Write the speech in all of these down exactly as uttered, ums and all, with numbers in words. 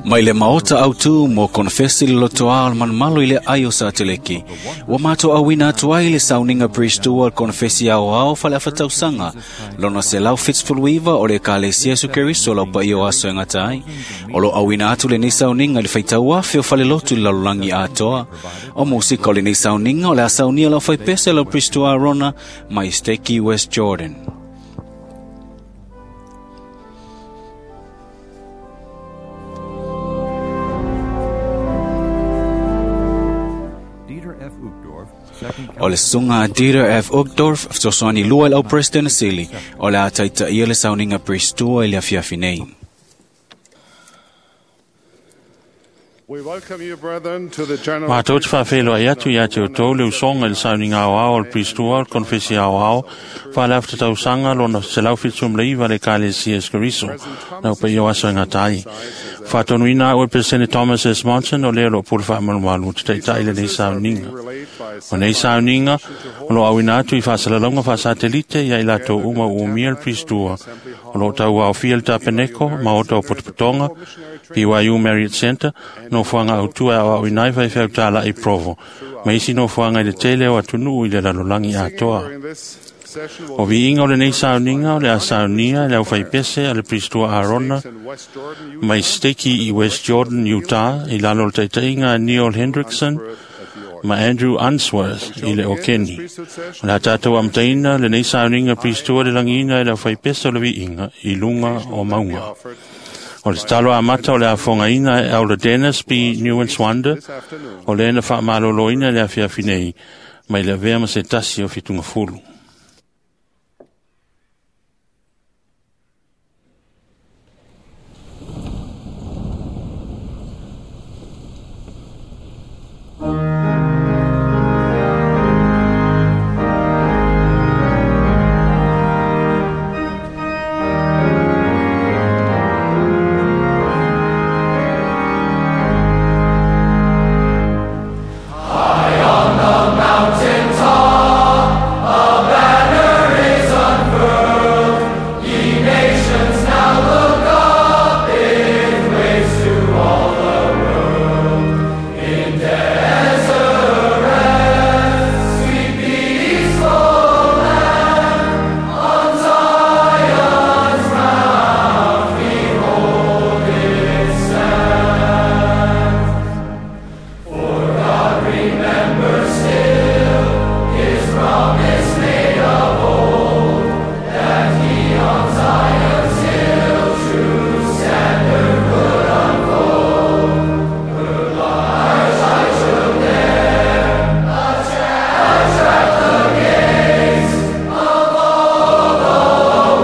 Mai le maota au tu mo konfesi le lotoa o le manumalo i le ai o Sateleki. Ua matou auina atu ai le sauniga Priestua o le konfesi aoao faaleafatausaga lona selau fitusefuluiva o le Ekalesia Iesu Keriso lau paia o aso e gata ai. O lo auina atu lenei sauniga i le faitau afe o falelotu i le lalolagi atoa. O musika o lenei sauniga o le a saunia lau faipese lau Priestua Arona mai Steki West Jordan. O le susuga a Dieter F. Uchtdorf, fesoasoani lua i le au President Sili, o le a taitaia le sauniga Priestua i le afiafi nei. Matou te faafeiloai atu ia te outou le usoga i le sauniga aoao o le Priestua o le Konfesi aoao faaleafatatausaga lona selau fitusefuluiva le Ekalesia Iesu Keriso lau paia o aso e gata ai. Faatonuina au e Peresene Thomas S. Monson o lea o loo pule faamalumalu te taitai lenei sauniga. O nei sauniga o loo auina atu i faasalalauga faasatelite ia i latou uma ua umia le Priestua o loo tauaofia le Tapeneko maota o Potopotoga B Y U Marriott Center nofoaga autua e aoaoina ai faifeau talai Provo ma isi nofoaga i le tele o atunuu i le lalolagi atoa. O viiga o lenei sauniga o le a saunia e le aufaipese a le Priestua Arona mai Steki i West Jordan, Utah, i lalo o le taitaiga a Neil Hendrickson ma Andrew Unsworth i le Okeni. O le a tatou amataina lenei sauniga Priestua le lagiina e le aufaipese o le viiga i luga o mauga. O le tatalo amata o le afogaina e Elder Dennis B. Neuenswander, o le na faamaloloina le afiafi nei, mai le avea ma se tasi o fitugafulu. High on the mountain top, a banner is unfurled. Ye nations now look up, it waves to all the world. In Deseret, sweet peaceful land, on Zion's mount behold it stand. For God remembers still His promise made of old, that He on Zion's hill true standard would unfold. Her large light shall there attract the gaze of all the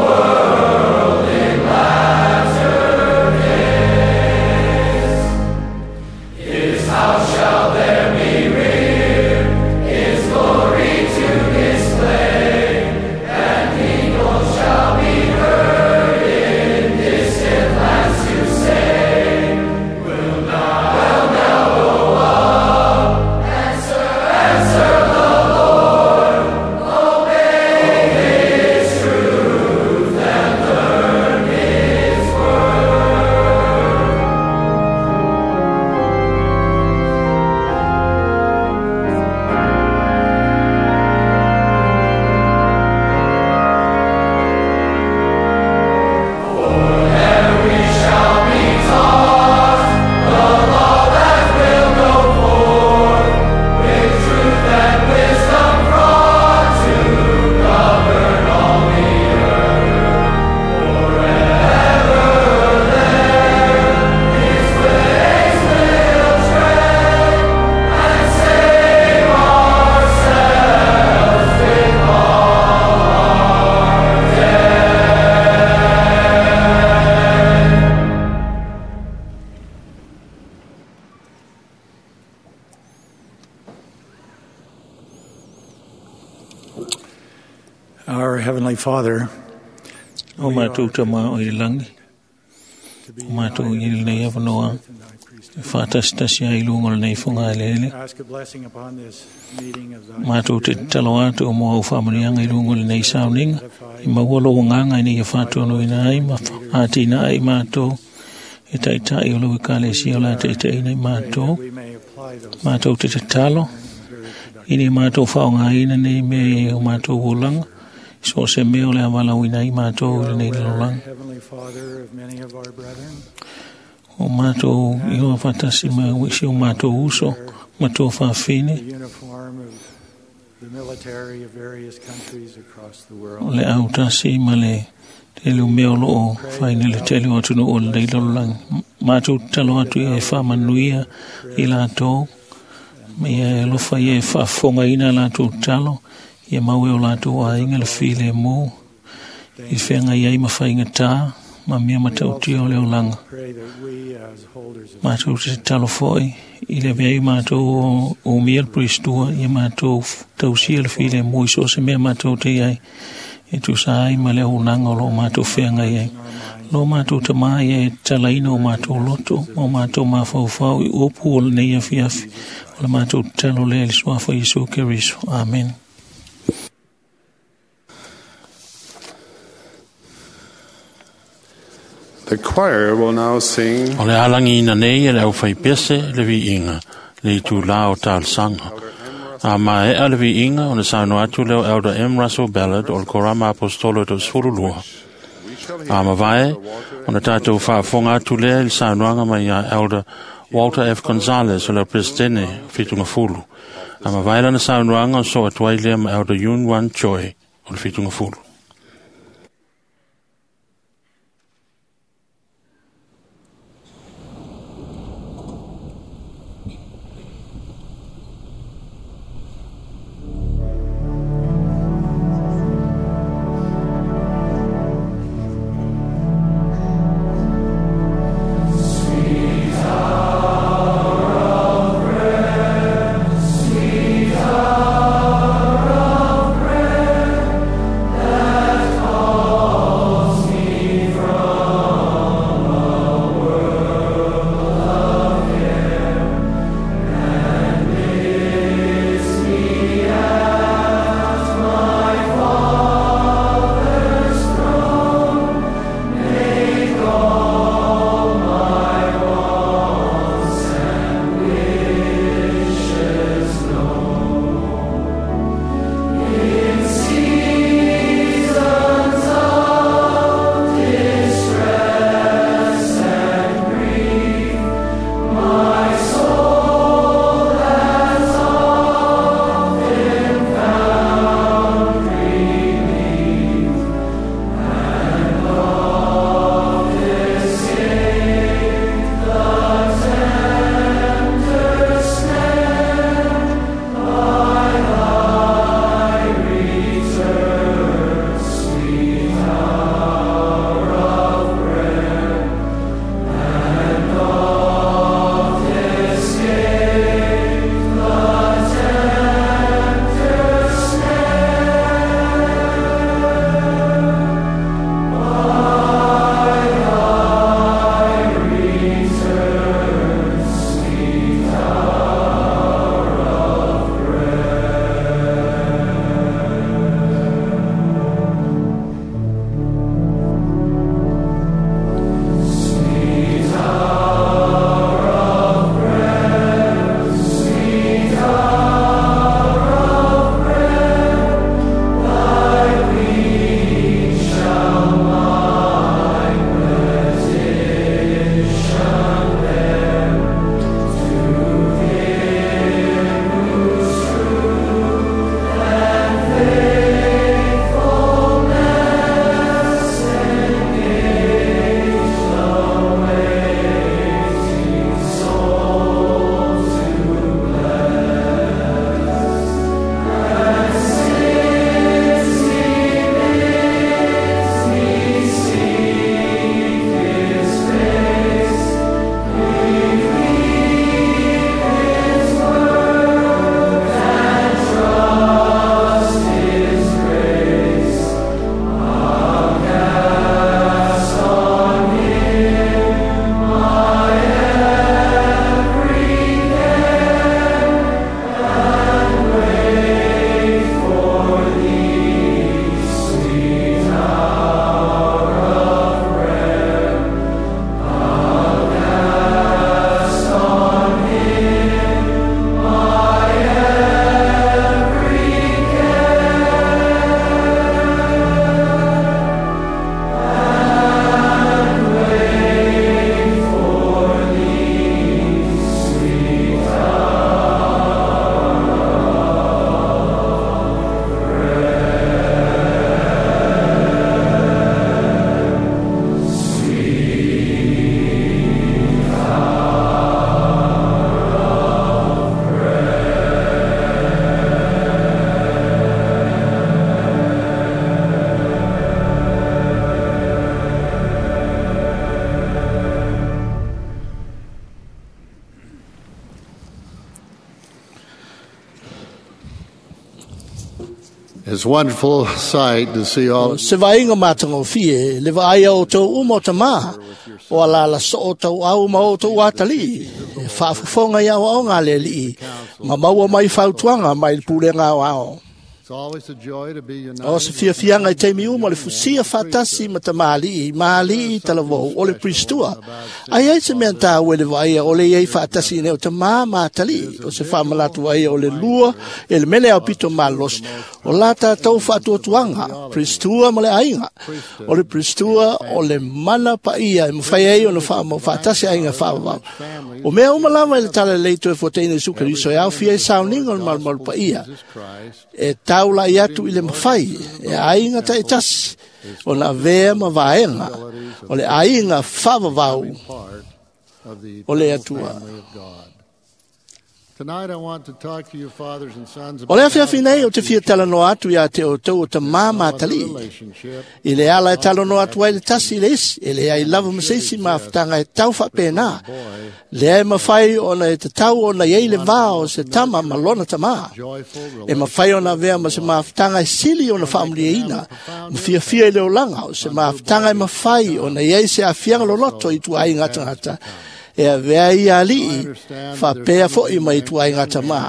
world in latter days. His house shall there be reared, His glory to display, and people shall be heard in distant lands to say, We'll now, we'll now go up and serve, and serve the Lord, obey His truth and learn His word. For there we shall be taught the law that will go forth with truth and wisdom brought to govern all the earth. Forever there His ways will tread and save ourselves with all our dead. Our Heavenly Father, O mātou ta mā o i langi. O mātou i lenei awanoa. E whātasitasi ai lunga o lenei whanga e lele. ask a blessing upon this meeting of thy Mātou te talo atu o mua au whaamanianga i lunga o lenei sauninga. I maua lo nganga i nei whātua no ina ai ma ātina ai mātou. E taitai o lau ekalesia o le a taitaiina i matou. We may apply those Matou te tatalo very productive. ina ia matou faaaogaina nei mea i o matou olaga i so o se mea o le a valaauina ai matou i lenei lalolagi. Heavenly Father of many of our brethren, O matou i hoa faatasi ma isi o matou uso ma toa faafine the uniform of the military of various countries across the o world. le autasi ma le tele o mea o loo faina le tele o atunuu o lenei lalolagi. Matou tatalo atu ia e faamanuia i latou ma ia e alofa ia e faafofogaina a latou tatalo ia maua e o latou aiga le filemu i feagai ai ma faigatā ma mea matautia o le olaga. Pray that we as holders of Matou te tatalo foi i le avea ai matou o umia le Puristua ia matou tausia le filemu i so o se mea matou te i ai e tusa ai ma le auaunaga o loo matou feagai ai. Lo matou tamā ia e tatalaina o matou loto ma o matou mafaufau i upu o lenei afiafi. O le matou tatalo lea i le suafa o Iesu Keriso. Amen. The choir will now sing O le alagiina nei e le aufaipese le viiga le itulā o talosaga. A maea le viiga ona saunoa atu lea o Elder M. Russell Ballard o le Korama Aposetolo Toasefululua. A mavae ona tatou faafofoga atu lea i le saunoaga mai ia Elder Walter F. Gonzales o le Peresetene o Fitugafulu. A mavae lana saunoaga o soo atu ai lea ma Elder Yun Wan Choi o le Fitugafulu. Sweet hour of prayer, It's a wonderful sight to see all Se vaaiga matagofie le vaaia o outou uma o tamā o alala soo tauau ma outou atalii e faafofoga i aoaoga a le Alii ma maua mai fautuaga mai le pulega aoao. It's always a joy to be united O se fiafiaga i taimi uma o le fusia faatasi ma tamalii ma alii talavou o le Pristua. Ai ai se mea tāua i le vaaia o le iai faatasi nei o tamā ma atalii o se faamalatu ai o le lua e le mele au pito malosi o la tātou faatuatuaga Pristua ma le aiga. O le Pristua o le mana paia e mafai ai ona faamau faatasi aiga faavavau. O mea uma lava i le talalelei toe fuataina Iesu Keriso e aofia ai sauniga o le malumalu paia e taulai atu i le mafai e aiga taitasi ona avea ma vaega o le aiga faavavau part of the o le eternal Atua. family of God. Tonight I want to talk to you fathers and sons O about le how afiafi to nei o talk te to fia each talanoa atu ia te outou o tamā ma other atalii relationship i le ala e talanoa atu ai le tasi i le isi e leai lava ma se isi mafutaga e tau faapena lea e mafai ona e tatau ona iai le vā o se tama ma lona tamā joyful e mafai ona avea ma se mafutaga e sili ona faamuliaina ma fiafia i le olaga o se mafutaga e mafai ona iai se afiaga loloto i tuaiga tagata e avea ia alii faapea fo'i mai tuaiga tamā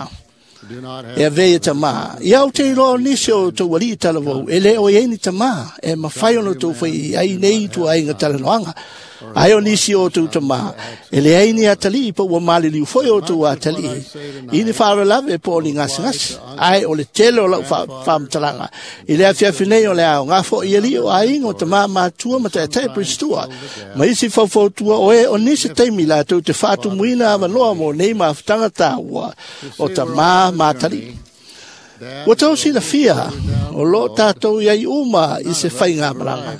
do not e have avea ia tamā. Ia au te iloa o nisi o outou alii talavou, e le o iai ni tamā, e mafai ona outou fai ai nei i tuaiga talanoaga. Ai o nisi o outou tamā, e leai ni atalii pa ua maliliu foi o outou atalii. I ni faalavelave po o ni gasegase, ae o le tele o lau faamatalaga. I le afiafi nei o le aoga fo'i alii o aiga o tamā matua ma ta'eta'i Pristua. Ma isi faufautua o e o nisi taimi latou te faatumuina avanoa mo nei mafutaga tāua o tamā ma atalii. Ua tau silafia o loo tātou iai uma i se faigamalaga.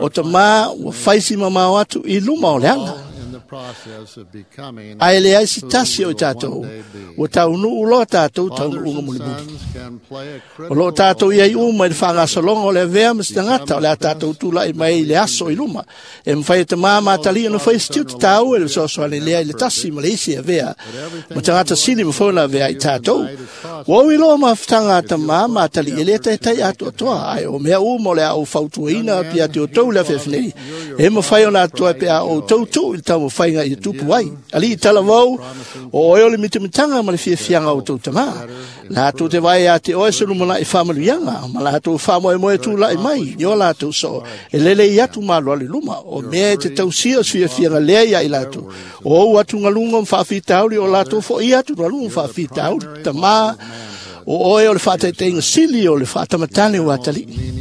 O tamā ua faisi mamao atu i luma o le ala. in the process of becoming Ae leai se who tasi o we i will tātou, one day be. ua taunuu loa tātou Fathers taunuuga and mulimuli. sons can play a O loo critical tātou role iai uma i le faagasologa o le avea ma se tagata o le a tātou tula'i mai i le aso i luma. E mafai e tamā ma atalii ona fai se tiute tāua i le fesoasoani lea i le tasi ma le isi e avea. Ma tagata sili ma ona avea i tātou. Ua ui loa mafutaga a tamā ma atalii e le taitai atoatoa ai o mea uma o le a ou fautuaina atu ia te outou le afiafi nei. E mafai ona atoa pe a outou tuu i le taumafaiga ia tupu ai. Alii talavou, o oe o le mitamitaga ma le fiafiaga o outou tamā. Latou te vae ia te oe se lumana'i faamanuiaga, ma latou faamoemoe tula'i mai i o latou soo, e lele i atu malu i luma, o mea e te tausia o se fiafiaga lea ia i latou. O ou atugaluga ma faafitauli o latou fo'i atugaluga ma faafitauli. Tamā, o oe o le faataitaiga sili o le faatamatane o atalii.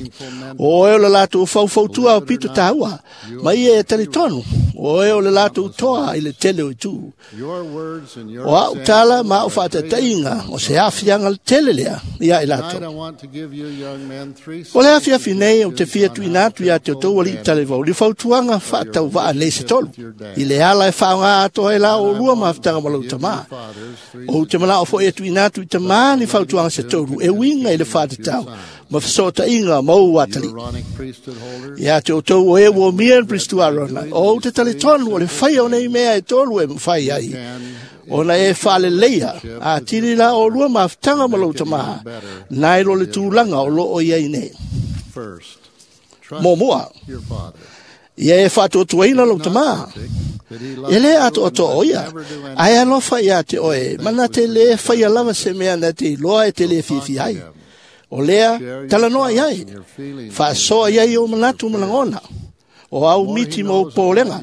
O oe o le latou faufautua o pito tāua, ma ia e talitonu, o oe o le latou toa i le tele o itu. Your words and your O au tala example ma au are great faataitaiga o se afiaga le tele lea ia i Tonight latou. I want to give you young men three O le afiafi nei o te fia suggestions tuina on how atu ia te to outou alii talevau, le fautuaga faatauvaa nei se tolu, i le ala e faaaoga atoa ai la o lua mafutaga ma lau tamā. fathers three O te manao fo'i e tuina atu i tamā ni fautuaga se tolu, e uiga i le faatatau, ma fesootaiga ma ou atalii. Aaronic priesthood holders Ia te outou o e ua mia le Pristu Arona, o ou te talitonu o le faia o nei mea e tolu e mafai ai. Ona e faaleleia, a tili la o lua mafutaga ma lau tamā, nai lo le tulaga o loo iai nei. first. Trust Muamua, your father. ia e faatuatuaina lau tamā. That he loves E le you atoatoa and o would ia, never do anything ae alofa ia te oe, mana te le faia lava se mea na te iloa e te le fiafia ai. O lea, Share your talanoa thoughts iai, and your feelings faasoa iai o manatu ma lagona. O au miti ma o pōlega.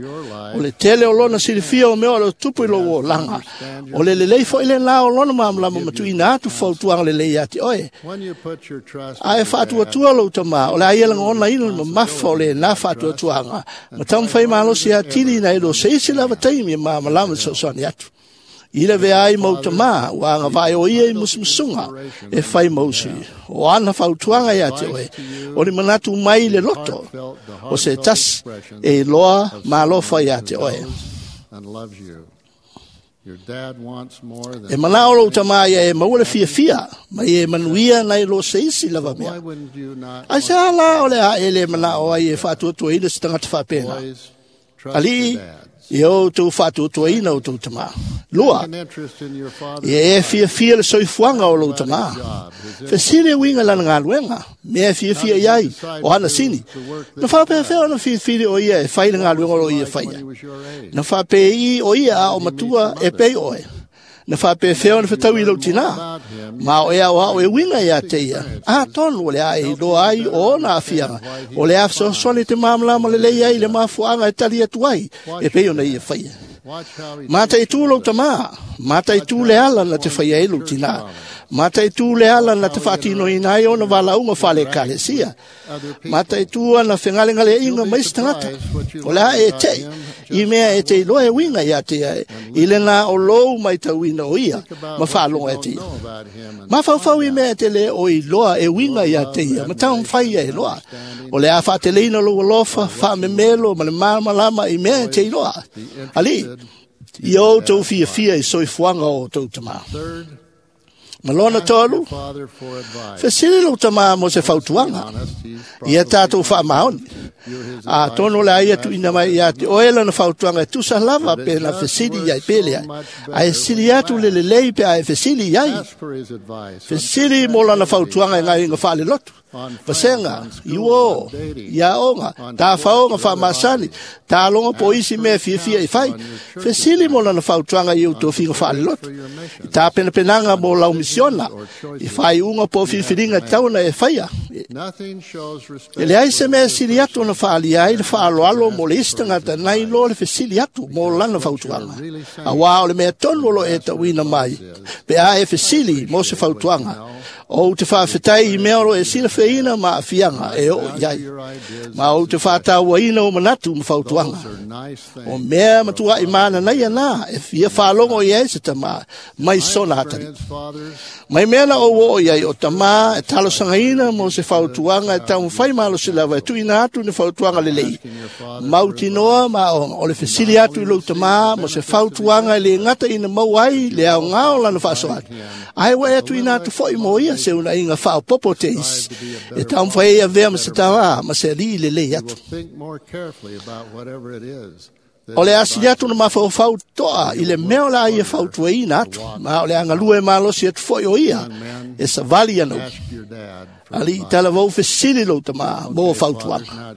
O le tele o lona silifia o mea o le tupu i lou olaga. O le lelei fo'i le la o lona malamalama ma tuuina atu fautuaga lelei ia te oe. When you put your trust in Ae your dad, faatuatua lou tamā, o le a ia lagonaina le mamafa o lenā faatuatuaga. Ma taumafai malosi atili nai lo se isi lava taimi e malamalama fesoasoani atu. I le vea ai mau tamā, ua agavae o ia i musumusuga, e fai mausi. O ana fautuaga ia te oe, o le manatu mai i le loto, heartfelt, the o se heartfelt tasi expressions e iloa of malofa someone ia who te oe. knows and loves you. Your dad wants more E than manao lou tamā ia e maua le fiafia, ma ia e manuia nai lo se isi lava Why mea. wouldn't you not Ai se want ala o le a e le manao ai e faatuatuaina se tagata faapena. boys trust Alii, your dads? ia outou faatuatuaina outou tamā. Lua, ia e fiafia le soifuaga o lou tamā. Fesili e uiga i lana galuega, mea e fiafia i ai, o hana sini. Na faapefea ona filifili o ia e fai le galuega o loo ia faia. Na faapei o ia a o matua e pei oe. Na faapefea ona fetaui i lou tinā. Ma o e aoao e uiga ia te ia. Atonu o le a e iloa ai o ona aafiaga, o le a fesoasoani te malamalama lelei ai i le mafuaaga e tali atu ai, e pei ona ia faia. Mataitū lou tamā, mataitū le ala na te faia ai lou tinā, mataitū le ala na te faatinoina ai ona valaauga faale-ekalesia, mataitū ana fegalegaleaiga ma isi tagata. O le a e te'i i mea e te iloa e uiga ia te ia i lena o lou maitauina o ia ma faalogo e te ia. Mafaufau i mea e te lē o iloa e uiga ia te ia ma taumafai ia e loa. O le a faateleina lou alofa, faamemelo ma le malamalama i mea e te iloa. Alii, ia outou fiafia i soifuaga o outou tamā. Ma lona tolu, fesili lou tamā mo se fautuaga. Ia tatou faamaoni. Atonu o le a ia tuuina mai ia te oe lana fautuaga e tusa lava pe na fesili i ai pe leai. Ae sili atu le lelei pe a e fesili i ai. Fesili mo lana fautuaga i galuega faalelotu, vasega, i uō, i aoga, tafaoga faamasani, taloga po o isi mea e fiafia e fai. Fesili mo lana fautuaga i ou tofiga faalelotu, i tapenapenaga mo lau misiona, i faaiuga po o filifiliga e tatau ona e faia. E leai se mea e sili atu ona faaalia ai le faaaloalo mo le isi tagata nai lo le fesili atu mo lana fautuaga. Auā o le mea tonu o lo o e tauina mai, pe a e fesili mo se fautuaga, ou te faafetai i mea o lo o e silafeina ma aafiaga e oo i ai, ma ou te faatauaina o manatu ma fautuaga. O mea matuaʻi mananaia na e fia faalogo i ai se tamā mai sona atalii. Mai mea na ou oo i ai o tamā e talosagaina mo se fautuaga e taumafai malosi lava e tuuina atu ni fautuaga lelei. Mautinoa ma aoga o le fesili atu i lou tamā mo se fautuaga e lē gata ina maua ai le aogā o lana faasoa atu, ae ua e tuuina atu foʻi mo ia se unaiga faaopopo te isi e taumafai ai avea ma se tamā ma se alii lelei atu. O le asili atu na mafaufau toa i le mea o le a ia fautuaina atu, ma o le a galue malosi atu foʻi o ia e savali ana upu. Alii talavou fesili lou tamā mo fautuaga.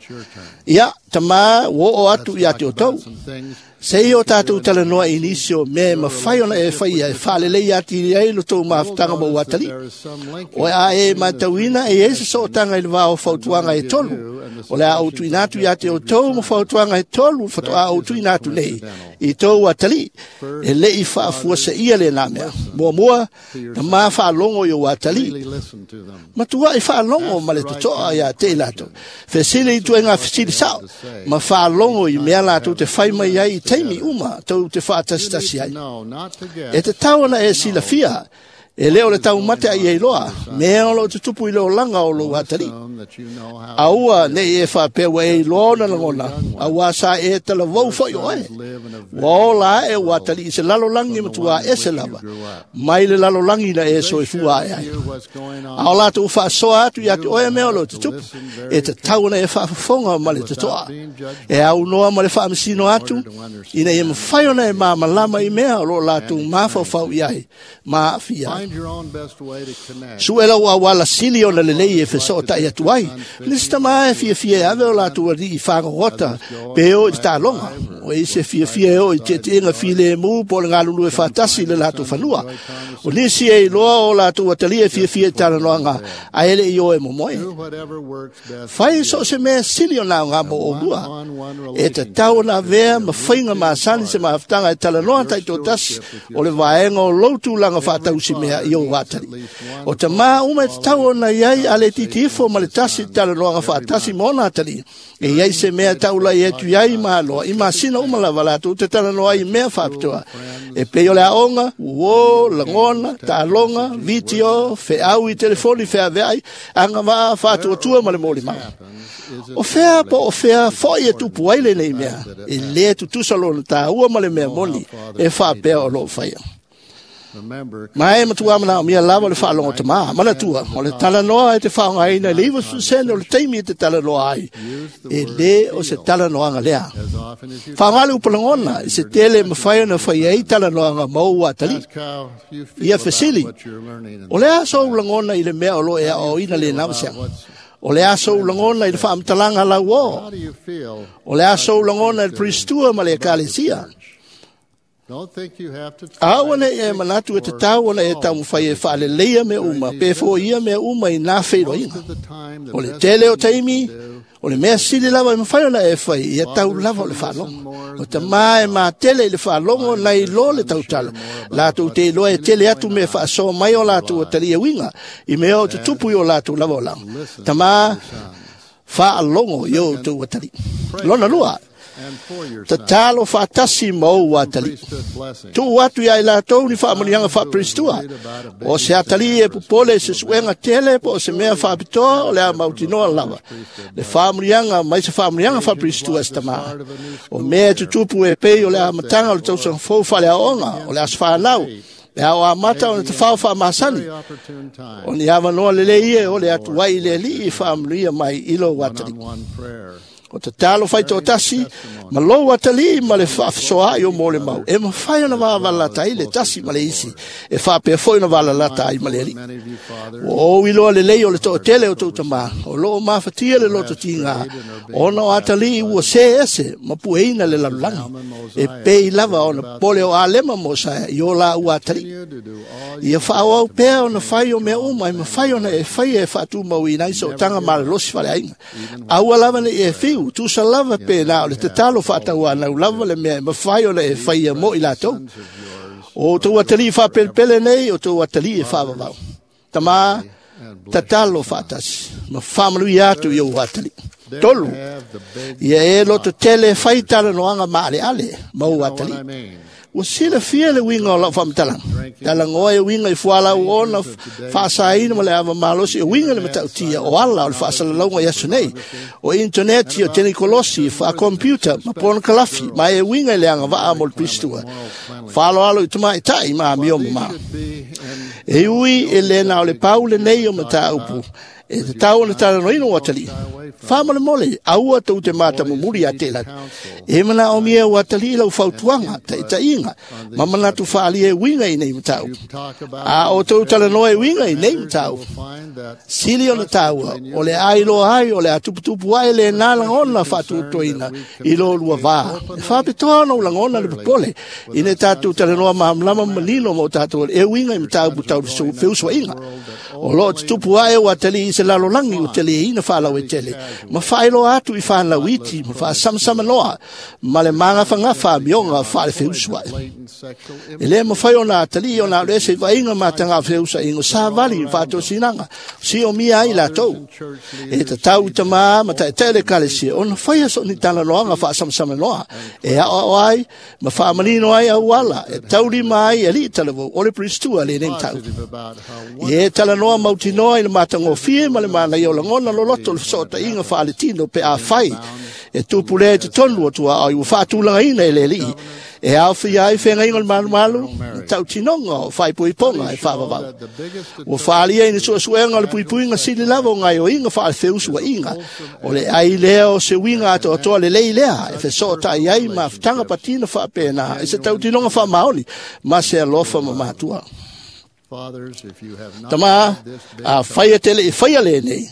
Ia, tamā, ua oo atu ia te outou. Se i o tatou talanoa i nisi o mea e mafai ona e faia e faalelei atili ai lo tou mafutaga ma ou atalii. O a e matauina e i ai se sootaga i le va o fautuaga e tolu. O le a ou tuuina atu ia te outou ma fautuaga e tolu faatoa ou tuuina atu nei i tou atalii, e le i faafuaseia lenā mea. Muamua, tamā faalogo i ou atalii. Matuaʻi faalogo ma le totoa ia te i latou. Fesili i ituaiga fesili sao, ma faalogo i mea latou te fai mai ai i taimi uma tou te faatasitasi ai. E tatau ona e silafia, e le o le taumate a ia iloa, mea o loo tutupu i le olaga o lou atalii. Aua nei e faapea ua e iloa ona lagona, auā sa e talavou foʻi oe. Ua ola aʻe ua atalii i se lalolagi matuā ese lava, mai le lalolagi na e soifua ae ai. A o latou faasoa atu ia te oe mea o loo tutupu, e tatau ona e faafofoga ma le totoa. E aunoa ma le faamasino atu, ina ia mafai ona e malamalama i mea o loo latou mafaufau i ai ma aafia ai. Sue lau auala sili ona lelei e fesootaʻi atu ai. Nisi tamā e fiafia e ave o latou alii i fagogota pe o i te taloga. O e isi e fiafia e oo i tietieʻiga filemu po o le galulue faatasi i le latou fanua. O nisi e iloa o latou atalii e fiafia i talanoaga ae e leʻi o e momoe. Fai so o se mea sili ona aogā mo oulua. E tatau ona avea ma faiga masani se mafutaga e talanoa taitoatasi o le vaega o lou tulaga faatausi mea i ou atalii. O tamā uma e tatau ona i ai a le itiiti ifo ma le tasi i talanoaga faatasi ma ona atalii. E i ai se mea e taulai atu i ai ma aloa i masina uma lava latou te talanoa ai i mea faapitoa. E pei o le aoga, uō, lagona, taaloga, vitio, feau i telefoni feaveai, agavaa, faatuatua ma le molimaga. O fea po o fea foʻi e tupu ai lenei mea, e lē tutusa lona tāua ma le mea moni e faapea o loo faia. Ma e matua mana o mia lava o le whaalogo te maa. Mana tua, o le talanoa e te whaongaina le iwa susene o le taimi e te talanoa ai. E le o se talanoanga lea. Whaongale upalangona, i se tele mawhai ona whai ai talanoanga mau atali. Ia fesili, o le aso ulangona i le mea o lo ea o ina le nawasianga. O le aso ulangona i le whaamtalanga lau o. O le aso ulangona i le pristua ma le ekalesia. Aua ne e manatu e te tau ona e taumawhai e whaaleleia me uma, pe fo ia me uma i nā wheiroinga. O le tele o taimi, o le mea sili lava e mawhai ona e whai, ia tau lava o le whaalongo. O te maa e mā tele i le whaalongo nei lo le tautala. Lātou te iloa e tele atu me whaasoa mai o lātou o talia winga, i mea o te tupu i o lātou lava o langa. Ta maa whaalongo i o tau atali. Lona lua, tatalo whaatasi mau atali. Tu atu ia i lātou ni whaamunianga whaapristua. O se atali e pupole se suenga tele po o se mea whaapitoa o le a mautinoa lava. Le whaamunianga mai se whaamunianga whaapristua se tamaa. O mea tutupu e pei o le a matanga o le tausanga fou whale aonga o le aswhanau. Le ao a mata o le te whao wha masani. O ni awanoa lele ie o le atuai le li i whaamunia mai ilo atali. O te talo whai tō tasi, ma lou atali ma le whaafsoa i o mō le mau. E mawhai ona wāwala tai le tasi ma le isi. E whapea foi ona wālalata ai ma le ali. O o iloa le lei o le tō tele o tō tamā. O loo mawhatia le loto tinga. Ona o atali ua se ese, ma pueina le lalulangi. E pei lava ona pole o alema mō saia i o la ua atali. Ia whaau au pea ona whai o mea uma, e mawhai ona e whai e whaatumau i naisa o tanga malalosi whale ainga. Aua lava ne e whiu, tusa lava pe nā o le tatalo whaataua nau lava le mea e mawhai ona e whai a mo i lātou. O tō atali whapelpele nei, o tō atali e whaavavau. Tamā, tatalo whaatasi, ma whamanui atu i o atali. Tolu, ia e loto tele whai tala noanga maale ale, mau atali. Ua sila fia le winga o lau whaamatalanga. Talangoa e winga i fualau ona whaasaina ma le awa malosi e winga le matautia o ala o le whaasalalaunga i aso nei. O interneti o tenikolosi, wha-computer, ma pona kalafi, ma e winga i le anga waa mo le pristua. Whaalo alo i tamai tai ma mio ma. E ui e le na o le paule nei o mataupu. E te tau ona talanoina o atali. Whamale mole, aua tau te māta mumuri a te lani. E mana o mia o atali lau fautuanga, ta itainga, ma manatu whaali e winga i nei matau. A o tau talanoa e winga i nei matau. Sili o na taua, o le ailoa ai, o le atuputupu ai le nā langona whaatutoina i lo lua vā. E whapetoa ona o langona le popole, i ne tātou talanoa mahamlama manino mo tātou e winga i matau putau feuswainga. O lo te tupu ai o atali i se lalolangi o tele ina whalau e tele. Ma whaeloa atu i whanau iti, ma whaasamasama noa, ma le mangawhangafa mionga whaale feusua. E le mawhai ona atali o nā rese vainga matanga feusa ingo sāvali whaatosinanga, si o mia ai lātou. E te tau i tamā ma tae tele kalesia, ona whaia so ni talanoanga whaasamasama noa. E ao ai, ma whaamanino ai au ala, e taurima ai e li talavou, o le pristua le nei tau. E talanoa mautinoa i le matangofie ma le mana i o langona loloto le sota inga whaale tino pe a whai. E tupule te tonu o tua ai ua whaatulanga ina e le li. E au whia ai whenga inga le malu malu, tau tinonga o whai puiponga e whaavavau. Ua whaalia ina suasuenga o le puipuinga sili lava o ngai o inga whaale feusua inga. O le ai lea o se winga ato atoa le lei lea, e whesota i ai ma whitanga patina whaapena, e se tau tinonga wha maoli, ma se alofa ma matua. Tama, a whaia tele i whaia le nei.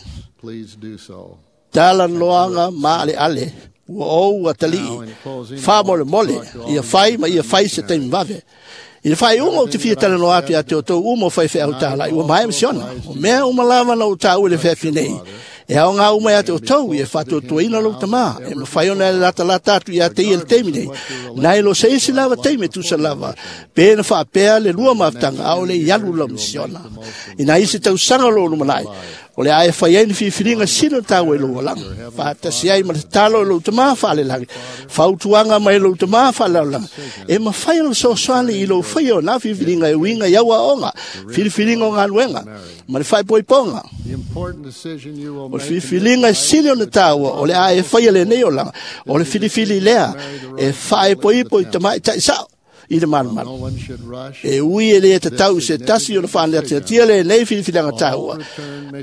Tala loanga maale ale, ua ou atali, wha mole mole, ia whai ma ia whai se taimi wawe. I le whai unga o te fia tala noa atu ia te o tau umo whai whea o tāla, i ua maea misiona. O mea umalava na o tāu le whea nei. E au ngā uma ia te o tau, e whātuatuaina lou tamā, e mawhai ona e lata lata atu ia te ia le teimi nei. Nai lo se isi lava teime tusa lava, pēna whaapea le lua mawtanga, au le ialu lau misiona. Ina isi tau sanga lo lumanai, o le ae whai ai ni whiwhiringa sino tau e lou alanga. Whaatasi ai ma te talo e lou tamā whaale langi. Whautuanga mai lou tamā whaale langi. E mawhai ona sosoani i lou whai o nā whiwhiringa e winga i aua onga, whiwhiringa o ngā nuenga, ma le whaipoiponga. O le whiwhiringa e sili o le taua, o le ae whai le nei o langa, o le whiriwhiri lea, e whaepoipo i tamai tai sao. i le malumalu. E ui e le tatau i se tasi o le whaanatiatia le nei filifilianga tāua.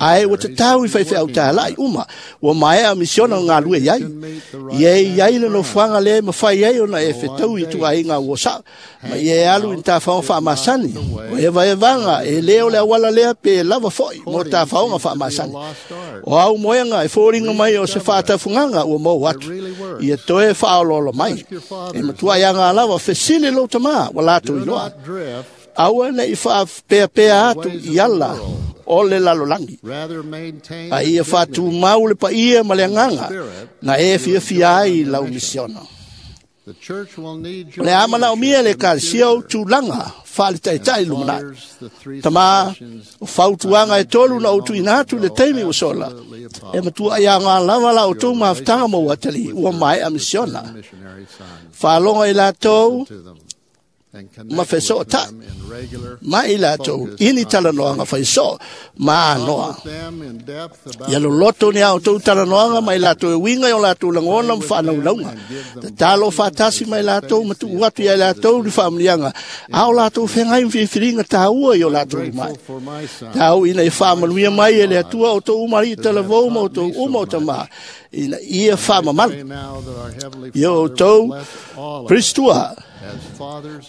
Ae ua tatau i whaiwhiau tālai uma, ua maea misiona o ngā lue iai. Ia e iai le nofuanga le mawhai ai ona e whetau i tuainga ua sa. Ma ia e alu i tāwhaonga whaamasani. O e vaevanga e leo le awala lea pe lava foi mo tāwhaonga whaamasani. O au moenga e fōringa mai o se whaatafunganga ua mou atu. Ia toe whaololo mai. E matua ia ngā lawa fesile lo tamā wa lātou iloa. Aua nei whaapea atu i ala o le lalolangi. A ia whātūmau le paia ma le anganga na e fia fia ai lau misiona. O le amana o mia le kalesia o tūlanga whaaletaitai lumanai. Tama o fautuanga e tolu na o tuina atu le teimi o sola. E matua ia ngā lava la o tō mawhitanga mō atali ua mai a misiona. Whaalonga i lātou ma wheso ta. Ma i lātou ini talanoanga whaiso ma anoa. Ia loloto ni au tō talanoanga mai lātou e winga i o lātou langona ma whaanaulaunga. Te talo whātasi mai lātou ma tuu atu ia lātou ni whaamnianga. Ao lātou whengai mwhiwhiringa tāua i o lātou mai. Tāu ina i whaamanuia mai e le atua o tō umari i talavou ma o tō uma o tamā. Ina ia whaamamalu. Ia o tō Pristua.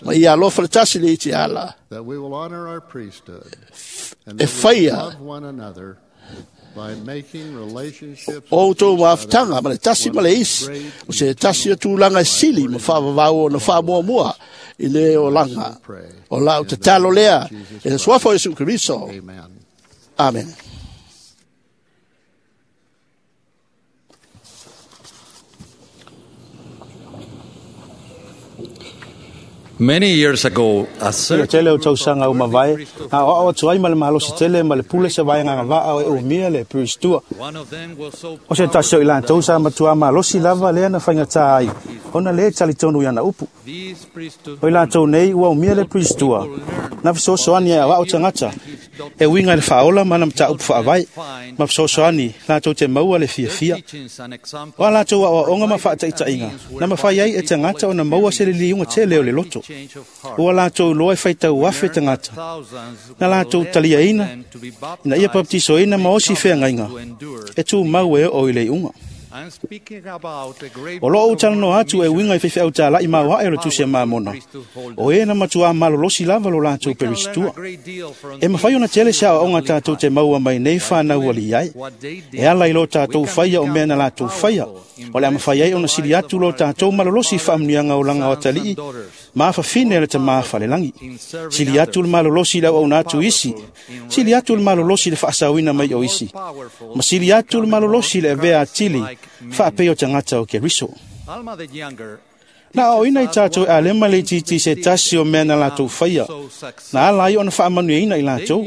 Ma ia alofa le tasi le iti ala. E whaia o tō mawhitanga ma le tasi ma le isi. O se tasi o tūlanga e sili ma whaavavau o na whaamuamua i le o langa. O lau te talo lea e le suafa o Iesu Keriso. Amen. Many years ago, a Ia tele o tausanga o mavae, a o o tuai ma le malosi tele ma le pule se vai nganga vaa o e umia le pristua. O se tasi o i lātou sa matua malosi lava lea na whainga ai, ona le talitonu i ana upu. O i lātou nei ua umia le pristua, na fesoasoani e awao tangata, e winga le whaola mana mata upu whaavai, ma fesoasoani lātou te maua le fiafia. O a lātou a oaonga ma whaataitainga, na mawhai ai e tangata o na maua se le liunga tele o le loto. Ua lātou loa e whaitau afe tangata. Na lātou talia ina, ina ia paptiso ina ma osi whea e tū mau e o i le unga. O loo talanoa atu e winga i whewheau tālai mau hae o le tusi a mamona. O e na matua malolosi lava lo lātou peristua. E mawhai ona tele se aoaoga tātou te maua mai nei whānau ali ai. E ala i lo tātou whaia o mea na lātou whaia. O le amawhai ai ona sili atu lo tātou malolosi whaamnianga o langa o atalii. Maafa fine le te maafa le langi. Sili atu le malolosi lau au atu isi. Sili atu le malolosi le whaasawina mai o isi. Ma sili atu le malolosi le avea atili. Whaapei o tangata o Keriso. Na o ina i tātou e alema le titi se tasi o mea na lātou whaia. Na ala ai ona whaamanuia i lātou.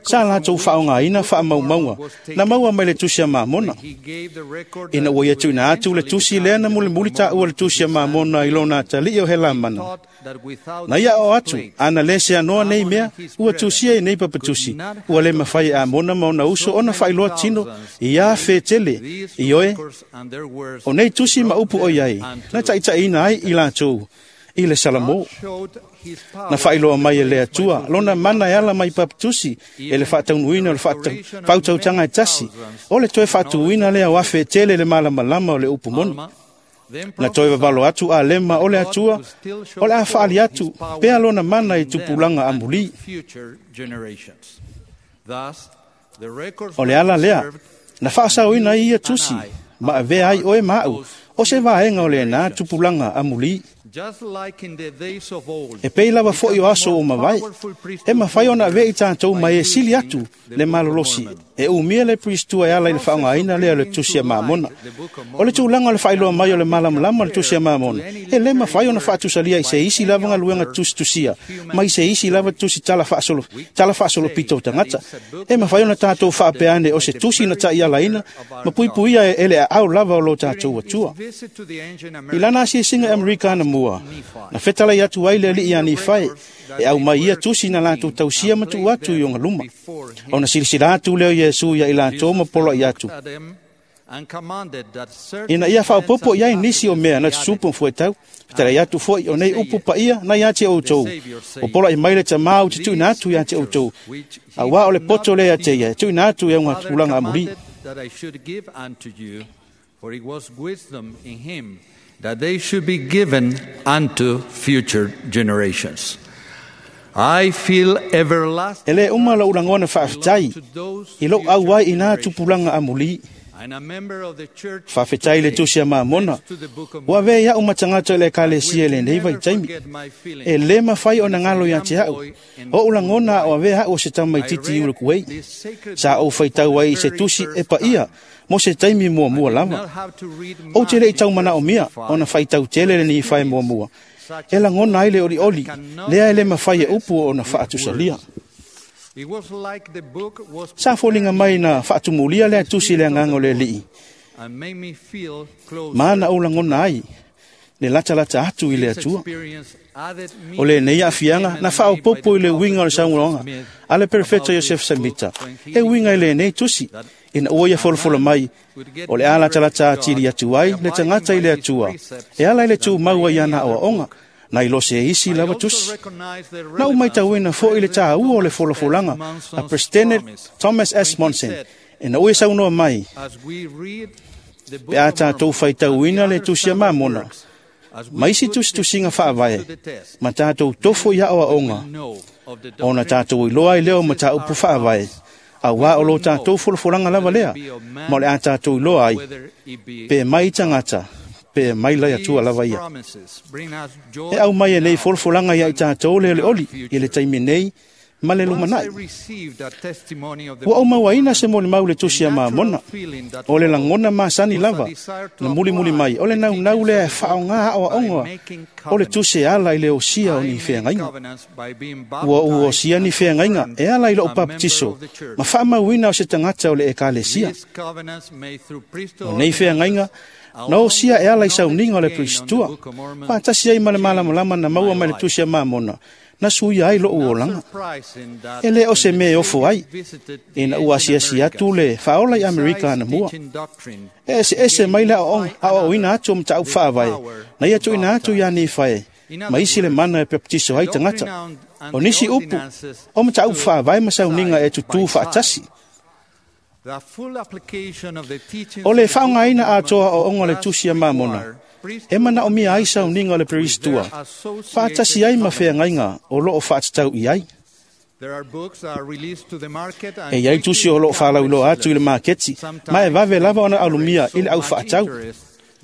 Sa lātou whaonga ina whaamaumaunga. Na maua mai le tusi a mamona. Ina ua ia tuina atu le tusi lea na muli muli tā ua le tusi a mamona i lona atali o he lamana. Na ia o atu, ana le se anoa nei mea, ua tusia i nei papatusi. Ua le mawhai a mona mauna uso ona whailoa tino, i a whetele, i oe. O nei tusi ma upu o iai, na taitai ina ai i lātou, i le Salamo. Na whailoa mai e le atua, lona mana e ala mai papatusi, e le whaataunuina o le whautautanga e tasi, o le toe whaatuina lea o a whetele le malamalama o le upu moni. Na toe vavalo atu a lema o le atua, o le a whaali atu, pea lona mana i tupulanga amuli. O le ala lea, na whaasauina i ia tusi, ma avea ai oe maau, o se vaenga o le nā tupulanga amuli. E pei lava foi o aso o mawai, e mawhai ona avea i tātou mai e sili atu le malolosi, e umia le pristua e ala i le whaongaina lea o le tusi a mamona. O le tūlanga o le whailoa mai o le malamalama o le tusi a mamona, e le mawhai ona whaatusalia i se isi lava ngaluenga tusitusia, ma i se isi lava tusi tala whaasolo, tala whaasolo pito o tangata. E mawhai ona tātou whaapeane o se tusi na tai alaina, ma puipuia e ele a au lava o lo tātou atua. I lana asiasinga Amerika na mua, na whetalai atu ai le alii ani whai, e au mai ia tusi na lātou tausia matu atu i onga luma. O na silisila atu leo Iesu ia i lātou ma polo i atu. Ina ia faaopoopo i ai nisi o mea na tutupu ma fuaitau, fetalai atu foi o nei upu paia na ia te outou. O polaʻi mai le tamā ou te tuuina atu ia te outou, auā o le poto lea ia te ia e tuuina atu i auga tupulaga amulī. That I should give unto you, for it was wisdom in him that they should be given unto future generations. I feel everlasting E lē uma lou lagona faafetai i lou auai i nā tupulaga amulī. and a member of the church Faafetai le tusi a Mamona, ua avea iaʻu ma tagata o le ekalesia i lenei vaitaimi. E lē mafai ona galo iā te aʻu, oʻu lagona a o avea aʻu o se tamaititi i Ulukuei. Sa ou faitau ai i se tusi e paia mo se taimi muamua lava. Ou te leʻi taumanaʻomia ona faitau tele le nifae muamua. E lagona ai le olioli, lea e lē mafai e upu ona faatusalia. It was like the book was Sa foliga mai na faatumulia lea tusi i le agaga o le alii, and made me feel close. ma na ou lagona ai le latalata atu i le This Atua. experience added O lenei aafiaga na faaopopo i le uiga o le saunoaga a le perefeto Iosef Samita e uiga i lenei tusi, ina ua ia folafola mai o le a latalata atili atu ai le tagata i le Atua e ala i le tumau ai ana aoaoga na i lo se isi lava tusi. Na ou maitauina foi le tāua o le folafolaga a President Thomas S. Monson ina ua ia saunoa mai as we read the book pe a tatou faitauina le tusi a Mamona ma isi tusitusiga faavae ma tatou tofo i aoaoga ona tatou iloa ai lea o mataupu faavae, auā o lo tatou folafolaga lava lea, ma o le a tatou iloa ai pe mai tagata pe mai lai Atua lava ia. promises bring us joy. E au mai e nei folafolaga ia i tatou le olioli i le taimi nei ma le Once I lumanai. received a testimony of the Ua ou mauaina se molimau le tusi a Mamona, o le lagona masani lava na mulimuli mai o le naunau lea e faaaogā aoaoga o le tusi e ala i le osia o ni feagaiga. covenants by being Ua ou osia ni feagaiga e ala i lou papatiso ma faamauina o se tagata o le ekalesia. These covenants made through priesthood O nei feagaiga na osia e ala i sauniga o le Pristua, faatasi ai ma le malamalama na maua mai le tusi a Mamona, na suia ai lou olaga. surprising that E lē o se mea e ofo ai, visited ina ua asiasi atu le faaola i Amerika anamua. teaching doctrine E eseese mai le aoaoga aoaoina atu o mataupu faavae, na ia tuuina atu iā Nifae, ma isi le mana e pepetiso ai tagata. O nisi upu, o mataupu faavae ma sauniga e tutū faatasi. the full application of the teachings O le faaaogaina atoa aoaoga o le tusi a Mamona, e manaomia ai sauniga o le Peristua, faatasi ai ma feagaiga o loo faatatau i ai. There are books that are released to the market and E iai tusi o loo faalauiloa atu i le maketi, ma e vave lava ona alumia i le au faatau.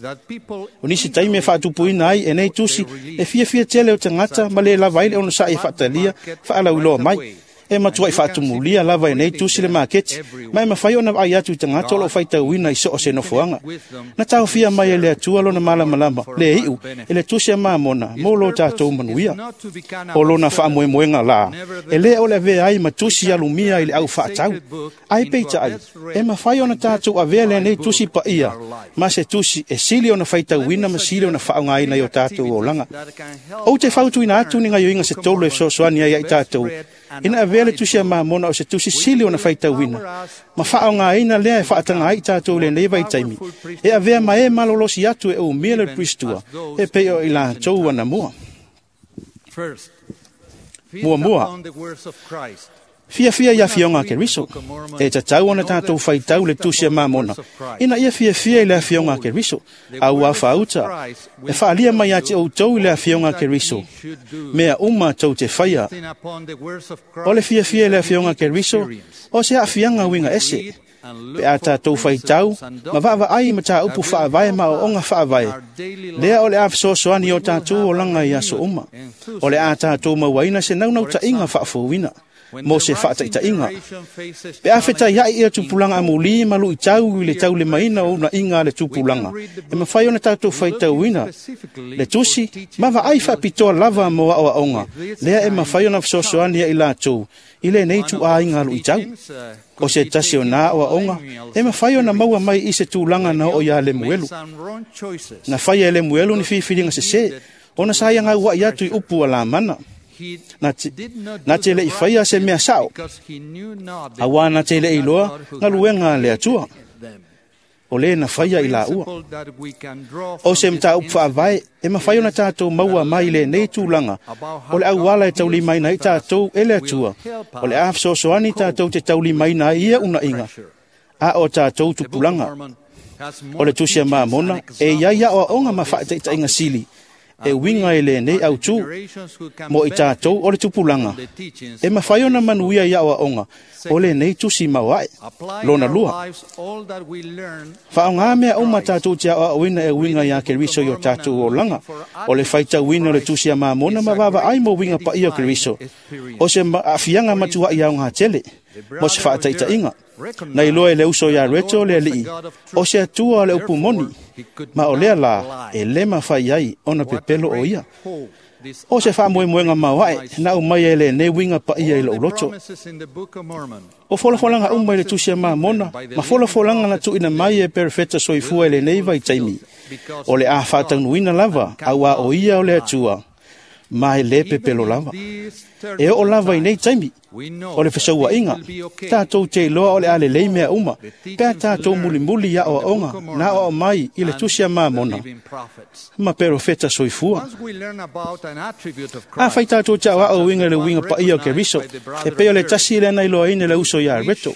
that people O nisi taimi e faatupuina ai e nei tusi e fiafia tele o tagata ma lē lava ai le onosaʻi e faatalia faalauiloa mai. E matuaʻi faatumulia lava e nei tusi le maketi, ma e mafai ona vaai atu i tagata o loo faitauina i so o se nofoaga. Na taofia mai e le Atua lona malamalama le iʻu e le tusi a Mamona mo lo tatou manuia. O lona faamoemoega lā, e lē o le avea ai ma tusi alumia i le au faatau. Ae peitaʻai, e mafai ona tatou avea lenei tusi paia, ma se tusi e sili ona faitauina ma sili ona faaaogāina i o tatou olaga. Ou te fautuina atu ni gaioiga se tolu e fesoasoani ai ia i tatou, ina avea le tusi a Mamona o se tusi sili ona faitauina, ma faaaogāina lea e faataga ai i tatou i lenei vaitaimi, e avea ma e malolosi atu e umia le Pristua, e pei o i latou anamua. first feast Muamua. upon the words of Christ. Fiafia i afioga a Keriso, e tatau ona tatou faitau le tusi a Mamona, ina ia fiafia i le afioga a Keriso, auā faauta, e faalia mai ia te outou i le afioga a Keriso, mea uma tou te faia. Feasting upon the words of O le Christ fiafia i le afioga a Keriso, o se aafiaga uiga ese, pe a tatou faitau, ma vaavaai ma tāupu faavae ma aoaoga faavae, lea o le a fesoasoani i o tatou olaga i aso uma. O le a tatou mauaina se naunautaiga faafouina, mo se faataitaiga. Pe a fetaiaʻi ia tupulaga amulī ma luʻitau i le taulemaina o unaʻiga a le tupulaga, e mafai ona tatou faitauina le tusi ma vaai faapitoa lava mo aoaoga, lea e mafai ona fesoasoani ia i latou i lenei tuāiga luʻitau. O se tasi o nā aoaoga, e mafai ona maua mai i se tulaga na oo iā Lemuelu. some wrong choices. Na faia e Lemuelu ni filifiliga sesē, ona sa ia gauaʻi atu i upu a Lamana. He Na te, did not na do te the leʻi right faia se thing mea sao, because he knew not the auā na te leʻi iloa galuega a le Atua. them. O lē na faia i laua. O se mataupu faavae e mafai ona tatou maua mai lenei tulaga o le auala e taulimaina ai tatou e le Atua, o le a fesoasoani tatou te taulimaina ai ia unaiga a o tatou tupulaga. O le Tusi a Mamona e iai aoaoga ma faataitaiga sili e uiga i lenei autū mo i tatou o le tupulaga e mafai ona manuia i aoaoga o lenei tusi maoae. Lona lua, faaaogā mea uma tatou te aoaoina e uiga iā Keriso i o tatou olaga. O le faitauina o le Tusi a Mamona ma vaavaai mo uiga paia o Keriso, o se aafiaga matuai aoga tele mo se faataitaiga. Na iloa e le uso iā Reto le alii, o se Atua o le upu moni, ma o lea lā e lē mafai ai ona pepelo o ia. O se faamoemoega maoae na aumai e lenei uiga paia i lou loto. O folafolaga uma i le Tusi a Mamona ma folafolaga na tuuina mai e perofeta soifua i lenei vaitaimi, o le a faataunuina lava auā o ia o le Atua, ma e lē pepelo lava. E oo lava i nei taimi o le fesauaiga, tatou te iloa o le a lelei mea uma, pe a tatou mulimuli i aoaoga na aoao mai i le Tusi a Mamona ma perofeta soifua. Afai tatou te aoao uiga i le uiga paia o Keriso, e pei o le tasi lea na iloaina e le uso iā Reto,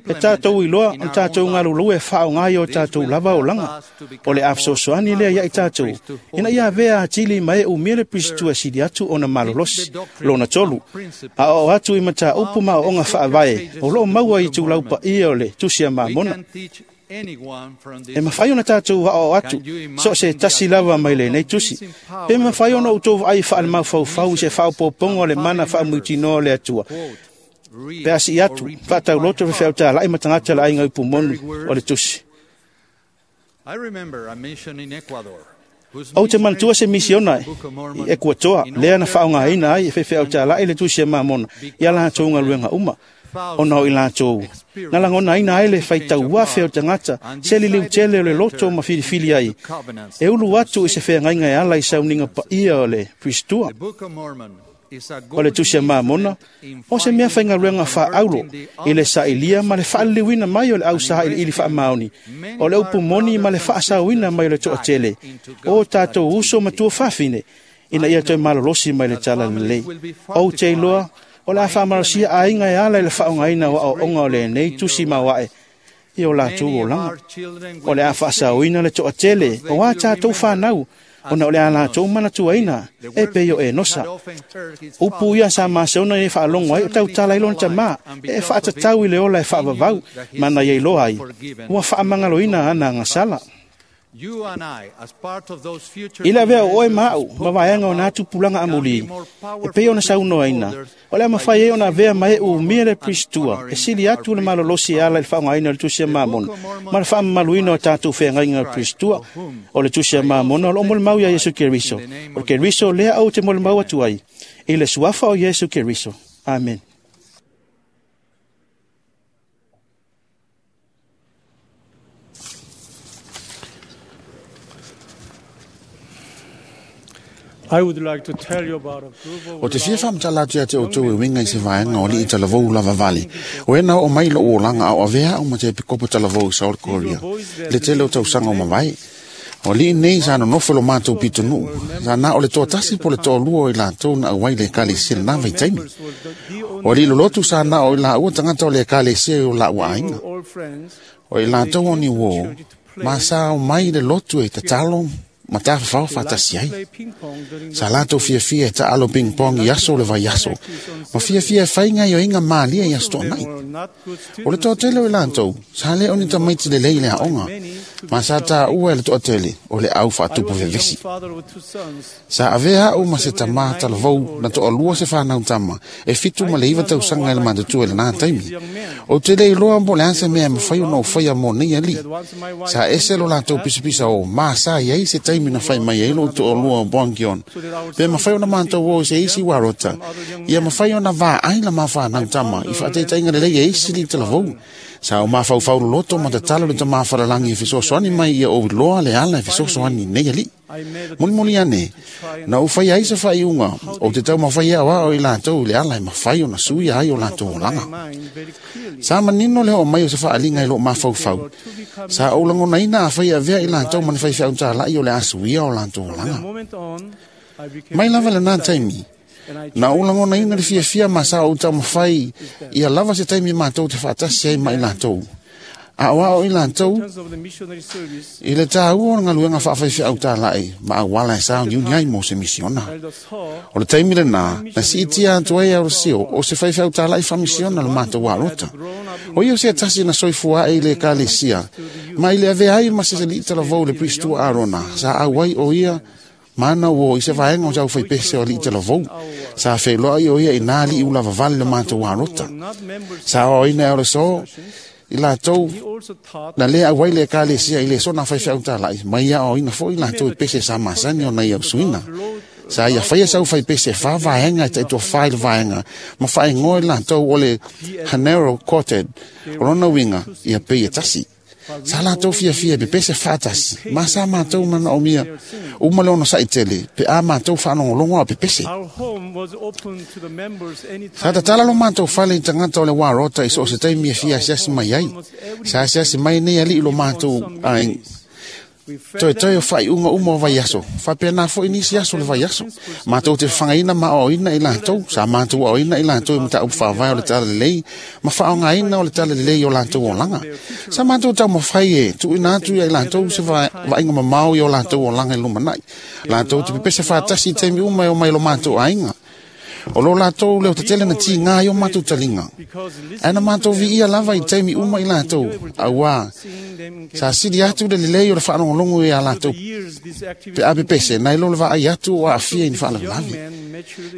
e tatou iloa ona tatou galulue e faaaoga i o tatou lava olaga. O le a fesoasoani lea ia i tatou, ina ia avea atili ma e umia le Pirisito e sili atu ona malolosi. Lona tolu, aoao atu i mataupu ma aoaoga faavae o loo maua i itulau paia o le Tusi a Mamona. E mafai ona tatou aoao atu so o se tasi lava mai lenei tusi, pe mafai ona outou vaai faalemaufaufau i se faaopoopoga o le mana faamuitinoa o le Atua, pe a sii atu faatauloto fefeautalai ma tagata le aiga upu moni o le tusi. Ou te manatua se misiona i Ekuatoa, lea na faaaogaina ai e faifeau le Tusi a Mamona ia latou galuega uma, ona o i latou na lagonaina ai le faitau afe o tagata se liliu tele o le loto ma filifili ai e ulu atu i se feagaiga e ala i sauniga paia o le Piristua. O le Tusi a Mamona o se mea faigaluega faaulo i le sailia ma le faaliliuina mai o le ausailiili faamaoni, o le upu moni ma le faasaoina mai o le toatele o tatou uso ma tuafafine, ina ia toe malolosi mai le tala lelei. Ou te iloa o le a faamalosia aiga e ala i le faaaogaina o aoaoga o lenei tusi maoae i o latou olaga. O le a faasaoina le toatele o a tatou fanau, ona o le a latou manatuaina e pei o Enosa. Upu ia sa maseona e faalogo ai o tautala i lona tamā, e faatatau i le ola e faavavau, ma na ia iloa ai, ua faamagaloina ana agasala. I le avea o oe ma au, ma vaega o nā tupulaga amulī, e pei ona saunoaina, o le a mafai ai ona avea ma e umia le Piristua, e sili atu le malolosi e ala i le faaaogaina o le Tusi a Mamona, ma le faamamaluina o tatou feagaiga o le Piristua. O le Tusi a Mamona o loo molimau ia Iesu Keriso. O le Keriso lea ou te molimau atu ai, i le suafa o Iesu Keriso. Amen. O te fia whamtala atu ia te o tau e winga i se vaenga o li i talavou lava vale. O ena o mai lo o langa au avea o ma te pikopo talavou i South Korea. Le tele o tausanga o mawai. O li nei sa no nofo lo mātou pitunu. Sa na o le toa tasi po le toa lua o i lātou na awai le ekalesia le nā vaitaimi. O li lolotu sa na o i la ua tangata o le ekalesia o la ua ainga. O i lātou o ni uo, ma sa o mai le lotu e tatalo ma tafafao faatasi ai. Sa latou fiafia e taalo ping-pong i aso o le vaiaso, ma fiafia e faiga i oiga malia i aso toanai. O le toatele o i latou, sa lē o ni tamaiti lelei le aoga, ma sa tāua e le toatele o le au faatupu vevesi. Sa avea a'u ma se tamā talavou na toalua se fanau tama, e fitu ma le iva tausaga i le matutua i lenā taimi. O te le iloa mo le a se mea e mafai ona ou faia mo nei alii. Sa ese lo latou pisapisa o ma sa i ai se taimi na fai mai ai lou toalua o Bongion. Pe mafai ona matou o i se isi uarota, ia mafai ona vaai la mafanau tama i faataitaiga lelei e isi li talavou. Sa o mafaufau loloto ma tatalo le tamā falalagi e fesoasoani mai ia ou iloa le ala e fesoasoani nei alii. Mulimuli ane, na ou faia ai se faaiuga, ou te taumafai e aoao i latou i le ala e mafai ona suia ai o latou olaga. Sa manino le oo mai o se faaliga i loo mafaufau. Sa ou lagonaina afai e avea i latou ma ni faifeau talai o le a suia o latou olaga. Mai lava lenā taimi, na ou lagonaina le fiafia ma sa ou taumafai ia lava se taimi matou te faatasi ai ma i latou. Aoao i latou i le tāua o le galuega faafaifeau talai ma auala e sauniuni ai mo se misiona. O le taimi lenā, na siitia atu ai Aurasio o se faifeau talai faamisiona le matou alota. O ia o se tasi na soifua ae i le ekalesia, ma i le avea ai ma se alii talavou le Pristua Arona, sa auai o ia mana ua i se vaega o sau faipese o alii talavou. Sa feiloai o ia i nā alii ulavavale le matou alota. Sa aoaoina e Aurasio i latou na lē auai le ekalesia i le sona faifeau talai, ma ia aoaoina foi latou i pese sa masani ona ia usuina. Sa ia faia sau faipese e fā vaega e taitoafā i le vaega, ma faaigoa i latou o le Hanero Quartet, o lona uiga ia pei e tasi. Sa latou fiafia e pepese faatasi, ma sa matou manaomia uma le onosaʻi tele, pe a matou faalogologo a o pepese. Sa tatala lo matou fale i tagata o le uarota i so o se taimi e fia asiasi mai ai. Sa asiasi mai nei alii lo matou aiga. Toetoe o faaiuga uma o vaiaso, faapena foi nisi aso o le vaiaso. Matou te fafagaina ma aoaoina i latou, sa matou aoaoina i latou i mataupu faavae o le talalelei ma faaaogaina o le talalelei o latou olaga. Sa matou taumafai e tuuina atu ia i latou se vaaiga mamao i o latou olaga i lumanai. Latou te pepese faatasi i taimi uma e omai i lo matou aiga. O lo latou leo tetele na tigā ai o matou taliga. Ae na matou viia lava i taimi uma i latou, auā sa sili atu le lelei o le faalogologo iā latou pe a pepese nai lo le vaai atu o aafia i ni faalavelave.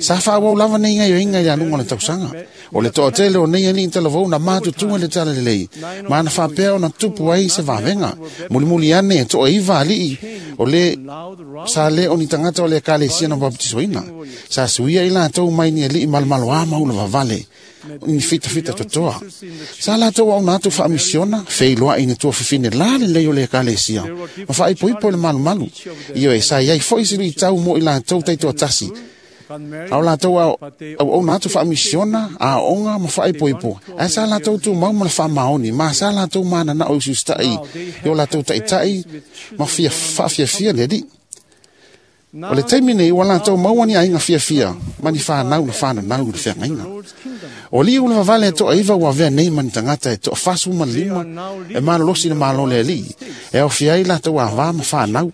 Sa faaauau lava nei gaioiga i le aluga o le tausaga. O le toatele o nei alii talavou na matutua i le talalelei, ma na faapea ona tupu ai se vavega. Mulimuli ane e toaiva alii o le sa lē o ni tagata o le ekalesia na bapetisoina. Sa suia i latou mai ni alii malomaloā ma ulavavale, ni fitafita totoa. Sa latou auna atu faamisiona, feiloai i ni tuafafine la lelei o le ekalesia, ma faaipoipo i le malumalu. Ioe, sa iai foi se luitau mo i latou taitoatasi. A o latou auauna atu faamisiona, aoga ma faaipoipo, ae sa latou tumau ma le faamaoni, ma sa latou mananao i usiusitaʻi i o latou taʻitaʻi ma fia faafiafia le alii. O le taimi nei ua latou maua ni aiga fiafia ma ni fanau na fananau i le feagaiga. O alii ulavavale e toaiva ua avea nei ma ni tagata e toafasu ma le lima e malolosi le malo le alii, e aofia ai latou avā ma fanau.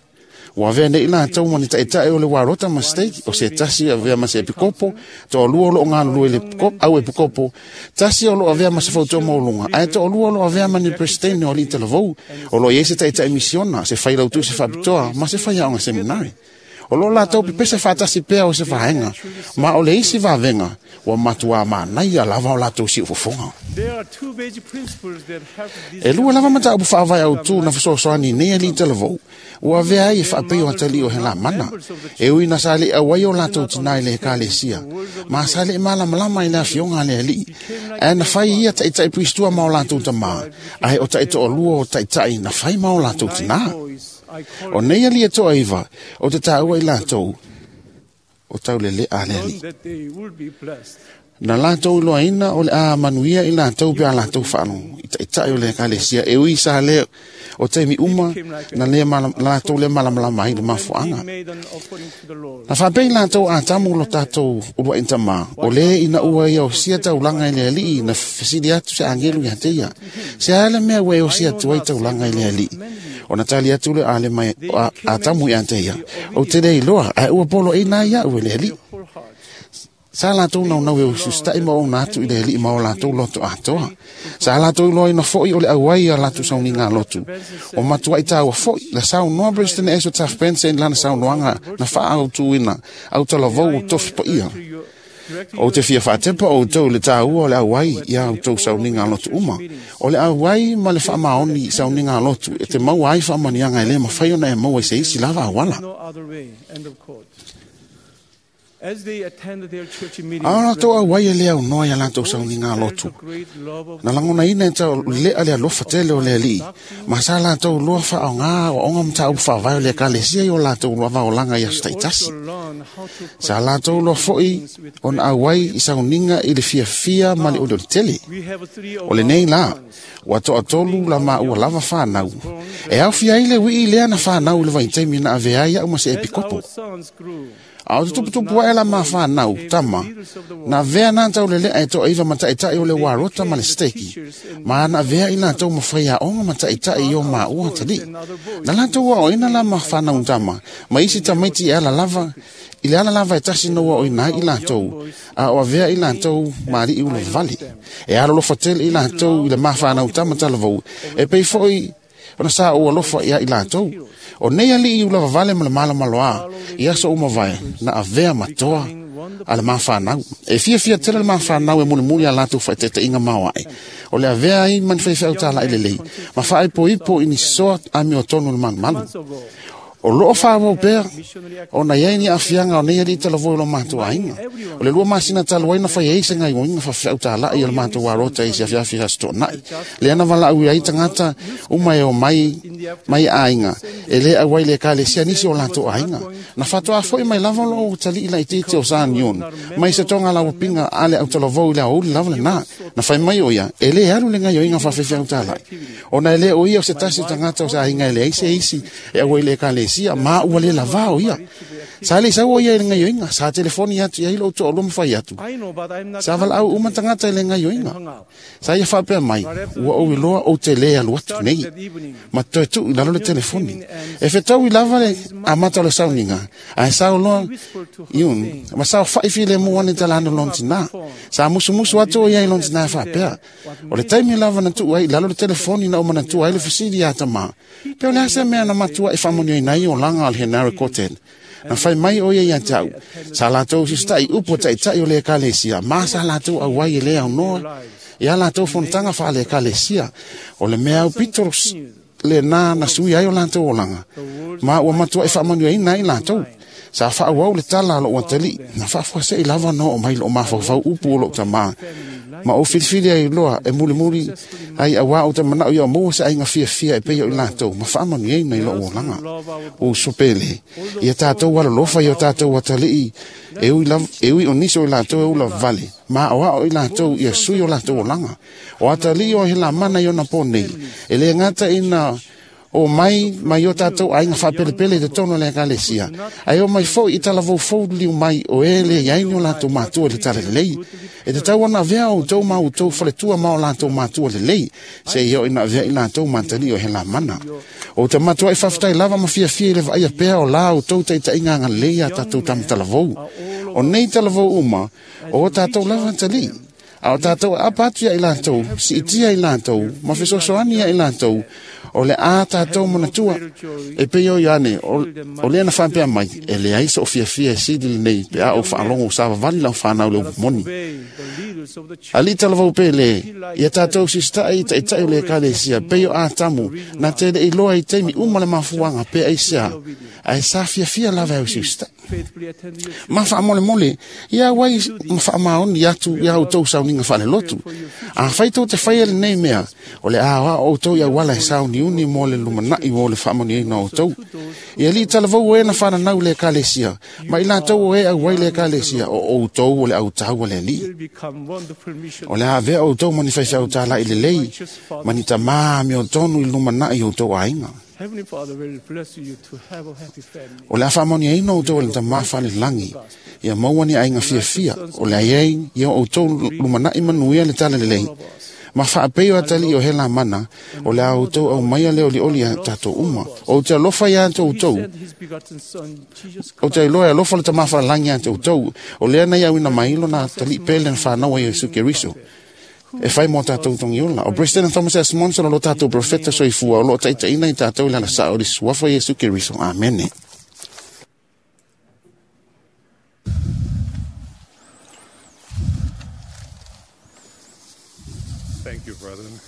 Ua avea nei latou ma ni taʻitaʻi o le uarota ma stake, o se tasi e avea ma se epikopo, toalua o loo galulue i le au epikopo, tasi o loo avea ma se fautua maualuga, ae toalua o loo avea ma ni peresetene o alii talavou, o loo i ai se taʻitaʻi misiona, se failautu se faapitoa ma se faiaoga seminari. O loo latou pepese faatasi pea o se vaega, ma o le isi vavega ua matuā manaia lava o latou siufofoga. E lua lava mataupu faavae autū na fesoasoani nei alii talavou, ua avea ai e faapei o atalii o helamana. E ui na sa leʻi auai o latou tinā i le ekalesia, ma sa leʻi malamalama i le afioga a le alii, ae na fai ia taʻitaʻi Pristua ma o latou tamā, ae o taʻitoalua o taʻitaʻi na fai ma o latou tinā. O nei alii e toaiva, o te tāua i latou, o tauleleʻa a le alii. Na latou iloaina o le a manuia i latou pe a latou faalogo i taʻitaʻi o le ekalesia, e ui sa lē o taimi uma na lē latou lē malamalama ai le mafuaaga. Na faapea i latou Atamu lo tatou uluaʻi tamā, o lē ina ua ia osia taulaga i le alii, na fesili atu se agelu iā te ia, se a le mea ua e osia atu ai taulaga i le alii? Ona tali atu le a le mai Atamu iā te ia, ou te le iloa, ae ua poloaiina ai iaʻu e le alii. Sa latou naunau e usiusitaʻi ma ouna atu i le alii ma o latou loto atoa. Sa latou iloaina foi o le auai a latou sauniga lotu. O matuaʻi tāua foi, la saunoa President Ezra Taft Benson i lana saunoaga na faaautuina autalavou o tofi paia. Ou te fia faatepa outou i le tāua o le auai ia outou sauniga lotu uma. O le auai ma le faamaoni i sauniga lotu e te maua ai faamanuiaga e lē mafai ona e maua i se isi lava auala. A o latou auai e le aunoa ia latou sauniga lotu. Na lagonaina e tau lea le alofa tele o le alii, ma sa latou loa faaoga aoaoga mataupu faavae o le ekalesia i o latou vaolaga i aso taitasi. Sa latou loa foi ona auai i sauniga i le fiafia ma le olioli tele. O lenei la, ua toatolu la maua lava fanau. E aofia ai le uii lea na fanau i le vaitaimi na avea ai au ma se epikopo. A o te tuputupu ae la mafanau, tama, na avea na taulelea e toaiva ma taitai o le warota ma le steki, ma na avea i latou ma faiaoga ma taitai i o maua atalii. Na latou aoaina la mafanau tama, ma isi tamaiti e ala lava, i le ala lava e tasi na uaoina ai i latou, a o avea i latou ma alii ulavavale. E alolofa tele i latou i le mafanau tama talavou, e pei foi ona sa ou alofa ia i latou. O nei alii ulavavale ma le malamaloa, i aso uma vae, na avea matoa a le mafanau. E fiafia tele le mafanau e mulimuli a latou faataitaiga maoae. O le avea ai ma ni faifeau talai lelei, ma faaipoipo i ni soa amiotonu le malumalu. O loo faaauau pea ona iai ni aafiaga o nei alii talavou i lo matou aiga. O le lua masina talu ai na fai ai se gaioiga faafeau talai a le matou alota i se afiafi aso toonai. Lea na valaau ai tagata uma e omai mai aiga e lē auai le ekalesia nisi o latou aiga. Na faatoa foi mai lava lou talii laitiiti o Sanion mai se toga lauapiga a le autalavou i le aoauli lava lenā. Na fai mai o ia e lē alu le gaioiga faafefeau talai, ona e lē o ia o se tasi tagata o se aiga e leai se isi e auai le ekalesia, ma ua le lavā o ia. Sa le sau o ia i le gaioiga, sa telefoni atu i ai lou toalua ma fai atu. Sa valaau uma tagata i le gaioiga. Sa ia faapea mai, ua ou iloa ou te lē alu atu nei, ma toe tuu i lalo le telefoni. E fetaui lava le amata o le sauniga, ae sao loa iun, ma sao faifilemu ane talano lona tinā. Sa musumusu atu o ia i lona tinā faapea. O le taimi lava na tuu ai i lalo le telefoni na ou manatua ai le fesili ia tamā. Pe o le a se mea na matua e faamanuiaina ai olaga o le Henare Koten. Na fai mai o ia ia te au. Sa latou sisitai upu o taitai o le ekalesia, ma sa latou auai e le aunoa ia latou fonotaga faale ekalesia. O le mea au pito lenā na sui ai o latou olaga, ma ua matuai faamanuiaina ai latou. Sa faaauau le tala a lou atalii, na faafuasei lava na oo mai loo mafaufau upu o lou tamā, ma ou filifili ai loa e mulimuli ai auā ou te manao ia o maua se aiga fiafia e pei o i latou, ma faamanuiaina i lou olaga. O uso pele, ia tatou alolofa i o tatou atalii, e ui, lava, e ui o nisi o i latou e ulavavale, ma aoao i latou ia sui o latou olaga. O atalii o helamana i ona pō nei, e le gata ina o mai mai o tatou aiga faapelepele i totonu o le ekalesia, ae o mai foi i talavaufou liu mai o e le iai ni o latou matua i le talalelei. E tatau ona avea outou ma outou faletua ma o latou matua lelei, seia oo ina avea i latou ma atalii o helamana. O te matuai faafetai lava ma fiafia i le vaaia pea o la outou taitaiga agalelei ia tatou tamatalavou. O nei talavou uma, o o tatou lava atalii. A o tatou aapa atu ia i latou, siitia i latou, ma fesoasoani ia i latou, o le a tatou manatua. E pei o Ioane, o, o lea na faapea mai, e leai soo fiafia e sili lenei, pe a ou faalogo o savavali lau fanau le upu moni. Alii talavou pele, ia tatou sisitai i taitai o le ekalesia, pei o Atamu, na te le iloa i taimi uma le mafuaga pe aisea, ae sa fiafia lava e au sisitai. Ma faamolemole, ia auai ma faamaoni atu ia outou sauniga faalelotu. Afai tou te faia lenei mea, o le a aoao outou i auala e sauniuni mo le lumanai mo le faamanuiaina o outou. Ia alii talavou o e na fananau i le ekalesia, ma i latou o e auai le ekalesia, o outou o le autau a le alii. O le a avea outou ma ni faifeau talai lelei, ma ni tamā amiotonu i le lumanai o outou aiga. O le a faamanuiaina outou e le tamā falelagi, ia maua ni aiga fiafia, o le a iai ia outou lumanai manuia le talalelei. Ma faapei o atalii o helamana, o le a outou aumaia le olioli a tatou uma. O te alofa ia te outou, o te iloa e alofa le tamā falelagi ia te outou, o lea na iauina mai lona atalii pele na fanau ai o Iesu Keriso. E fai mo tatou togiola. O President Thomas S. Monson o lo tatou profeta soifua, o loo taitaiina i tatou i le alasao o le suafa o Iesu Keriso. Amene. Thank you, brethren.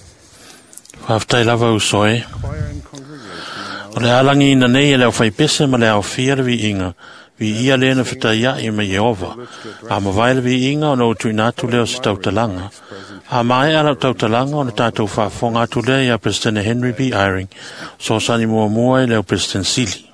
Faafetai lava uso e. Choir and congregation O le alangiina nei e le aufaipese ma le aofia le viiga, Vi ia lena fetaia'i ma Ieova, a mavae le viiga ona ou tuuina atu lea o se tautalaga. A maea lau tautalaga ona tatou faafofoga atu lea iā Peresetene Henry B. Eyring, sosani muamua i le au Peresetene Sili.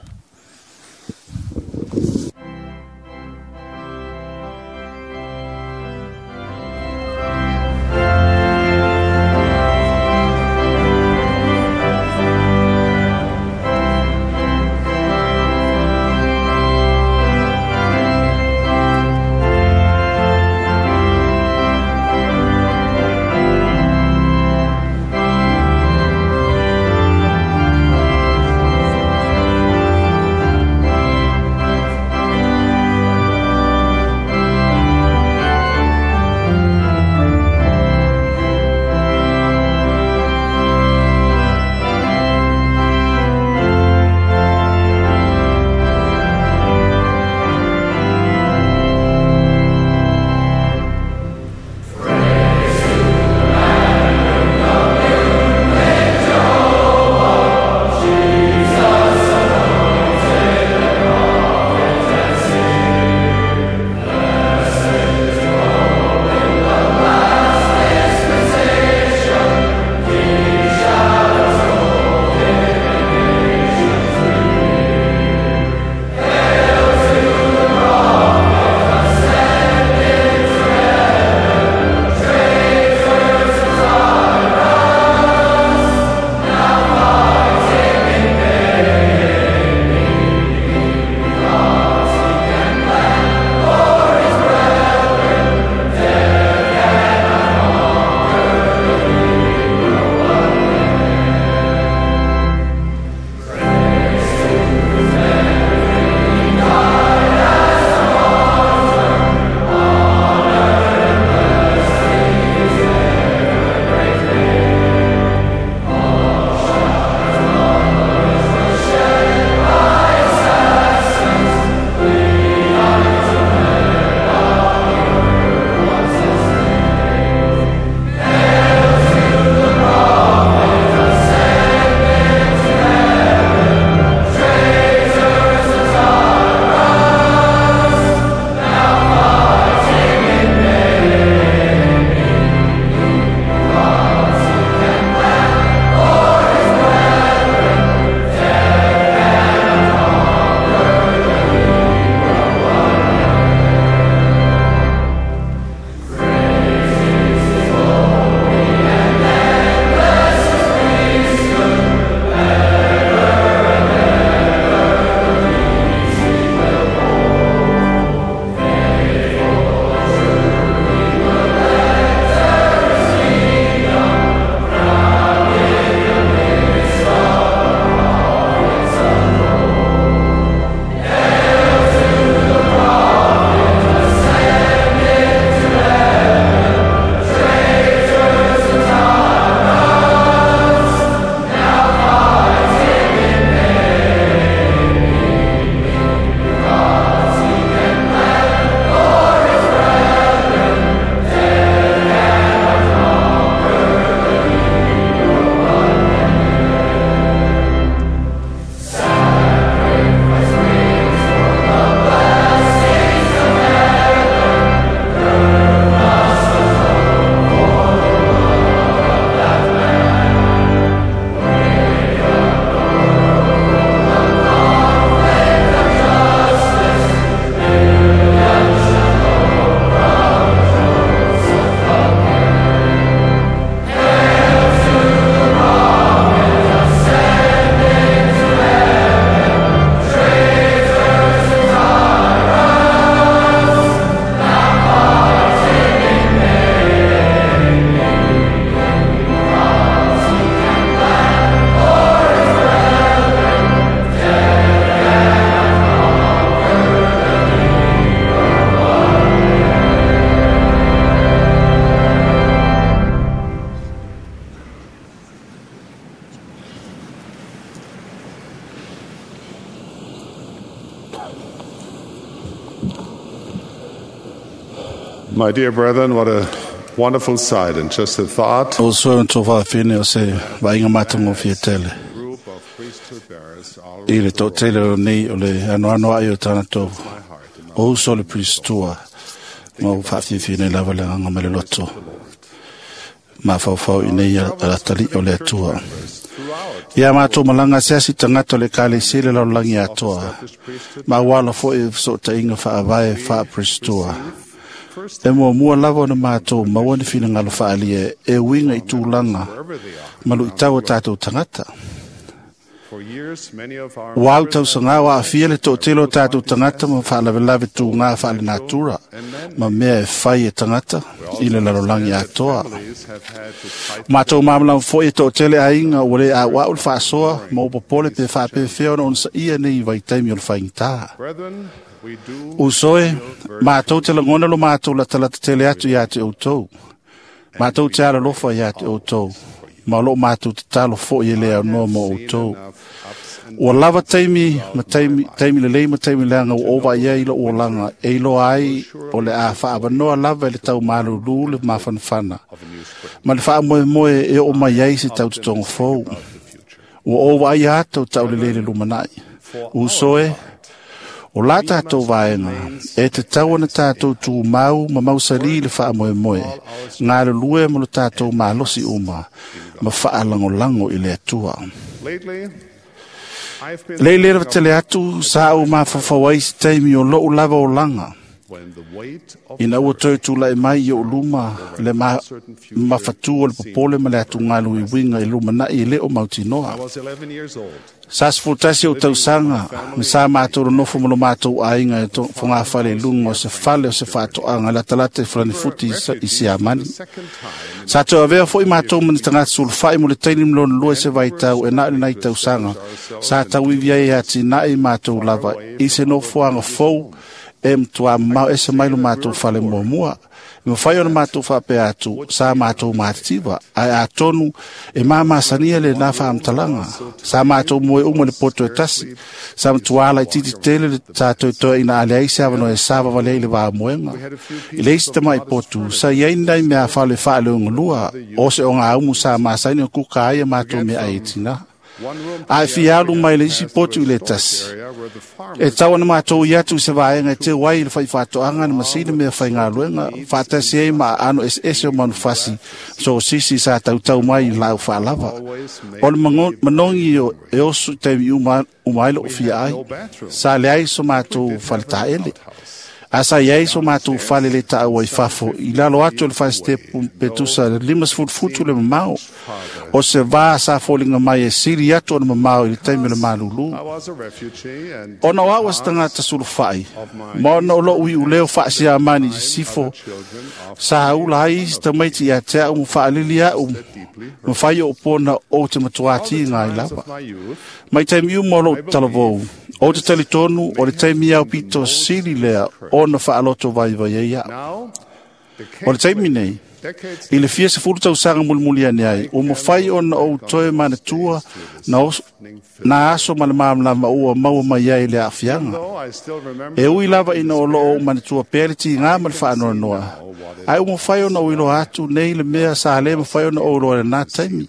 My dear brethren, what a wonderful sight, and just the thought O soe o whawhine o se vainga matango fia tele. group of priesthood bearers all I le tō tele o nei o le ano ano ai o tāna tō O uso o le Pristua, ma ua faafiafia nei lava le agaga ma le loto. Mafaufau i nei alatali'i o le Atua. Ia matou malaga asiasi tagata o le Ekalesia i le lalolagi atoa, ma ua ala foi i fesootaiga faavae faa-Pristua. E muamua lava ona matou maua ni finagalo faaalia e uiga i tulaga ma luitau o tatou tagata. Ua au tausaga o aafia le toatele o tatou tagata ma faalavelave tugā faalenatura ma mea e fai e tagata i le lalolagi atoa. Matou malamalama foi e toatele aiga ua lē auau le faasoa ma ua popole pe faapefea ona onosaia nei vaitaimi o le faigata. Uso e, matou te lagona lo matou latalata tele atu iā te outou. Matou te alolofa iā te outou, ma o loo matou tatalo foi e le aunoa mo outou. Ua lava taimi ma taimi, taimi lelei ma taimi leaga ua ou vaai ai i lou olaga e iloa ai o le a faaavanoa lava i le taumalūlū le mafanafana ma le faamoemoe e oo mai ai se tautotoga fou. Ua ou vaaia ata o taulelei le lumanai. Uso e, o la tatou vaega e tatau ona tatou tumau ma mausalī le faamoemoe, galulue ma lo tatou malosi uma ma faalagolago i le Atua. Lei lea tele atu sa ou mafaufau ai se taimi o lou lava olaga, ina ua toe tula'i mai i ou luma le ma, mafatū o le popole ma le atugalu i uiga i lumana'i e lē o mautinoa. Sa sefulu tasi ou tausaga ma sa matou nonofo ma lo matou aiga e fogafale i luga o se fale o se faatoaga latalata i Falanifuti i Siamani. Sa toe avea foi matou ma ni tagata sulufai mo le taimi ma lona lua i se vaitau e na o lenai tausaga sa tauivi ai e atinae matou lava i se nofoaga fou e matuā mamao ese mai lo matou fale muamua. E mafai ona matou faapea atu sa matou matitiva, ae atonu e mamasania lenā faamatalaga. Sa matou moe uma le poto e tasi, sa matuā laititi tele le sa toetoeaina a leai se avanoa e savavali ai i le vamoega. I le isi tama'i potu, sa i ai ni nai meafale faaleogalua o se ogaumu sa masani ona kuka ai a matou meaai e tinā. Ae fia alu mai le isi potu i le tasi. E tau ona matou i atu i se vaega e teu ai i le faifaatoaga na masini mea faigaluega, faatasi ai ma aano eseese o manufasi sosisi sa tautau mai i laau faalava. O le manogi e oso i taimi uma, uma ai loo fia ai. Sa leai so matou faletaele. A sa i ai so matou fale le taua i fafo, i lalo atu o le fasitepu pe tusa le lima sefulu futu le mamao. O se vā sa foliga mai e sili atu ona mamao i le taimi o le malūlū. Ona o au a se tagata sulufai, ma ona o lou iuleo faasiamani i sisifo, sa ula ai isi tamaiti ia te au ma faalili au, ma fai o pona o te matuā tiga ai lava. Mai taimi uma o lou talavou, o te talitonu o le taimi au pito sili lea ona faaloto vaivai ai au. O le taimi nei, i le fia sefulu tausaga mulimuli ane ai, ua mafai ona ou toe manatua na, os, na aso ma le malamalama ua maua mai ai le aafiaga. E ui lava ina o loo ou manatua pea le tigā ma le faanoanoa, ae ua mafai ona ou iloa atu nei le mea sa lē mafai ona ou iloa i lenā taimi.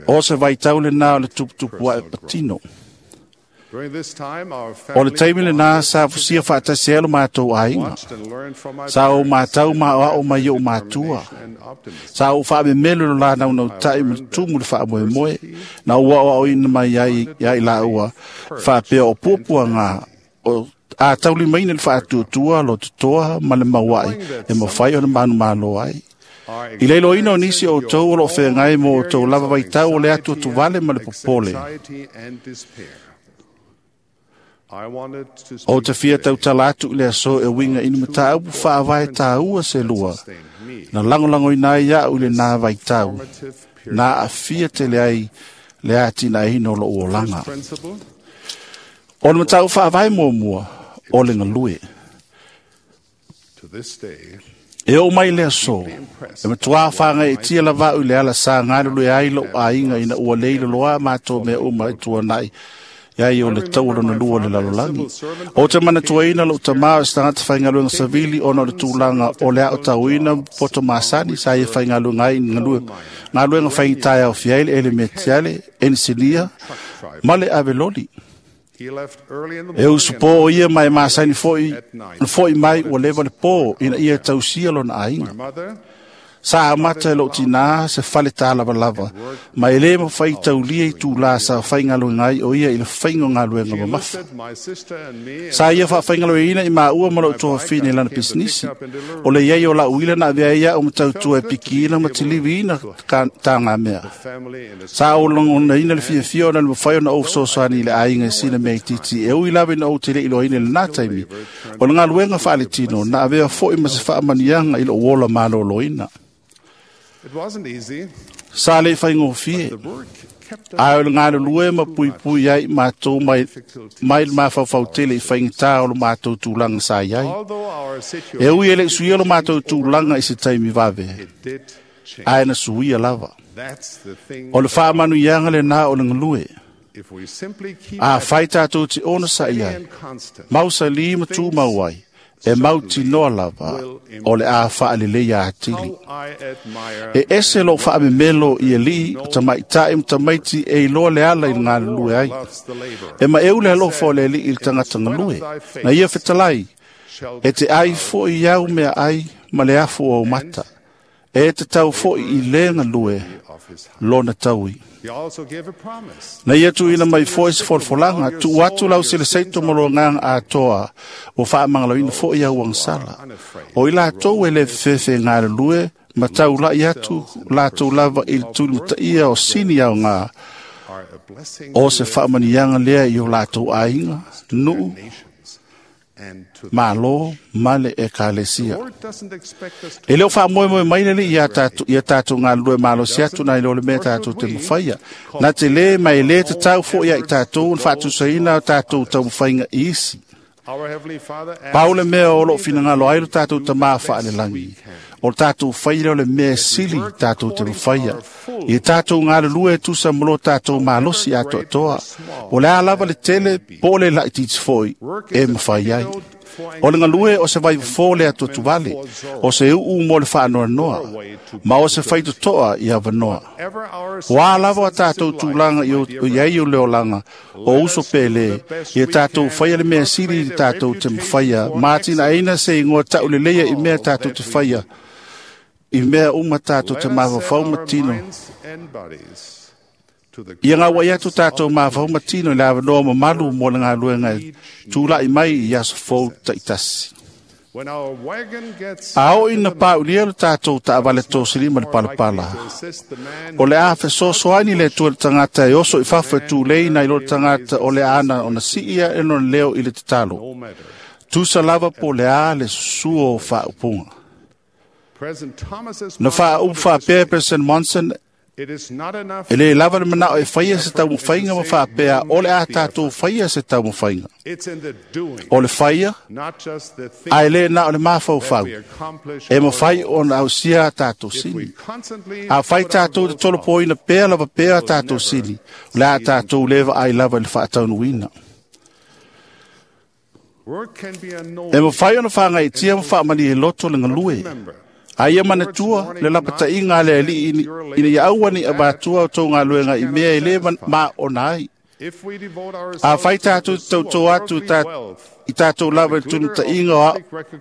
O se vaitau lenā o le tuputupu ae patino. O le taimi lenā sa fusia faatasi ai lo matou aiga. Sa ou matau ma aoao mai i ou matua. Sa ou faamemelo lo la naunautai ma le tumu le faamoemoe, na ou aoaoina mai ai ia i laua faapea o puapuaga o a taulimaina le faatuatua lo totoa ma le mauai e mafai ona manumalo ai. I le iloaina o nisi o outou o loo feagai mo outou lava vaitau o le atu atuvale ma le popole. O te fia tautala atu i le aso e uiga i ni mataupu faavae tāua se lua, na lagolagoina ai au i lenā vaitau, na aafia tele ai le atinaeina o lou olaga. O le mataupu faavae muamua, o le galue. E oo mai le aso, e matuā fāgaiitia lava au i le ala sa galulue ai lou aiga ina ua lē iloloa matou mea uma i tuanai ia o le tau o lona lua o le lalolagi. O te manatuaina lou tamā o se tagata faigaluega savili ona o le tulaga o le aotauina poto masani sa ia faigaluega ai i galuega faigata e aofia ai le elemetiale, enisinia ma le aveloli. E uso po ia mai masani foi foi mai ua leva le po ina ia tausia lona aiga. Sa amata e lou tinā se fale tālavalava, ma e lē mafai taulia i tūlā sa faigaluega ai o ia i le faiga o galuega mamafa. Sa ia faafaigalueina i maua ma lou tuafafine i lana pisinisi. O le iai o la'u ila na avea ai a'u ma tautua e pikiina ma tiliviina tagamea. Sa ou lagonaina le fiafia ona le mafai ona ou fesoasoani i le aiga i sina mea itiiti e ui lava ina ou te le'i iloaina i lenā taimi. O le galuega faaletino na avea fo'i ma se faamaniaga i lo'u ola malōlōina. Sa le faigofie, ae o le galulue ma puipui ai matou mai, mai le mafaufau tele i faigata o lo matou tulaga sa i ai. E ui e le'i suia lo matou tulaga i se taimi vave, ae na suia lava. O le faamanuiaga lenā o le galue. A fai tatou te ona sa i ai, mausalī ma tumau ai, e mautinoa lava o le a faaleleia atili. E ese lou faamemelo i alii o tamaʻitaʻi ma tamaiti e iloa le ala i le galulue ai. E maʻeu le alofa o le alii i le tagata galue. Na ia fetalai, e te ai foʻi au mea ai ma le afu o aumata. E te tau foʻi i lē galue lona taui. Na ia tuuina mai foʻi se folafolaga, tuu atu lau seleseito ma lo agaga atoa, ua faamagaloina foʻi au agasala. O i latou e lē fefefe e galulue, ma taulaʻi atu latou lava i le tulimataʻia o sini aogā, o se faamaniaga lea i o latou aiga, nuu, malo ma le ekalesia. E le o faamoemoe mai le alii ia tatou ia tatou galulue malosi atu nai lo le mea tatou te mafaia. Na te lē ma e lē tatau foʻi ia i tatou ona faatusaina o tatou taumafaiga i isi. Pau le mea o loo finagalo ai lo tatou tamā faalelagi, o le tatou faia o le mea e sili tatou te mafaia. Ia tatou galulue e tusa ma lo tatou malosi atoatoa. O le a lava le tele po o le laʻitiiti foʻi e mafai ai. O le galue o se vaifofō le atuatuvale, o se u'u mo le faanoanoa, ma o se faitotoa i avanoa. O a lava o tatou tulaga i ai o le olaga, o uso pele, ia tatou faia le mea sili i tatou te mafaia, ma atinaeina se igoa taʻuleleia i mea tatou te faia, i mea uma tatou te mafaufau ma tino. Ia gauaʻi atu tatou mafaufau ma tino i le avanoa mamalu mo le galuega e tulaʻi mai i aso fou taʻitasi. A oo ina paʻulia lo tatou taavale tosilima le palapala, o le a fesoasoani le Atua i le tagata e oso i fafo e tulei nai lo le tagata o le ana ona siia e lona leo i le tatalo. Tusa lava po le a le susu o faaupuga. Na faaupu faapea President Monson, e lē lava le manaʻo e faia se taumafaiga ma faapea o le a tatou faia se taumafaiga. O le faia, ae lē na o le mafaufau, e mafai ona ausia a tatou sini. A fai tatou te tolopoina pea lava pea a tatou sini, o le a tatou lē vaai lava i le faataunuina. E mafai ona fagaitia ma faamalie loto le galue. A ia manatua le lapataʻiga a le alii ina ia aua neʻi avatua o tou galuega i mea e lē maona ai. A fai tatou te tautō atu i tatou lava i le tulimataʻiga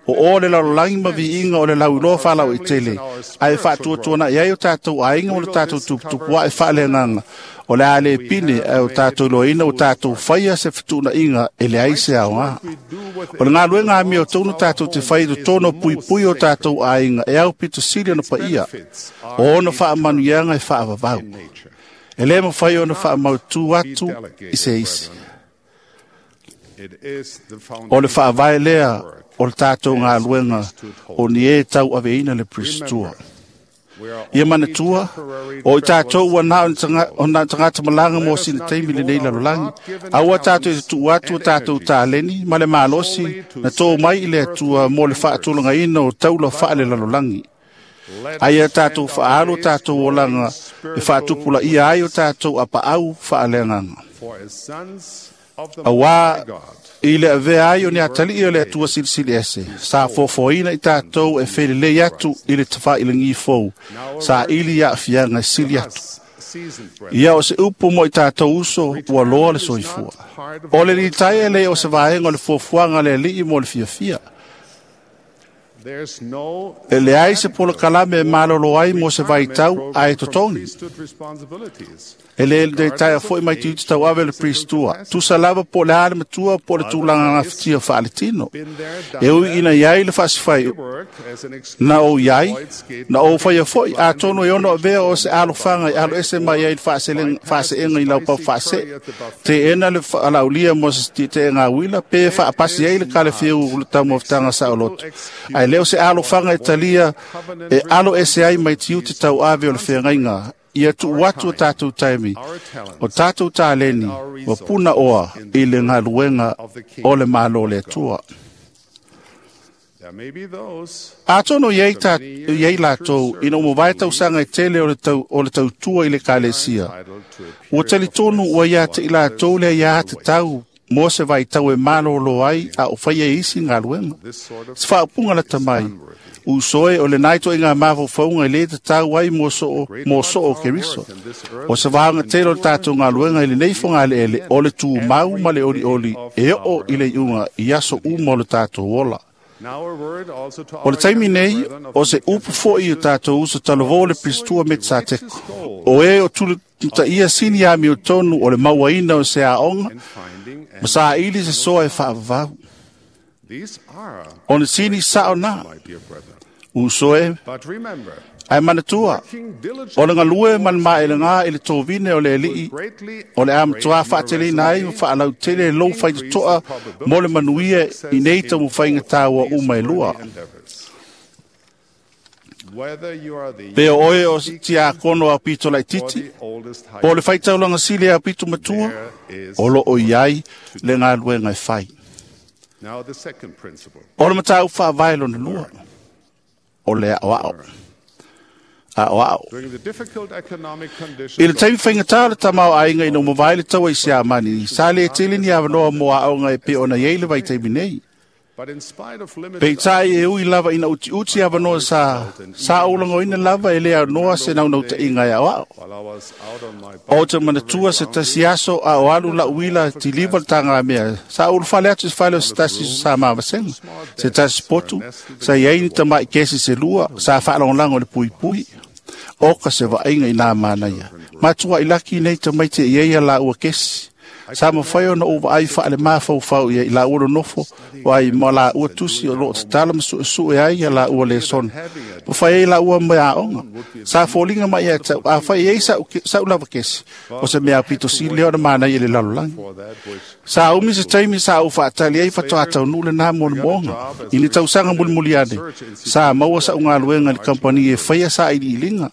o o le lalolagi ma viiga o le lauiloa faalauaitele, ae faatuatuanaʻi ai o tatou aiga ma lo tatou tuputupuaʻe faaleagaga, o le a lē pine ae o tatou iloaina ua tatou faia se fetuunaʻiga e leai se aogā. O le galuega amiotonu tatou te fai i totonu o puipui o tatou aiga e aupito sili ona paia, o ona faamanuiaga e faavavau. E lē mafai ona faamautū atu i se isi. O le faavae lea o le tatou galuega o ni e tauaveina le Pristua. Ia manatua, o i tatou ua na o na tagata malaga mo sina taimi lenei lalolagi. Aua tatou i te tuu atu o tatou taleni ma le malosi na tō mai i le Atua mo le faatulagaina o taula faalelalolagi. Ai a tatou faaalu o tatou olaga e faatupulaia ai o tatou apaau faaleagaga. Auā i le avea ai o ni atalii o le Atua silisili ese, sa fofoina i tatou e felelei atu i le tafailagi fou, sa ili aafiaga e sili atu. Ia o se upu mo i tātou uso ua loa le soifua. O le litaia le o se vaega o le fuafuaga le alii mo le fiafia. E leai se polokalame e malolo ai mo se vaitau ae totogi. E le litaia foi mai tiute tauave le Pristua. Tusa lava po le a le matua po le tulaga gafatia faaletino. E ui ina iai le faasifai na ou iai, na ou faia foi, atonu e ono avea o se alofaga i alo ese mai ai le faaseega i laupau faasee. Teena le alaulia mo se tieteega uila, pe faapasi ai le kalefiu o le taumafataga saoloto. Ae le o se alofaga e talia e alo ese ai mai tiute tauave o le feagaiga. Ia tuu atu o tātou taimi, o tātou tāleni, wa puna oa i le galuega o le malo le Atua. Atonu iai, ta, iai latou ina umavae tausaga e tele o le, tau, o le tautua i le kalesia. Ua talitonu ua ia te i latou lea ia te tau mo se vaitau e malolo ai a o faia isi galuega. Se faaupuga lata mai, usoe o le nai toʻiga mafaufauga i lē tatau ai mo soo mo soo Keriso. O se vaoga tele o le tatou galuega i lenei fogaleele o le tumau ma le olioli e oo i le iuga i aso uma o le tatou ola. O le taimi nei, o se upu foʻi o tatou uso talavō le Pristua me Sateko. O e o tulitaia sini amio tonu o le mauaina o se aoga, ma saili se soa e faavavau. O le sini sao na, uso e, ae manatua, o le galue ma le maelega i le tovine o le alii, o le amatoa faateleina ai ma faalautele lou faitotoa mo le manuia i nei taumafaiga taua uma e lua. Pe o oe o tiakono a pito laititi, po le faitaulaga sili a pito matua, o loo iai le galuega e fai. O le matau faavae lona lua, o le aoao. Aoao. I le taimi faigata o le tamaoaiga ina ua mavae le taua i Siamani, sa le tele ni avanoa mo aoga e pei ona iai le vaitaimi nei. Peitai e ui lava ina utiuti avanoa sa, sa oulagoina lava e le anoa se naunautaiga e aoao. O te manatua se tasi aso a o alu lau uila tiliva le tagamea. Sa ulufale atu se fale o se tasi sa mavasega. Se tasi potu, sa iai ni tamai kesi se lua, sa faalagolago le puipui. Oka se vaaiga i nā manaia. Matua i laki nei tamaiti e iai a laua kesi. Sa mawhai ona o vaai whaale mafaufau ia i la ua nofo, wai ma la ua tusi o loo tatala ma sue sue ai ia la ua lesona. Mawhai ai la ua mea aonga. Sa fōlinga mai ia tau, a whai ai sa, sa ulava kesi. O se mea pito si leo na mana i le lalolagi. Sa umi se taimi sa u whaatali ai whatoa tau nule nā mo le moonga. I ni tausaga mulimuli ane. Sa maua sa ungaluenga le kampani e whaia sa ili ilinga.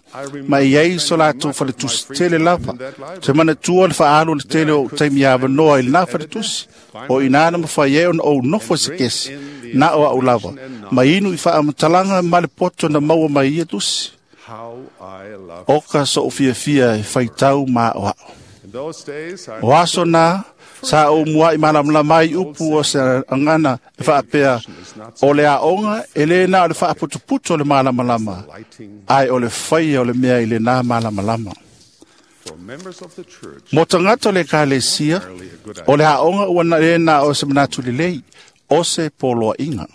Ma i ai so latou faletusi tele lava. Te manatua le whaalu le tele o taimi avanoa i lena faletusi. O ina na mawhai e ona ou nofo se kesi. Na o au lava. Ma inu i whaamatalaga ma le poto na maua mai ia tusi. Oka so o fiafia e whaitau ma o ao. O aso nā, sa o mua i malamalama ai upu o se angana e whaapea o le aonga e le na o le whaaputuputu o le malamalama, ai o le whaia o le mea i le nā malamalama. Mo tagata le ekalesia, o le aonga ua na le na o se manatu lelei, o se poloaiga.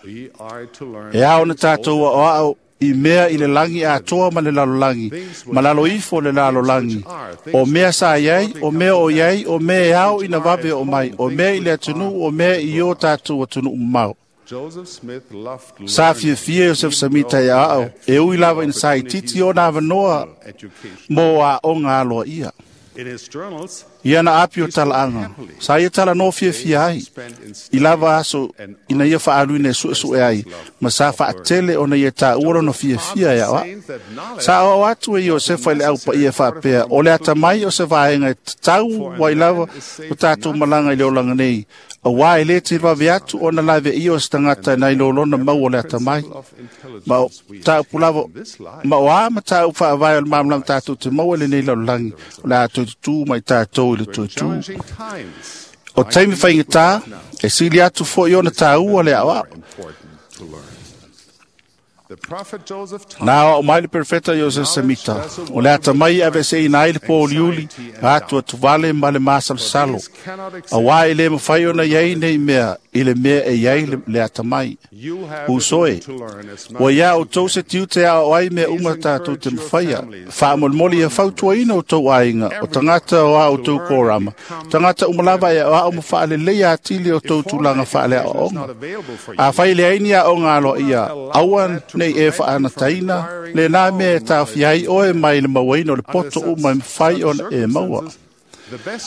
E ao na tātou aoao i mea i le lagi atoa ma le lalolagi, ma lalo ifo le lalolagi. O mea sa iai, o mea o iai, o mea e ao ina vave o mai, o mea i le atunuu, o mea i o tātou atunuu mamao. Sa fiafia Iosef Samita ia ao, e ui lava ina sa itiiti ona avanoa mo aoga aloa ia. Ia na api o talaaga, sa ia talanoa fiafia ai, i lava aso ina ia faaluina e suesue ai, ma sa faatele ona ia taua lona fiafia e aoao. Sa aoao atu e Iosefa i le aupaia faapea, o le atamai o se vaega e tatau ai lava o tatou malaga i le olaga nei, auā e lē televave atu ona laveia o se tagata nai lolona mau o le atamai. Ma o taupu lava, ma o a mataupu faavae o le malamalama tatou te maua i lenei lalolagi, o le a toe tutū mai tatou i le toetū. O taimi faigata, e sili atu foʻi ona tāua le aoao. Na o mai le perfeta Joseph Semita, o le ata mai ave se ina ai le pōliuli, atu atu vale ma le masalosalo. A wā i le mawhai ona iai nei mea, i le mea e iai le, le ata mai. Usoe, ua ia o tau se tiute a o ai mea uma tātou te mawhaia, whaamolmoli e fautuaina o tau ainga, o tangata o a o tau kōrama, tangata umalava e o a o mawhaalelei atili o tau tūlanga whaalea o onga. A whai le aini a o ngā loa ia, aua nei e whaanataina, le nā mea e tāwhi ai oe mai le mauaina o le poto uma e mwhai ona e maua.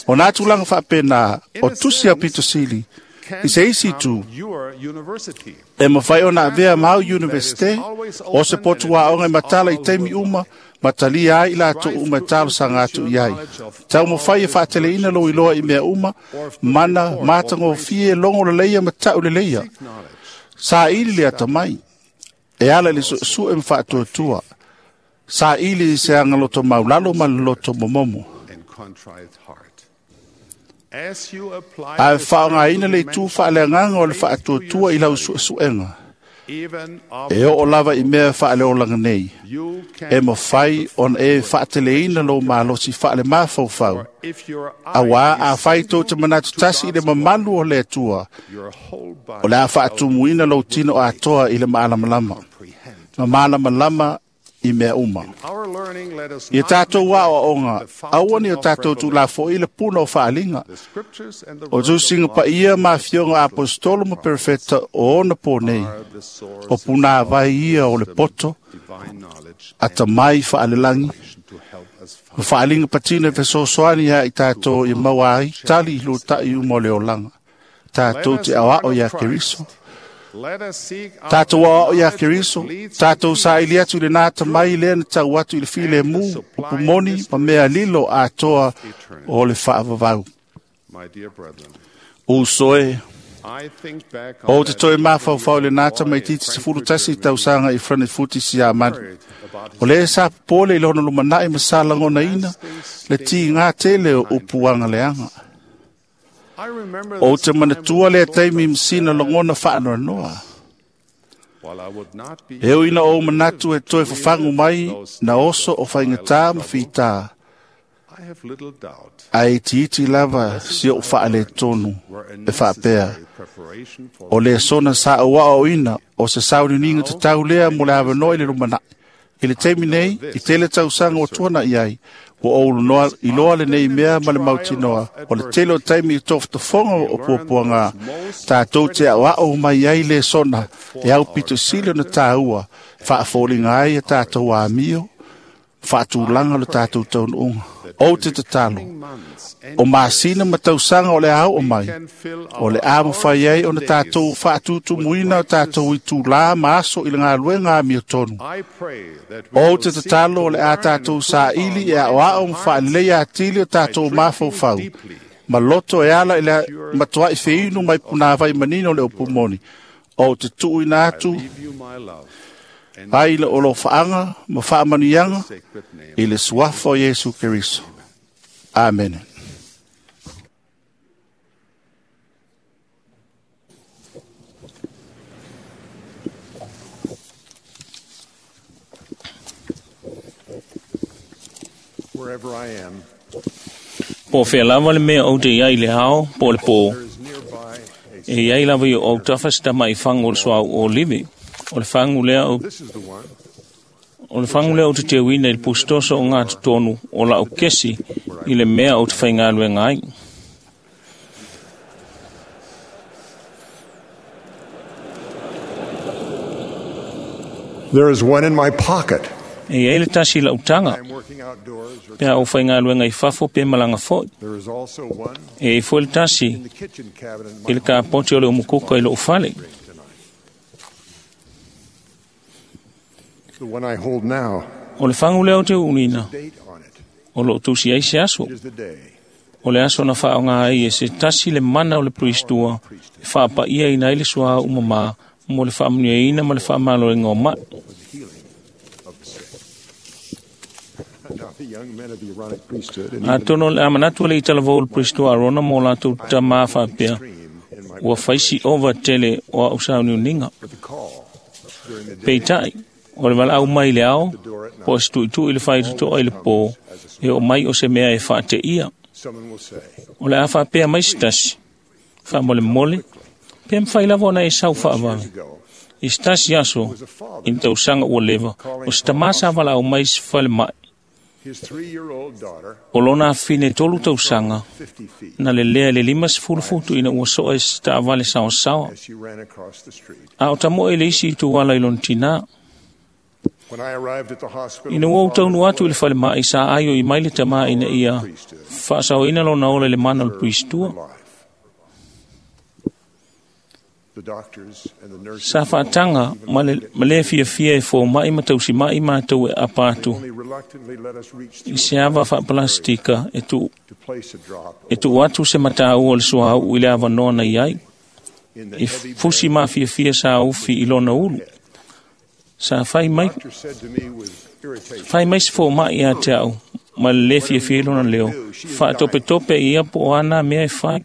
O nā tūlanga whaapena o tusi a pito sili, i se isi tū, e mawhai ona avea mau universite, o se potu a onga e matala i teimi uma, matalia ai la tu uma e talo sanga atu i ai. Tau mawhai e whaatele ina lo iloa i mea uma, mana, mātango fie, longo le leia, matau le leia. Sa ili le atamai, e ala le su e mwhaatuatua. Sa ili se anga loto maulalo ma le loto momomo. A whaonga ina le tū whaaleanganga o le whaatuatua i lau suesuenga. E o o lava i mea whaaleolanga nei. E mawhai on e whaateleina lo malosi whaale mawhauwhau. A wā a whai tō te manatu tasi i le mamalu o le atua. O le a whaatumuina lo tino atoa i le maalamalama. Ma maalamalama i mea uma. I tātou wā o onga, aua ni o tātou tūlafo i le puna o whaalinga. O tūsinga pa ia mā fionga apostolo ma perfeta o ona pō nei. O puna vai ia o le poto, ata mai whaalelangi. O whaalinga patina e fesoasoani ia i tātou i maua ai, tali i lūtai uma o le olanga. Tātou te awao ia Keriso. Tātou ao ia Keriso, tātou sa ili atu le nāta mai le na tau atu i le file mū, upu moni, ma mea lilo atoa o le whaavavau. Usoe, o te toi mawhauwhau le nāta mai titi se fulu tasi i tausanga i Frankfurt si a mani. O le sa pole i lono lumanai ma sa langona ina, le ti ngā tele o upuanga leanga. O te manatua le taimi msina longona whaanoa noa. E ina o manatu e toe whawhangu mai na oso o whaingatā ma whitā. Ai iti lava si o whaale tonu e whaapea. O le sona sa o wao ina o se saunininga te taulea mo le awanoa i le lumanai. I le teimi nei, i tele tausanga o tuana i ai, ua oulu noa i loa le nei mea ma le mautinoa, o le tele o taimi i tofotofoga o puapuaga, tātou te aoao mai ai le sona, e au pito sili ona tāua, faafoliga ai e tātou amio, faatulaga le tātou taunuuga. O te tatalo, o masina ma tausaga o le ao o mai, o le a mawhai ai o na tātou whaatutumuina o tātou i tūlā ma aso i le ngāluenga a mio tonu. O te tatalo o le a tātou sāili e ao ao ma whaalelei atili o tātou mawhauwhau. Ma loto e ala i le matuai whiinu mai punāwai manino le opumoni. O te tuuina atu ai le olo whaanga ma whaamanianga i le suafa o Yesu Keriso. Amen. Wherever I am, Po whea lava le mea o te iai le hao, po le pō. E iai lava i o tafa se tama i whangu o le suau o livi. O le whangu lea o O le whangu lea o te teuina i le pustoso o ngā tonu o lau kesi i le mea o te whaingaluenga ai. There is one in my pocket. E iai le tasi lau tanga. Pea o whaingaluenga i whafo pe malanga foi. There is also one E i foi le tasi i le kāpoti o le umukuka i lou fale. The one I hold now. O le whangu lea o te unina. O lo tusi ai se aso. O le aso na whaonga ai e se tasi le mana o le priestua e whaapa ia ina i le sua umama mo le whaamunia ina ma le whaamalo e ngō mai. Now the young men of the Aaronic priesthood and A tono le amanatu le itala o le priestua Arona mo lātou tamā whaapea ua whaisi ova tele o au sauniuninga. Peitai, O le valaau mai le ao, po o se tuitui le faitotoa i le pō, e o mai o se mea e faateia. O le a faapea mai se tasi, faamolemole, pe mafai lava ona e sau faavave. I se tasi aso, i le tausaga ua leva, o se tamā sa valaau mai se falemai. O lona afine tolu tausaga, na lelea i le lima sefulu futu ina ua soa i se taavale saoasaoa. A o tamoe le isi ituala i lona tinā. Ina ua ou taunuu atu i le falemai, sa aio i mai le tamā ina ia faasaoina lona ola i le mana o le puisitua. Sa faataga ma le, ma le fiafia e fōmaʻi ma tausimaʻi matou e apa atu i se ava faapalastika e tuu e tuu atu se mataua o le suauu i le avanoa na i ai. E fusi mafiafia sa ufi i lona ulu. Sa fai mai, fai mai se fōmaʻi ia te au ma le lē fiafia i lona leo. Faatopetope ia po o ana mea e fai.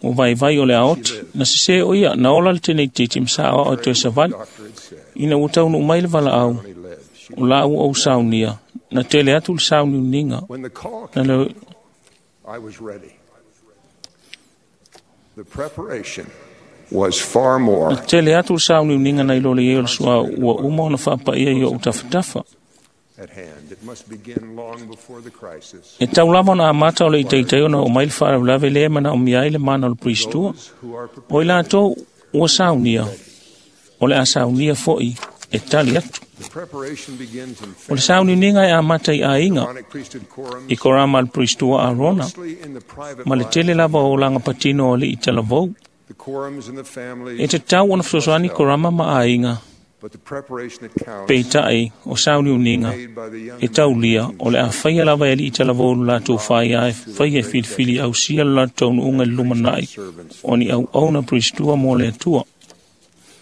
O vaivai o le aoti, na sesē o ia, na ola le teneititi ma sa aoao e toe savali. Ina ua taunuu mai le valaau, o la ua ou saunia, na tele atu le sauniuniga. Na le I was ready. The preparation was far more Na tele atu le sauniuniga nai lo le iai o le suā ua uma ona faapaia i ou tafatafa. at hand. It must begin long before the crisis. E tau lava ona amata o le itaitei ona o mai le faalavelave lea e manaomia ai le mana o le puisitua. O i latou ua saunia, o le a saunia foʻi e tali atu. The preparation begins in O le sauniuniga e amata i aiga, Aaronic priesthood quorums, i korama le puisitua Arona, mostly in the private ma le lives, tele lava o olaga patino o alii talavou. the quorums in the families, E tatau ona fesoasoani korama ma aiga, but the preparation that counts peitai o sauniuniga made by the young e taulia o le a faia lava e alii talavou lo latou faia e faia e filifili ausia lo latou taunuuga i le lumanai o ni auauna puisitua mo le Atua.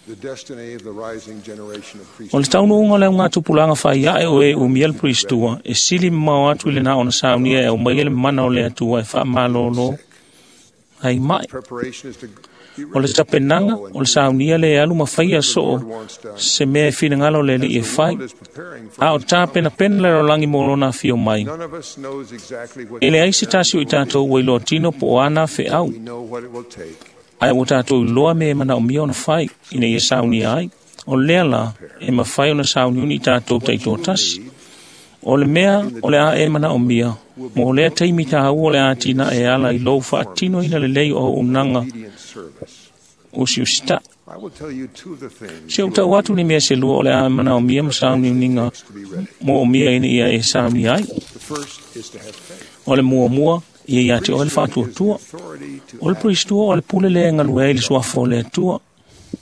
the destiny of the rising generation of priests O le taunuuga o le augatupulaga faiae o e umia le puisitua e sili mamao atu i lena ona saunia e aumaia le mana o le Atua e faamalōlō ai mai. preparation is to be O le ready tapenaga o le saunia le e alu ma faia soo se mea e finagalo le alii e fai. is preparing for A o tapenapena le lalolagi mo lona afio mai. none of us knows exactly what E leai se tasi o i tatou ua iloa tino po o ana feau, we know what it will take ae ua tatou iloa me e manaomia ona fai ina ia saunia ai. O lea la e mafai ona sauniuni i tatou taitoatasi. O le mea o le a e manaomia, mo lea taimi tāua o le a tina e ala i lou faatinoina lelei o auaunaga obedient service. usiusitaʻi. I will tell you two of the things Se ou tau atu ni mea se lua o le a manaomia ma sauniuniga mo omia ina ia e saunia ai. The first is to have faith. O le muamua, ia ia te oe le faatuatua. Authority to O le puisitua o le pule lea e galue ai le suafa o le Atua.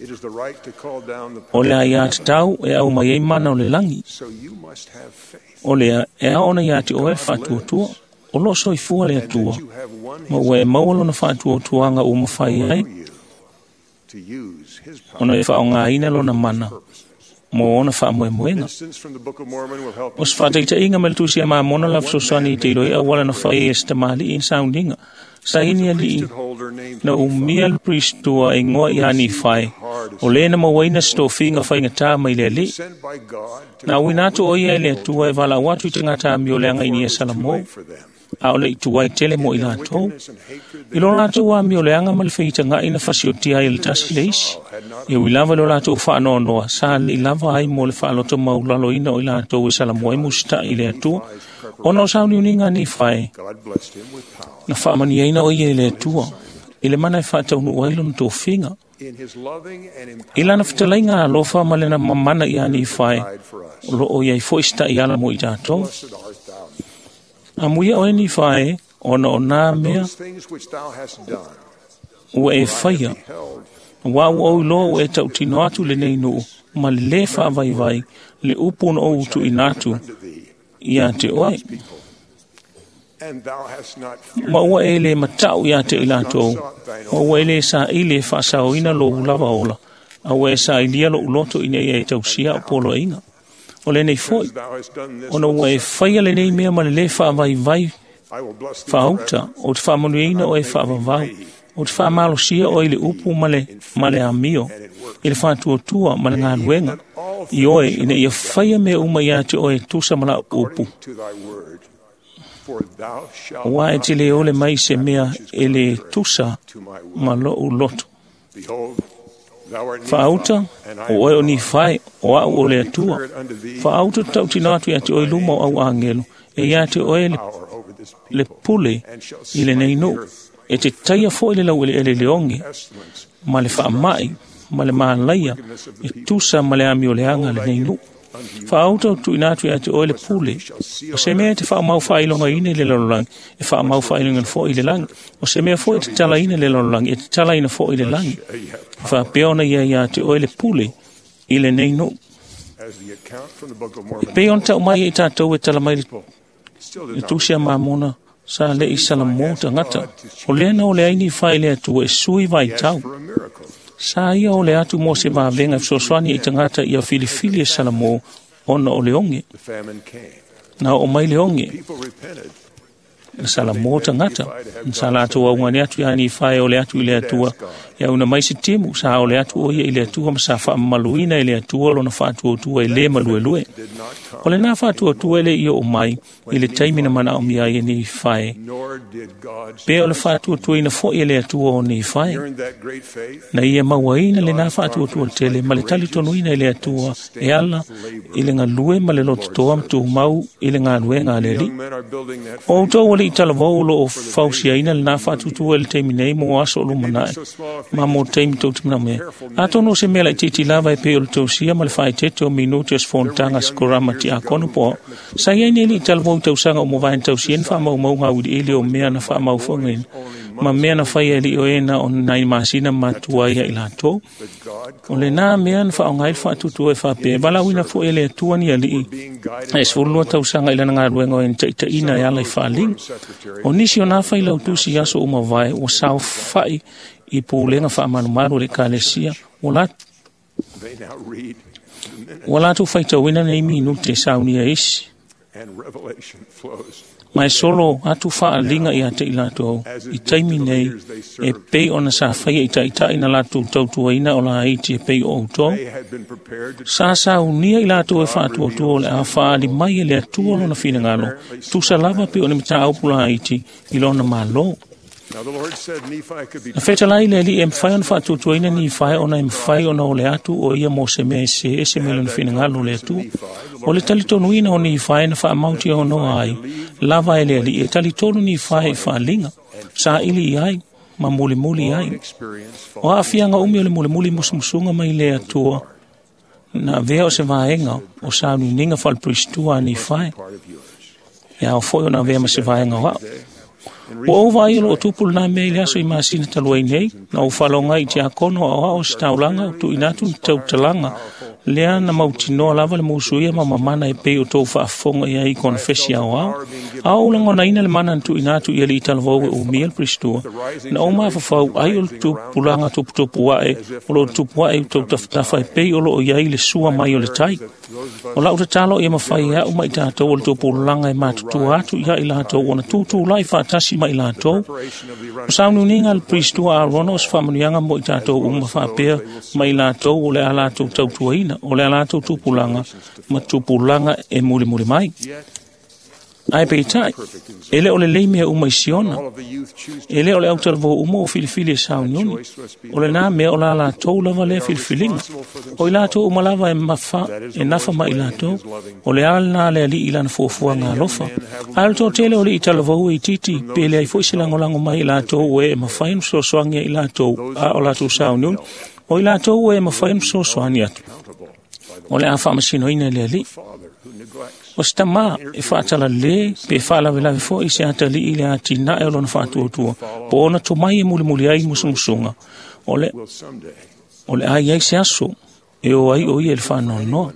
It is the right to call down the O le aia tatau e au mai ai mana o le lagi. So you must have faith O lea e ao ona ia te oe le faatuatua. O loo soifua le Atua. you have one Ma ua e maua lona faatuatuaga ua mafai ai you to use his power. ona e faaaogāina lona mana mo ona faamoemoega. Instance from the Book of Mormon will help O se faataitaiga ma le tusi a Mamona la fesoasoani i te iloa i auala na fai e se tamalii i sauniga. Saini alii holder named na umia le puisitua e igoa ia Nifai. O lē na mauaina se tofiga faigatā mai le alii. sent by God to Na auina atu o ia e le Atua e valaau atu i tagata amioleaga ina ia Salamou, for them. a o le ituai tele mo i latou. And hatred I lo latou amioleaga ma le feitagaʻi na fasiotia ai e le tasi le isi. E ui lava le o latou faanoanoa, sa alii lava ai mo le faaloto maulaloina o i latou e Salamou ai musitaʻi i le Atua. Ona o sauniuniga a Nifai, God blessed him with power. na faamaniaina o ia e le Atua, i le mana e faataunuu ai lona tofiga. In his loving and I lana fetalaiga alofa ma lena mamana ia Nifai, implied for us. o loo iai foʻi se taʻiala mo i tatou. Blessed art thou. Amuia oe Nifai, ona o nā mea Those things which thou hast done, ua e faia, beheld Ua ua ou iloa ua e tautino atu lenei nuu, ma le lē faavaivai, le upu ona ou tuuina atu unto thee, ia te oe. people. And thou hast not feared Ma ua e lē mataʻu iā te i latou, ma ua e lē saili e faasaoina lou lava ola, a ua e sailia loʻu loto ina ia e tausia o poloaiga. O lenei foʻi, thou hast done this. ona ua e faia lenei mea ma le lē faavaivai I will bless thee faauta forever. o te faamanuiaina o e faavavau, O te whaamalosia o i le upu ma le, ma le amio, i le whātuatua ma le ngāluenga, i oe ina ia whaia mea uma ia te oe tusa ma la upu. Ua e te le ole mai se mea e le tusa ma lou loto. Whaauta, o oe o ni whai, o au o le atua. Whaauta tau tina atu ia te oe luma o au angelo, e ia te oe le, le pule i le nei nuu. E te taia foi le lau ele ele leonge, ma le whaamai, ma le maalaia, e tusa ma le ami o le anga le nei nuu. Whaauta o tuina atu ia te oe le pule, o se mea te whaamau whailonga ine le lalolagi, e whaamau whailonga fo i le langi, o se mea fo e te tala ine le lalolagi, e te tala ine fo i le langi. Whaapea ona ia ia te oe le pule i le nei nuu. E pei ona tau mai e tātou e tala mai le, le tusi a Mamona, sa le i Salamo tangata. O lea na o le aini whai le atua e sui vai tau. Sa ia o le atu mo se vavenga fesoasoani i tangata ia filifili e Salamo ona o le onge. Na o mai le onge. Na Salamo tangata. Sa latou augani atu ia ni whai o le atu i le atua. Ia una mai se timu sa o le atu o ia i le atua ma sa whaamaluina i le atua lona whaatuatua e le maluelue. O le nā whaatuatua ele i o mai i le taimi na mana o mia i ni whai. Pe o le whaatuatua ina fo i le atua o ni whai. Na ia mauaina le nā whaatuatua tele ma le talitonuina i le atua e ala i le ngalue ma le lototoa mtu mau i le ngalue ngā leli. O tau o le italavau lo o fausiaina le nā whaatuatua le taimi nei mo aso o lumanae. Ma mo taimi tau timina mea. Atono se mea lai titi lava e pe o le tausia ma le whaetete o minuti o sfontanga skorama ti akono po. Sa ia nei talavou tausaga o movaen tausia na whaamaumau ngā uri ele o mea na whaamauwhangaina. Ma mea na whai ali o e na o nai masina matua ia i latou. O le nā mea na whaongai le whaatutua e whapea. Walauina fo ele atua ni alii. E sefululua tausaga i lana galuega o e na taʻitaʻina e ala i faaliga. O nisi o nā failautusi i aso uma vae ua saofaʻi i pulega faamalumalu o le ekalesia ua la ua latou faitauina nei minute e saunia isi. Ma e solo atu faaliga ia te i latou i taimi nei e pei ona sa faia i taʻitaʻi na latou tautuaina o laiti e pei o outou. Sa saunia i latou e faatuatua o le a faali mai e le Atua lona finagalo, tusa lava pe o ni mataupu laiti i lona mālō. Na fetalai le alii e mawhai ona faatuatuaina ni whai ona e mawhai ona o le atu o ia mo se mea e se ese me lona finagalo le Atua. O le talitonuina o ni whai na whaamauti o noa ai, lava e le alii e talitonu ni whai i whaalinga, sa ili i ai, ma mulimuli ai. O aafianga umi o le mulimuli musumusunga mai le Atua, na vea o se vaenga o saunininga whalepuristua ni whai. Ia o foi o na vea ma se vaenga o au. Ua ou vaai o loo tupu lena mea i le aso i masina talu ai nei, na ou faaloga i tiakono aoao o se taulaga o tuuina atu ni tautalaga lea na mautinoa lava le musuia ma mamana e pei o tou faafofoga i ai i konefesi aoao. A ou lagonaina le mana na tuuina atu i alii talavou e umia le Peristua, na ou mafafau ai o le tupulaga tuputupu aʻe o loo tupu aʻe i tou tafatafa e pei o loo i ai le sua mai o le tai. O lau tatalo ia mafai e au ma i tatou o le tupulaga e matutua atu ia i latou ona tutulai faatasi ma i latou. O sauniuniga le Peristua Aarona o se faamanuiaga mo i tatou uma faapea ma i latou o le a latou tautuaina, o le a latou tupulaga ma tupulaga e mulimuli mai. Ae peitai, e le o le lei mea uma i Siona, e le o le autalavou uma o filifili e sauniuni, o le nā mea o la latou lava lea filifiliga. O i latou uma lava e mafa, e nafa ma i latou, o le ala lena le alii i lana fuafuaga alofa. Ae o le toatele o le italavou e itiiti, pe leai foi se lagolago mai i latou o e e mafai ona fesoasoani ai i latou a o latou sauniuni, o i latou o e mafai ona fesoasoani atu. O le a faamasinoina e le alii. O se tamā e faatalale pe faalavelave foi se atalii i le atinae o lona faatuatua, po ona tomai e mulimuli ai musumusuga. O le, o le a iai se aso e o ai o ia i le faanoanoa.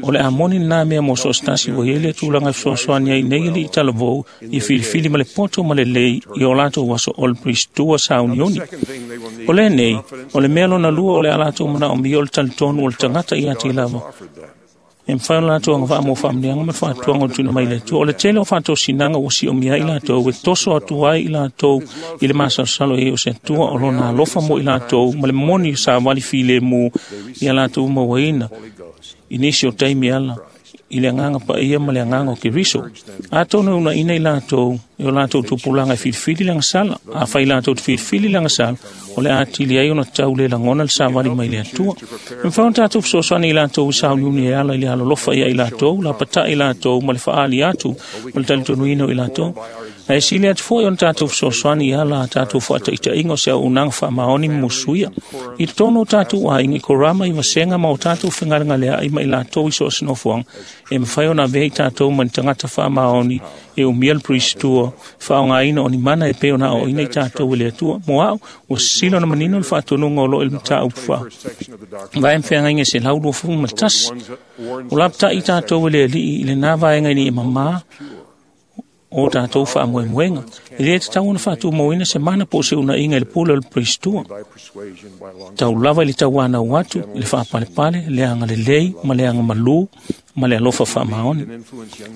O le a moni lenā mea mo so o se tasi ua iai le tulaga e fesoasoani ai nei alii talavou ia filifili ma le poto ma lelei i o latou aso o le Peristua sauniuni. O lenei, o le mea lona lua o le a latou manaomia o le talitonu o le tagata ia te lava. E mafai ona latou agavaa mo faamanuiaga ma le faatuaga o le tuuina mai le Atua. O le tele o faatosinaga ua siomia ai i latou e toso atu ai i latou i le masalosalo i ai o se Atua o lona alofa mo i latou ma le moni savali filemu ia latou mauaina i nisi o taimi ala i le agaga paia ma le agaga o Keriso. Atonu e unaina i latou e o latou tupulaga e filifili le agasala. Afai latou te filifili le agasala, o le atili ai ona tau le lagona le savali mai le Atua. E mafai ona tatou fesoasoani i latou i sauniuni e ala i le alolofa ia i latou, lapatai i latou ma le faaali atu ma le talitonuina o i latou. Ae sili atu foi ona tatou fesoasoani i ala a tatou faataitaiga o se auaunaga faamaoni ma musuia. I totonu o tatou aiga i korama i vasega ma o tatou fegalegaleai ma i latou i so o se nofoaga, e mafai ona avea i tatou ma ni tagata faamaoni e umia le Priestua, faaaogaina o ni mana e pei ona aoaina i tatou e le Atua. Mo au, ua sisila ona manino le faatonuga o lo o i le mataupu fa. Vae ma feagaiga e selau luafulu ma le tasi. O lapatai i tatou e le Alii i lena vaega ina ia mamā o tatou faamoemoega. E le tatau ona faatumauina se mana po o se unaiga i le pule o le Priestua. Tau lava i le tauanau atu, i le faapalepale, le agalelei ma le agamalū ma le alofa faamaoni.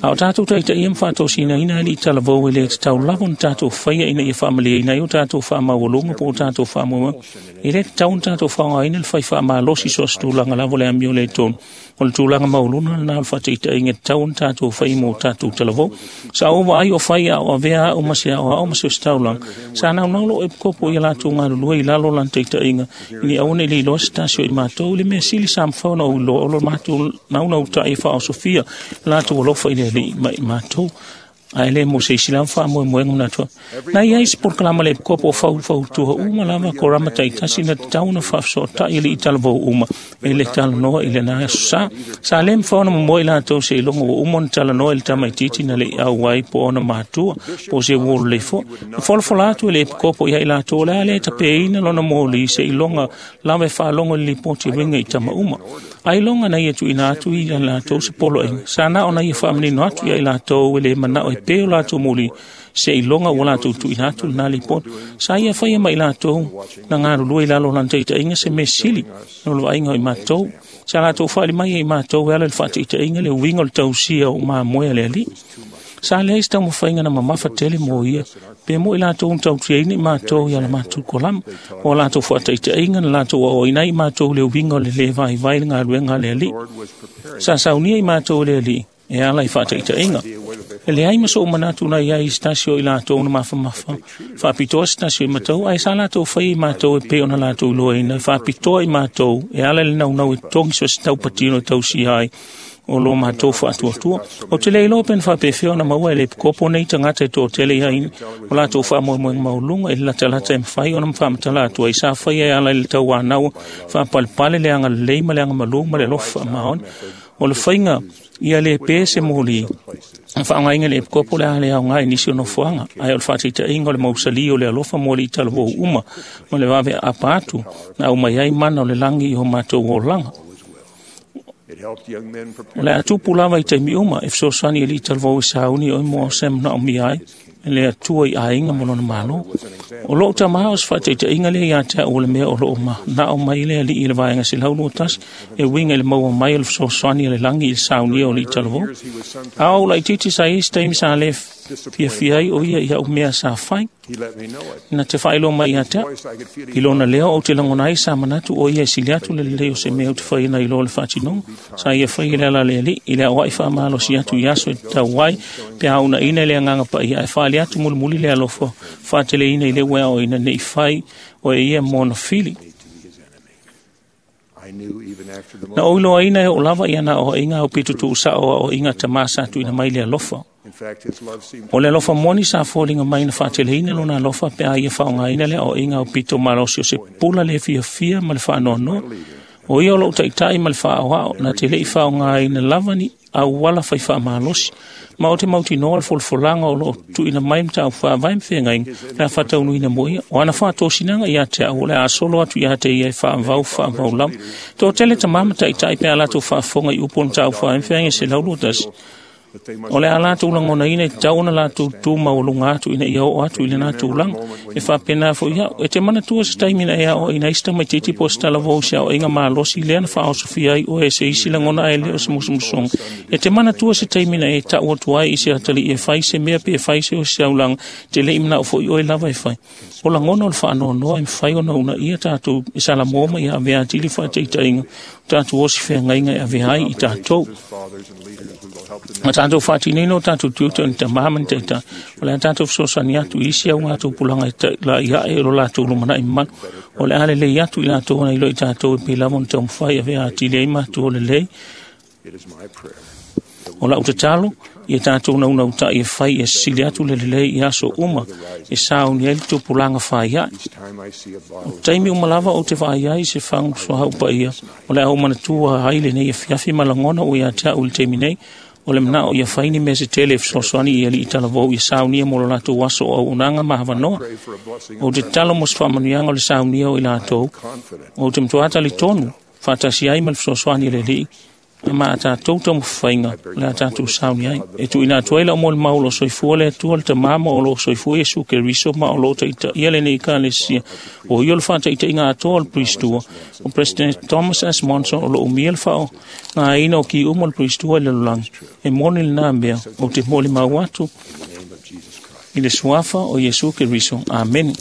A o tatou taitaia ma faatosinaina alii talavou e le tatau lava ona tatou faia ina ia faamalieina ai o tatou faamaualuga po o tatou faamoemoega. E le tatau ona tatou faaaogaina le fai faamalosi so o se tulaga lava o le amio le tonu. O le tulaga maualuna lena o le faataitaiga e tatau ona tatou fai mo tatou talavou. Sa ou vaai o fai a o avea au ma se aoao ma se ositaulaga. Sa naunau lou epikopo ia latou galulue i lalo o lana taitaiga ina ia aua ne i leiloa se tasi o i matou i le mea sili sa mafai ona ou iloa o lo matou naunauta'i e faaosofia latou alofa i le Alii ma i matou. Ae le mo se isi lava faamoemoega manatu ai. Na i ai se polokalama le epikopo o faufautua uma lava korama taitasi na tatau ona faafesootai alii talavou uma e le talanoa i lena aso sa. Sa le mafai ona momoe i latou seiloga ua uma ona talanoa i le tamaitiiti na le i auai po o ona matua po o se uo lelei foi. Na folafola atu e le epikopo ia i latou o le a le tapeina lona moli seiloga lava e faalogo i le lipoti e uiga i tama uma. Ailoga na ia tuuina atu i latou se poloaiga. Sa na ona ia faamanino atu ia i latou e le manao e pe o latou moli seiloga ua latou tuuina atu lena lipoti. Sa ia faia mai latou na galulue i lalo o lana taitaiga se mea sili no le vaaiga o i matou. Sa latou faali mai e i matou e ala i le faataitaiga le uiga o le tausia o mamoe a le Alii. Sa leai se taumafaiga na mamafa tele mo ia, pe mo i latou na tautiaina i matou ia la matou kolama, o latou faataitaiga na latou aoaina ai i matou le uiga o le lē vaivai le galuega a le Alii. Sa saunia i matou e le Alii e ala i faataitaiga. E leai ma so'u manatu na iai i se tasi o i latou na mafamafa faapitoa se tasi o i matou, ae sa latou faia i matou e pei ona latou iloaina e faapitoa i matou e ala i le naunau e togi so o se taupatino e tausia ai o lo matou faatuatua. Ou te le iloa pe na faapefea ona maua e le epikopo nei tagata e toatele ai o latou faamoemoega maualuga i le latalata e mafai ona faamatala atu ai sa faia e ala i le tauanau faapalepale le agalelei ma le agamalū ma le alofa faamaoni. O le faiga ia le pe se moli faaaogaina le epikopo le a le aoga i nisi o nofoaga, ae o le faataitaiga o le mausali o le alofa mo alii talavou uma ma le vave aapa atu na aumai ai mana o le lagi i o matou olaga. O le a tupu lava i taimi uma e fesoasoani alii talavou e sauni oe mo se manaomia ai e le Atua i aiga ma lona Malo. O lou tamā o se faataitaiga lea ia te au o le mea o loo manao mai le Alii i le vaega selau lua tasi e uiga i le maua mai o le fesoasoani a le lagi i le saunia o alii talavou. A o laitiiti sa i ai se taimi sa le fiafia ai o ia i au mea sa fai. Na te faailoa mai ia te au. I lona leo ou te lagona ai sa manatu o ia e sili atu le lelei o se mea ou te faia nai lo le faatinoga. Sa ia faia le ala a le Alii i le aoai faamalosi atu i aso e tatau ai pe a unaina i le agaga paia ae faali atu mulimuli le alofa faateleina i le ua e aoaina nei fai o e ia mo ona fili. Na ou iloaina e oo lava ia na aoaiga au pito tuusao o aoaiga tamā sa tuuina mai le alofa. O le alofa moni sa foliga mai na faateleina lona alofa pe a ia faaaogaina le aoaiga au pito malosi o se pula le fiafia ma le faanoanoa. O ia o lou taitai ma le faaoao na te le'i faaaogaina lava ni auala fai faamalosi. Ma o te mautinoa le folafolaga o loo tuuina mai mataupu faavae ma feagaiga le a faataunuina mo ia. O ana faatosinaga ia te au o le a solo atu ia te ia e faavau faavau lava. Toatele tamā ma taitai pe a latou faafofoga i upu o le mataupu faavae ma feagaiga selau lua tasi. O le a latou lagonaina e tatau ona latou tu maualuga atu ina ia oo atu i lena tulaga. E faapena foi au. E te manatua se taimi na e aoaina ai se tamaitiiti po o se talavou i se aoaiga malosi lea na faaosofia ai oe e se isi lagona ae le o se musumusuga. E te manatua se taimi na e tau atu ai i se atalii e fai se mea pe e fai se o se aulaga te le i manao foi oe lava e fai. O lagona o le faanoanoa e mafai ona uunaia tatou e salamoa ma ia avea atili faataitaiga o tatou osi feagaiga e avea ai i tatou. Ma tatou faatinoina o tatou tiute o ni tamā ma ni taitā. O le a tatou fesoasoani atu i isi au gatou pulaga e tailai ae o lo latou lumanai mamalu. O le a lelei atu i latou ona iloa i tatou e pei lava ona taumafai e avea atili ai matou o lelei. O lau tatalo, ia tatou naunautai e fai e sisili atu le lelei i aso uma e sauni ai le tupulaga faiae. O taimi uma lava ou te vaai ai i se fagu suauu paia, o le a ou manatua ai lenei afiafi ma lagona ua ia te au i le taimi nei, o le manao ia fai ni mea se tele e fesoasoani i alii talavou ia saunia mo lo latou aso o auaunaga ma avanoa. Ou te tatalo mo se faamanuiaga o le saunia o i latou, ou te matua talitonu faatasi ai ma le fesoasoani a le Alii, ma a tatou taumafaiga o le a tatou sauni ai. E tuuina atu ai lau molimau o lo o soifua le Atua le Tamā ma o lo o soifua Iesu Keriso ma o lo o taitaia lenei Ekalesia. O ia o le faataitaiga atoa o le Puristua, o President Thomas S. Monson o lo o umia le faaaogaina o ki uma o le Puristua i le lalolagi. E moni lena mea, ou te molimau atu i le suafa o Iesu Keriso. Amene.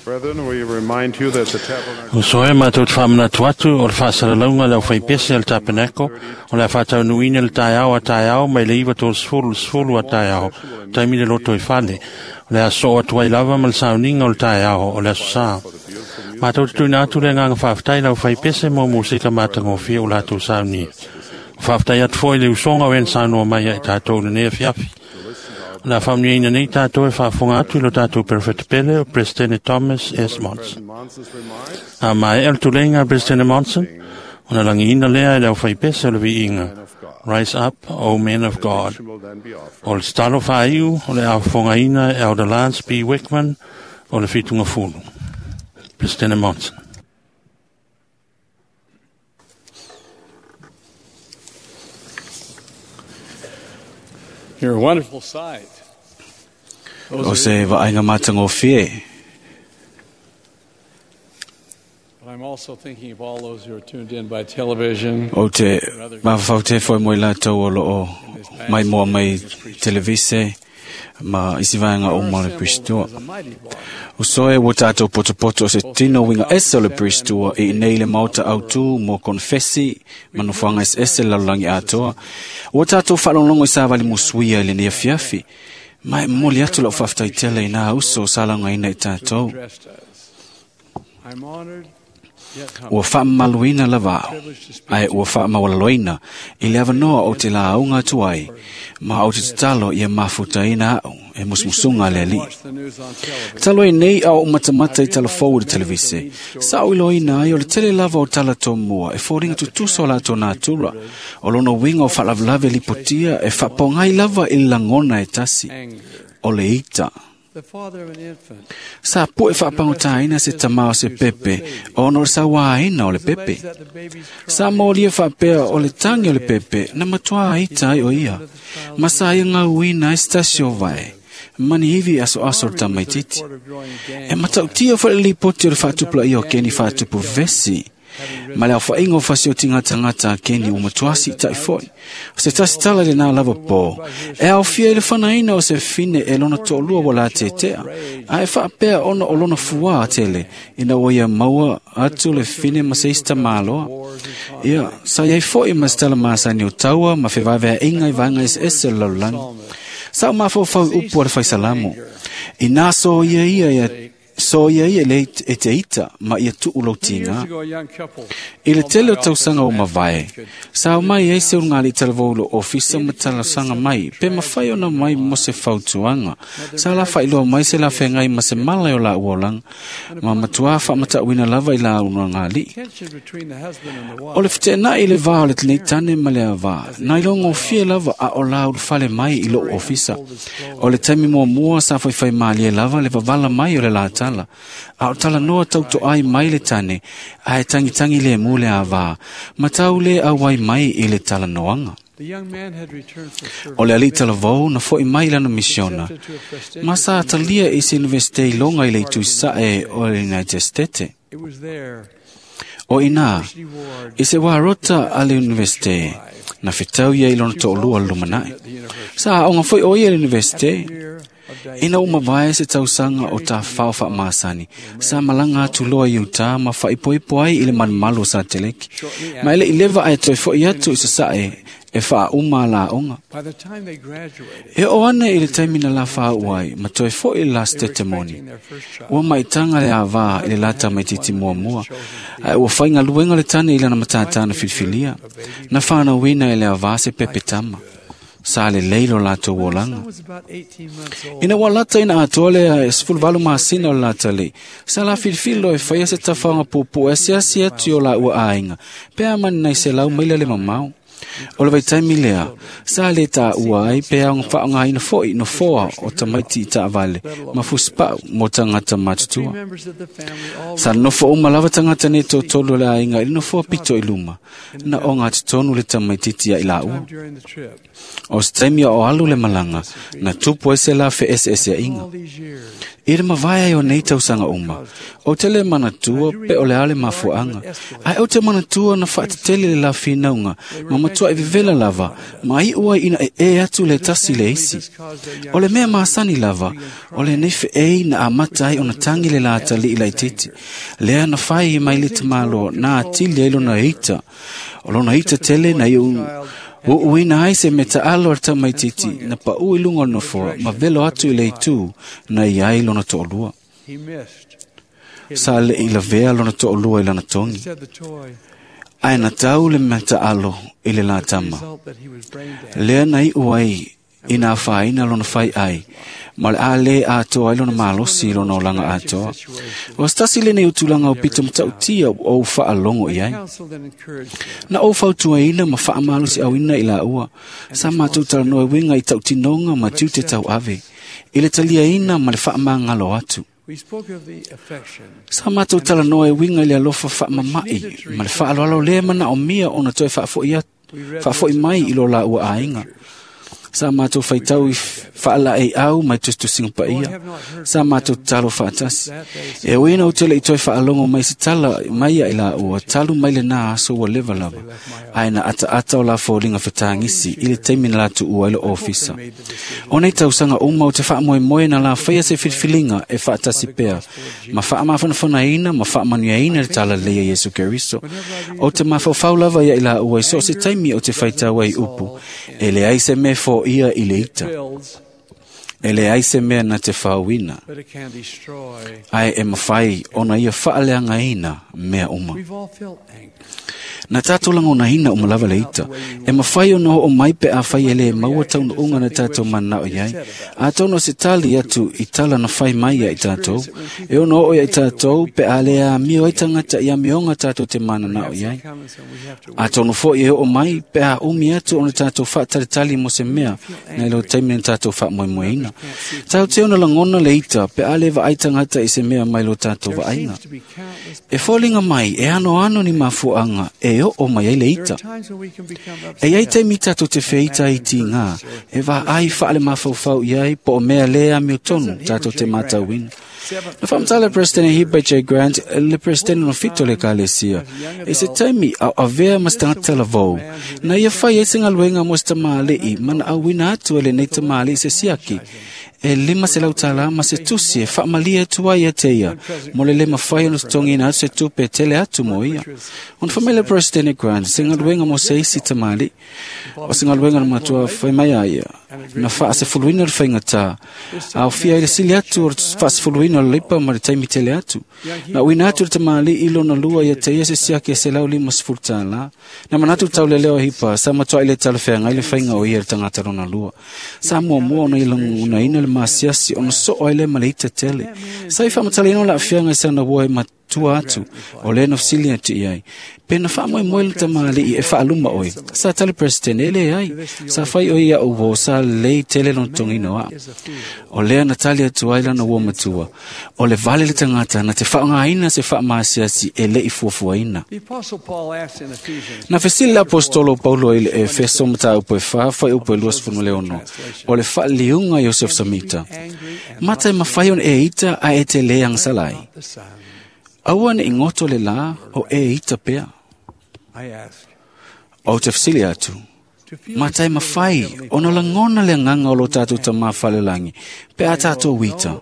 Brethren, we remind you that the tabernacle O soe mātou te whaamanatu atu o le whaasalalauga le au whaipese al tapenako o le whaataunuina le taeao a taeao mai le iwa tō sefulu le sefulu a taeao taimi le loto i fale o le aso o atu ai lava ma le sauninga o le taeao o le aso sā. Mātou te tuina atu le nganga whaaftai lau whaipese mo musika mātangofia o lātou saunia. O whaaftai atu foi le usonga o en saunoa mai ai tātou le nea fiafi. La whamuina nei tātou e whaafonga atu i lo tātou perfect pele o President Thomas S. Monson. A mai el tulenga President Monson, o na langi ina lea e leo whaipese o le viinga. Rise up, O men of God. O le stalo whaiu o le aofonga ina e Elder Lance B. Wickman o le whitunga fulu. President Monson. You're a wonderful sight. O se vaaiga matagofie. But I'm also thinking of all those who are tuned in by television. O te mafaufau foi mo i latou o loo mai moa mai televise ma isi vaega uma o le Puristua. O soe ua tātou potopoto o se tino winga ese o le Puristua i nei le maota autu mo konfesi manufuanga ese ese lalolagi atoa. Ua tātou faalogologo i savali musuia i lenei afiafi. Ma e momoli atu lau faafetai tele i nā uso o sa laugaina i tātou. I'm honored yet Ua humbled faamamaluina lava au, ae ua faamaualaloina i le avanoa o te laauga atu ai, ma o te tatalo ia mafutaina au e musumusuga a le Alii. the news on television. Talo ai nei a o matamata i talafou i le televise. Sa o iloina ai o le tele lava o tala tomua e foliga tutusa o latou natura. O lona uiga o faalavelave lipotia e faapaogai lava i le lagona e tasi. O le ita. The father of an infant Sa pue faapagotāina se tamā o se pepe ona o le sauāina o le pepe. Sa molia faapea o le tagi o le pepe na matuā ita ai o ia. Ma sa ia gauina ai se tasi o vae. Mani ivi asoaso o le tamaititi. E matautia foi le lipoti o le faatupulaia o keni faatupu vesi. Ma le aofaʻiga o fasiotiga tagata a keni ua matuā siitaʻi foi. O se tasi tala i lenā lava pō, e aofia i le fanaina o se fine e lona toʻalua ua latetea, ae faapea ona o lona fuā tele, ina ua ia maua atu le fine ma se isi tamāloa. Ia, sa iai foi ma se tala masani o taua ma fevaevaeaiga i vaega eseese o le lalolagi. Sa o mafaufau i upu a le faisalamo. Inā so ia ia ia so ia ia le e te ita ma ia tuu lau Years tiga. ago, a young couple I le tele o tausaga o mavae, sa o mai ai se ulugali talavou i lou ofisa ma talosaga mai, pe mafai ona mai mo se fautuaga. Sa la faailoa mai se lafeagai ma se mala o laua olaga, ma matuā faamatauina lava i la ulugalii. tension between the husband and the O wife le feteenai i le vā o le lenei tane ma le avā, na ilogofie lava a o la ulufale mai i lou ofisa. O le taimi muamua sa faifai malie lava le vavala mai o le la tane. tala. A o talanoa tautoai mai le tane, ae tangitangi le mu le avā, ma tau le auai mai i le talanoaga. O le alii talavou na fo'i mai lana misiona, ma sa talia i se Universite i loga i le itu sa'e o le United States. O ina, i se wā rota a le Universite, na fetau ia i lona to'olua le lumana'i. Sa aoga foi o ia i le Universite, ina ua mavae se tausaga o tafao faamasani, sa malaga atu loa i utā ma faaipoipo ai i le malumalu o Sateleki. Ma e le'i leva ae toe fo'i atu i sasa'e e faauma alaoga. E oo ane i le taimi na lafaau ai, ma toe fo'i le la setete moni. Ua maitaga le avā i le lata maititi muamua, ae ua faigaluega le tane i lana matātā na filifilia. Na whanauina e le avā se pepe tama. Sa lelei lo latou olaga. Ina ua lata ina atoa lea e sefuluvalu masina o le latalii, sa la filifili loa e faia se tafaoga puupuu e asiasi atu i o laua aiga, pe a mani nai selau maila le mamao. O le vaitaimi lea, sa le tāua ai pe aoga faaaogaina fo'i nofoa o tamaiti i taavale ma fusipa'u mo tagata matutua. Sa nonofo uma lava tagata nei totolu o le aiga i le nofoa pito i luma, na oga totonu le tamaititi ia i laua. O se taimi o alu le malaga, na tupu ai se la fe'ese'esea'iga. I le mavae ai o nei tausaga uma, o te le manatua pe o le a le mafua'aga, ae o te manatua na fa'atetele le la finauga ma matua'i vevela lava, ma i'u ai ina e'e atu le tasi le isi. O le mea masani lava, o lenei fe'ei na amata ai ona tagi le latali'i laitiiti, lea na fai mai le tamāloa na atili ai lona ita. O lona ita tele na iu uuina ai se metaalo a le tamaititi na pa'u i luga o le nofoa ma velo atu i le itū na i ai lona to'olua. Sa le'i lavea lona to'olua i lana togi, ae na tau le metaalo i le latama. Lea na i'u ai ina afaina lona fai ai, ma le a lē atoa ai lona malosi i lona olaga atoa. O se tasi lenei o tulaga o pito matautia ua ou faalogo i ai. Na ou fautuaina ma faamalosi'auina i laua, sa matou talanoa e uiga i tautinoga ma tiute tauave, i le taliaina ma le faamagalo atu. Sa matou talanoa e uiga i le alofa faamama'i ma le faaaloalo lea manaomia ona toe faafo'i atu faafo'i mai i lo laua aiga. Sa matou faitau i faala'ei'au mai tusitusiga paia. Sa matou tatalo faatasi. E ui ina ou te le'i toe faalogo mai se tala mai ia i laua, talu mai lenā aso ua leva lava, ae na ataata o la foliga fetagisi i le taimi na latuua ai le ofisa. O nei tausaga uma o te faamoemoe na la faia se filifiliga e faatasi pea, ma faamafanafanaina ma faamanuiaina le talalelei a Iesu Keriso. O te mafaufau lava ia i laua i so o se taimi o te faitau ai upu, e leai se mea fo'ia i le ita. E leai se mea na te faauina, ae e mafai ona ia faaleagaina mea uma. Na tatou lagonaina uma lava le ita, e mafai ona o'o mai pe afai e lē maua taunu'uga na tatou mana'o i ai. Atonu o se tali atu i tala na fai mai ia i tatou, e ono o'o ia i tatou pe a lē amio ai tagata i amioga tatou te manana'o i ai. Atonu fo'i e o'o mai pe a umi atu ona tatou fa'atalitali mo se mea nai lo taimi na tatou fa'amoemoeina. Tau te ona lagona le ita pe a lē va'ai tagata i se mea mai lo tatou va'aiga. E foliga mai e anoano ni mafua'aga e o'o mai ai le ita. E iai taimi tatou te feita ai tigā, e vaai faalemafaufau i ai po o mea lē amiotonu tatou te matauina. Na faamatala le Peresetene Heber J. Grant, le Peresetene no fito le ekalesia, i se taimi a o avea ma se tagata lavou, na ia fai ai se galuega mo se tamāli'i ma na auina atu e lenei tamāli'i se siaki, e lima selau tālā ma se tusi e faamalie atu ai ia te ia, mo le lē mafai ona totogiina atu se tupe e tele atu mo ia. Ona fai mai le Peresetene Grant, se galuega mo se isi tamāli'i, o se galuega na matua fai mai a ia, na faasefuluina le faigatā, aofia ai le sili atu o le faasefuluina o le leipa ma le taimi tele atu. Na uina atu le tamāli'i lona lua ia te ia se siaki e selau lima sefulu tālā. Na manatu le taulelea o Hipa, sa matua'i le talafeagai le faiga o ia le tagata lona lua. Sa muamua ona ia lagonaina le masiasi ona so'o ai lea ma le ita tele. Sa i faamatalaina o le aafiaga i sana ua e tua atu o le na fesili atu i ai. Pe na faamoemoe le tamalii e faaluma oe. Sa tali President e leai. Sa fai oe iaʻu uō sa lelei tele lona totogiina o a'u. O lea na tali atu ai lana uō matua. O le vale le tagata na te faaaogāina se faamaasiasi e leʻi fuafuaina. The Apostle Paul asked in Ephesians Na fesili le apostolo o Paulo i le Efeso mataupu e fa fuaiupu e luasefulu ma le ono. O le faaliliuga Iosef Samita. Mata e mafai ona e ita ae e te lē agasala ai. the sun. Aua neʻi goto le lā o e ita pea. I ask, Ou te fesili atu. Mata e mafai ona lagona le agaga o lo tatou tamā falelagi pe a tatou ita.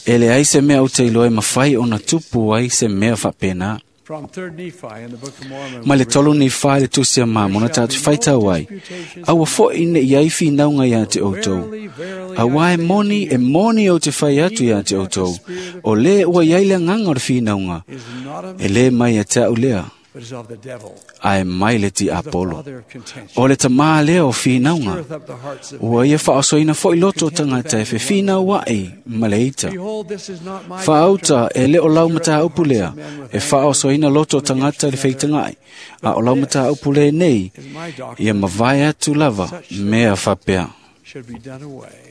E leai se mea ou te iloa e mafai ona tupu ai se mea faapena. from Third Nephi in the Book of Mormon, Ma le tolu ni whai le tusi a mamona tātou whaitau ai. Aua foʻi neʻi ai finauga iā te outou. Auā e moni, e moni ou te fai atu iā te outou. O lē ua iai le agaga o le finauga. E lē mai ia te a'u lea, but is of the devil, ae mai le ti the Apolo. father of contention. O le tamā lea o finauga. Stirreth up the hearts of Ua ia faaosoina foʻi loto o tagata e fefinau aʻi ma le ita. Behold, this is not my Faauta e le o lau mataupu lea, e faaosoina loto o tagata i le feitagaʻi, a o lau mataupu le nei, ia mavae atu lava mea faapea. should be done away.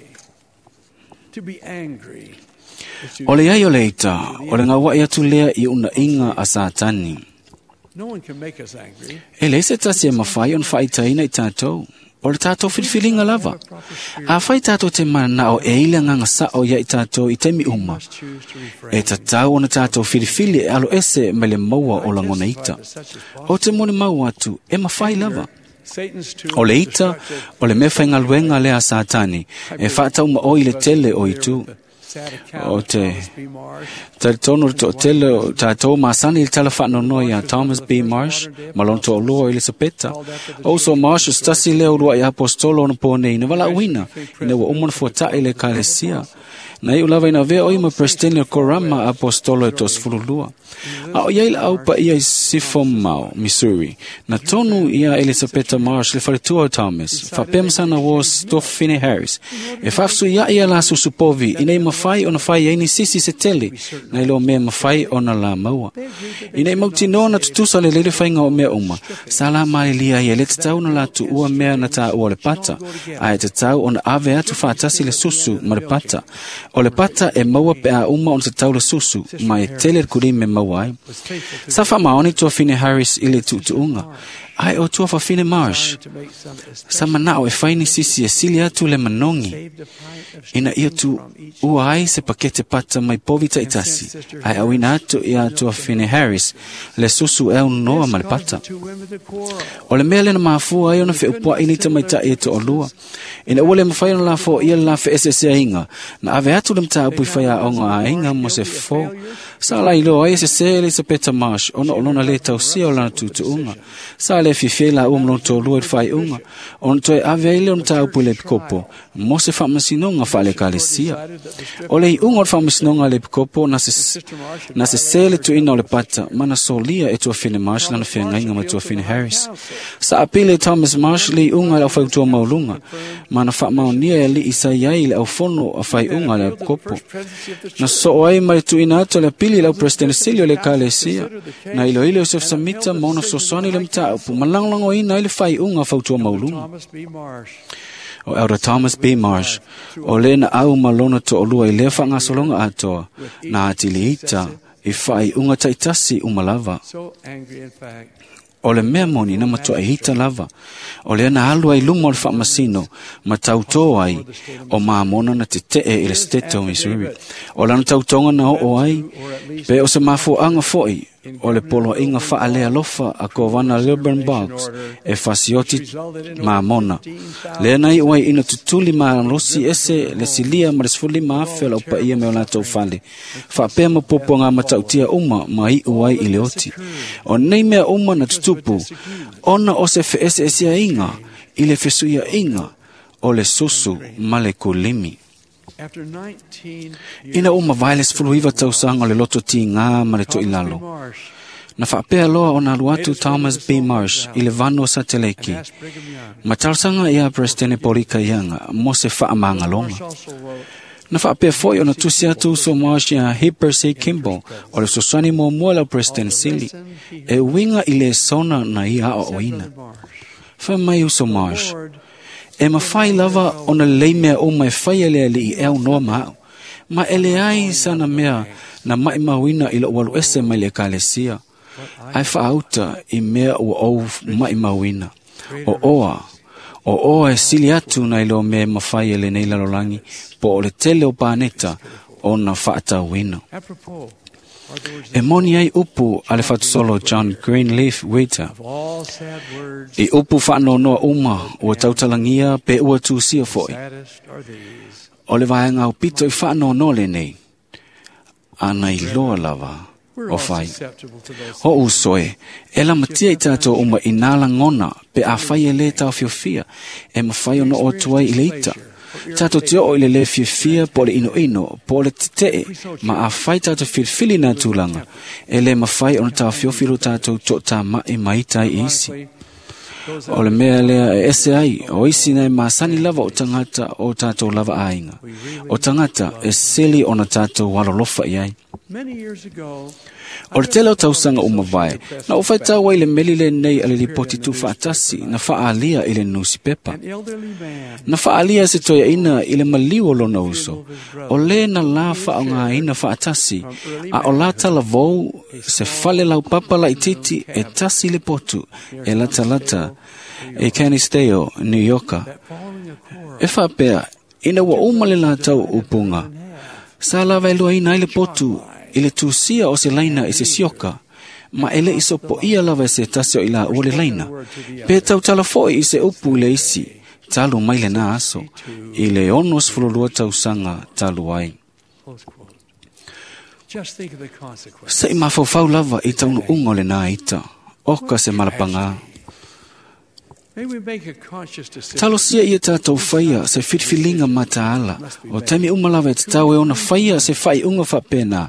To be angry is to O le ai o le ita, o le gauaʻi atu lea i unaiga a Satani. No one can make us angry. E leai se tasi e mafai ona faaitaina i tatou. O le tatou filifiliga lava. Afai tatou te mananao e i le agaga saʻo ia i tatou i taimi uma. E tatau ona tatou filifili e alo ese mai le maua o lagona ita. O te molimau atu e mafai lava. Satan's tool O le is ita, destructive. o le mea faigaluega lea a Satani, e faataumaoi le tele o itu. Sad account O of te Thomas B. Marsh talitonu le toʻatele o tatou masani i le tala faanonoa iā Thomas B. Marsh ma lona toalua o Elisapeta. O uso Marsh o se tasi lea uluaʻi apostolo ona ponei na valaauina ina ua uma ona fuataʻi le ekalesia. Na iʻu lava ina avea oe ma Presideni o Korama apostolo e toasefululua. A o iai laau paia i Sifomao, Missouri. Na tonu ia Elisapeta Marsh le faletua o Thomas, faapea masana uō Stofine Harris. E faafesuiaʻi ia la susupovi ina ia mafai ona fai ai nisi se tele na i lo mea mafai ona la maua. Ina i mautinoa na tutusa le lele faiga o mea uma, sa la malilia ai e le tatau ona la tuua mea na taua o le pata, ae tatau ona ave atu faatasi le susu ma le pata. O le pata e maua pe a uma ona tatau le susu, ma e tele le kulime e maua ai. Sa faamaoni tuafine Harris i le tuutuuga, ae o tuafafine Marsh. Sa manao e fai nisi e sili atu le manogi. Ina ia tu ua ai se pakete pata mai povi taʻitasi, ae auina atu ia tuafine Harris le susu e aunoa ma le pata. O le mea lea na mafua ai ona feupuaʻi nei tamaitaʻi e toalua. Ina ua le mafai ona lafoia le la feeseeseaiga, na ave atu le mataupu i faiaoga a aiga mo se fofo. Sa lailoa ai e sesē Elisapeta Marsh ona o lona lē tausia o lana tuutuuga. Sa le fiafia i laua ma lona toalua i le faaiuga, ona toe ave ai lea o mataupu i le epikopo mo se faamasinoga faale-ekalesia. O le iuga o le faamasinoga a le epikopo na se, na sesē le tuuina o le pata ma na solia e tuafine Marsh lana feagaiga ma tuafine Harris. Sa apili e Thomas Marsh le iuga i le aufaiutua maualuga, ma na faamaonia e alii sa i ai i le aufono a faiuga a le epikopo. Na soo ai ma le tuuina atu o le apili i le aupresidene sili o le ekalesia, na iloilo Iosef Samita ma ona fesoasoani i le mataupu ma lagolagoina ai le faaiuga a fautua maualuga. Thomas B. Marsh O Elder Thomas B. Marsh, o le na au ma lona toalua i lea faagasologa atoa, na atili ita i faaiuga taʻitasi uma lava. so angry in fact O le mea moni na matuaʻi ita lava. O lea na alu ai luma o le faamasino, ma tautō ai o mamona na teteʻe i le state o Missouri. O lana tautoga na oo ai, pe o se mafuaʻaga foʻi o le poloaiga faalealofa a kovana Lilburn Boggs e fasioti mamona. Lea na iʻu ai ina tutuli malosi ese le silia ma le sefululima afe o le aupaia me o latou fale. Faapea ma puapuaga matautia uma ma iʻu ai i le oti. O nei mea uma na tutupu, ona o se feeseeseaiga i le fesuiaiga o le susu ma le kulimi. after nineteen Ina ua mavae le sefuluiva tausaga o le loto tigā ma le toʻilalo. Marsh Na faapea loa ona alu atu Thomas B. Marsh i le vanu o Sateleki. asked Brigham Young Ma talosaga ia Presidene Polika Ianga mo se faamagaloga. also wrote Na faapea foʻi ona tusi atu uso Marsh iā Heber C. Kimball o le fesoasoani muamua le au President sili e uiga i lesona na ia aoaoina. Fai mai uso Marsh, e mafai lava ona lelei mea uma e faia le alii e aunoa ma a'u, ma e leai sana mea na maʻimauina i loʻu alu ese mai le ekalesia, ae faauta i mea ua ou maʻimauina. O oa, o oa e sili atu nai lo mea e mafai e lenei lalolagi po o le tele o paneta ona faatauina. E moni ai upu a le fatusolo John Greenleaf Whittier. I upu faanoanoa uma ua tautalagia pe ua tusia foʻi. O le vaega aupito i faanoanoa lenei, ana iloa lava o fai. O uso e, e lamatia i tatou uma i nā lagona pe afai e lē taofiofia e mafai ona oo atu ai i le ita. Tatou te oo i le lē fiafia po o le inoino po o le tetee ma afai tatou filifili nā tulaga e lē mafai ona taofiofi lo tatou toʻatamai ma ita ai i isi. O le mea lea e ese ai o isi na e masani lava o tagata o tatou lava aiga. O tagata e sili ona tatou alolofa i ai. O le tele o tausaga uma vae, na ou faitau ai le meli lenei a le lipoti tuufaatasi na faaalia i le nusipepa. Na faaalia se toeaina i le maliu o lona uso, o lē na la faaaogāina faatasi, a o la talavou se fale laupapa laitiiti e tasi le potu e latalata e Canisteo, New Yorka. E faapea, ina ua uma le latau upuga, sa lava e luaina ai le potu i le tusia o se laina i se sioka, ma e leʻi sopoia lava e se tasi o i laua le laina, pe tautala foʻi i se upu i le isi, talu mai lenā aso, i le ono sefululua tausaga talu ai. Seʻi mafaufau lava i taunuuga o lenā ita, oka se malapagā. Talosia ia tatou faia se filifiliga mataala o taimi uma lava e tatau e ona faia se faaiuga faapena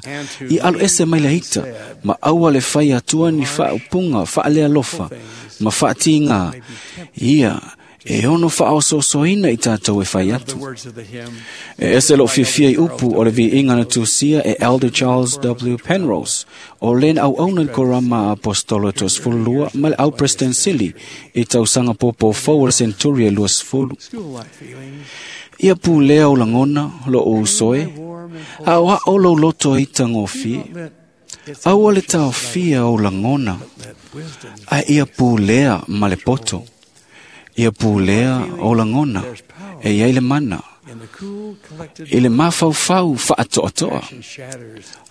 i alu ese mai le ita ma aua le faia atua ni faaupuga faalealofa ma faatigā ia e ono faaosoosoina i tatou e fai atu. E ese lou fiafia i upu o le viiga na tusia e Elder Charles W. Penrose o lena auauna i le korama a apostolo e toasefululua ma le au President sili i tausaga pōpō fou o le senturi e luasefulu. Ia pulea o lagona loo uso e, a o ao lou loto e itagofie. Aua le taofia o lagona, ae ia pulea ma le poto. Ia pulea o lagona e iai le mana. I le mafaufau faatoatoa,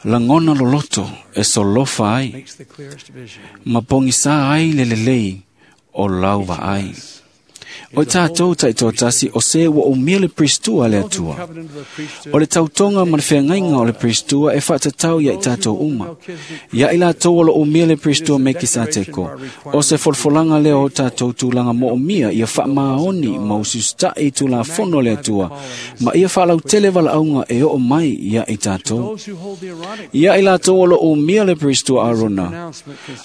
lagona loloto e solofa ai, ma pogisā ai le lelei o lau vaai. O tatou taitoatasi o se ua umia le Pristua le Atua. O le tautoga ma le feagaiga o le Pristua e faatatau ia i tatou uma. Ia i latou o lo umia le Pristua Mekisateko, o se folafolaga lea o tatou tulaga moomia ia faamaoni ma usiusitaʻi i tulafono le Atua, ma ia faalautele valaauga e oo mai ia i tatou. Ia i latou o lo umia le Pristua Arona,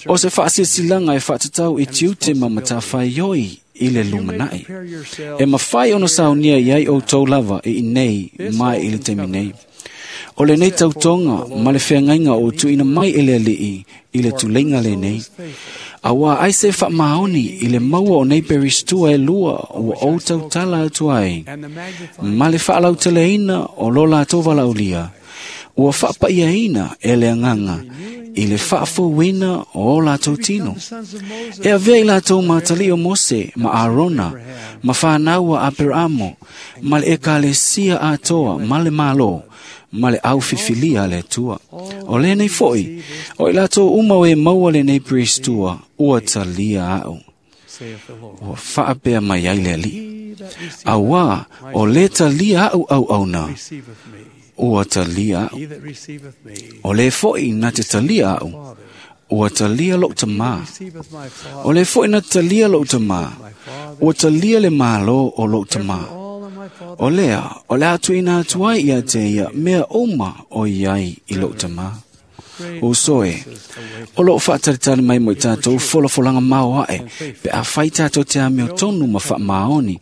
o se faasilasilaga e faatatau i tiute ma matafaioi i le lumanai. E mafai ona saunia i ai outou lava i inei mai i le taimi nei. O lenei tautoga ma le feagaiga o tuuina mai e le alii i le tuleiga lenei. Auā ai se faamaoni i le maua o nei peristua e lua ua ou tautala atu ai, ma le faalauteleina o lo latou valaaulia, ua faapaiaina e le agaga i le faafouina o o latou tino. E avea i latou matalii o Mose ma Arona, ma fanau a Aperaamo, ma le ekalesia atoa ma le Malo, ma le aufilifilia a le Atua. O lenei foʻi, o i latou uma o e maua lenei Pristua, ua talia aʻu. Ua faapea mai ai le alii. Auā, o lē talia aʻu auauna, ua talia aʻu. O lē foʻi na te talia aʻu, ua talia loʻu tamā. O lē foʻi na te talia loʻu tamā, ua talia le Malo o loʻu tamā. O lea, o le a tuuina atu ai ia te ia mea uma o iai i loʻu tamā. Uso e, o loo faatalitali mai mo i tatou folafolaga maoae pe afai tatou te amiotonu ma faamaoni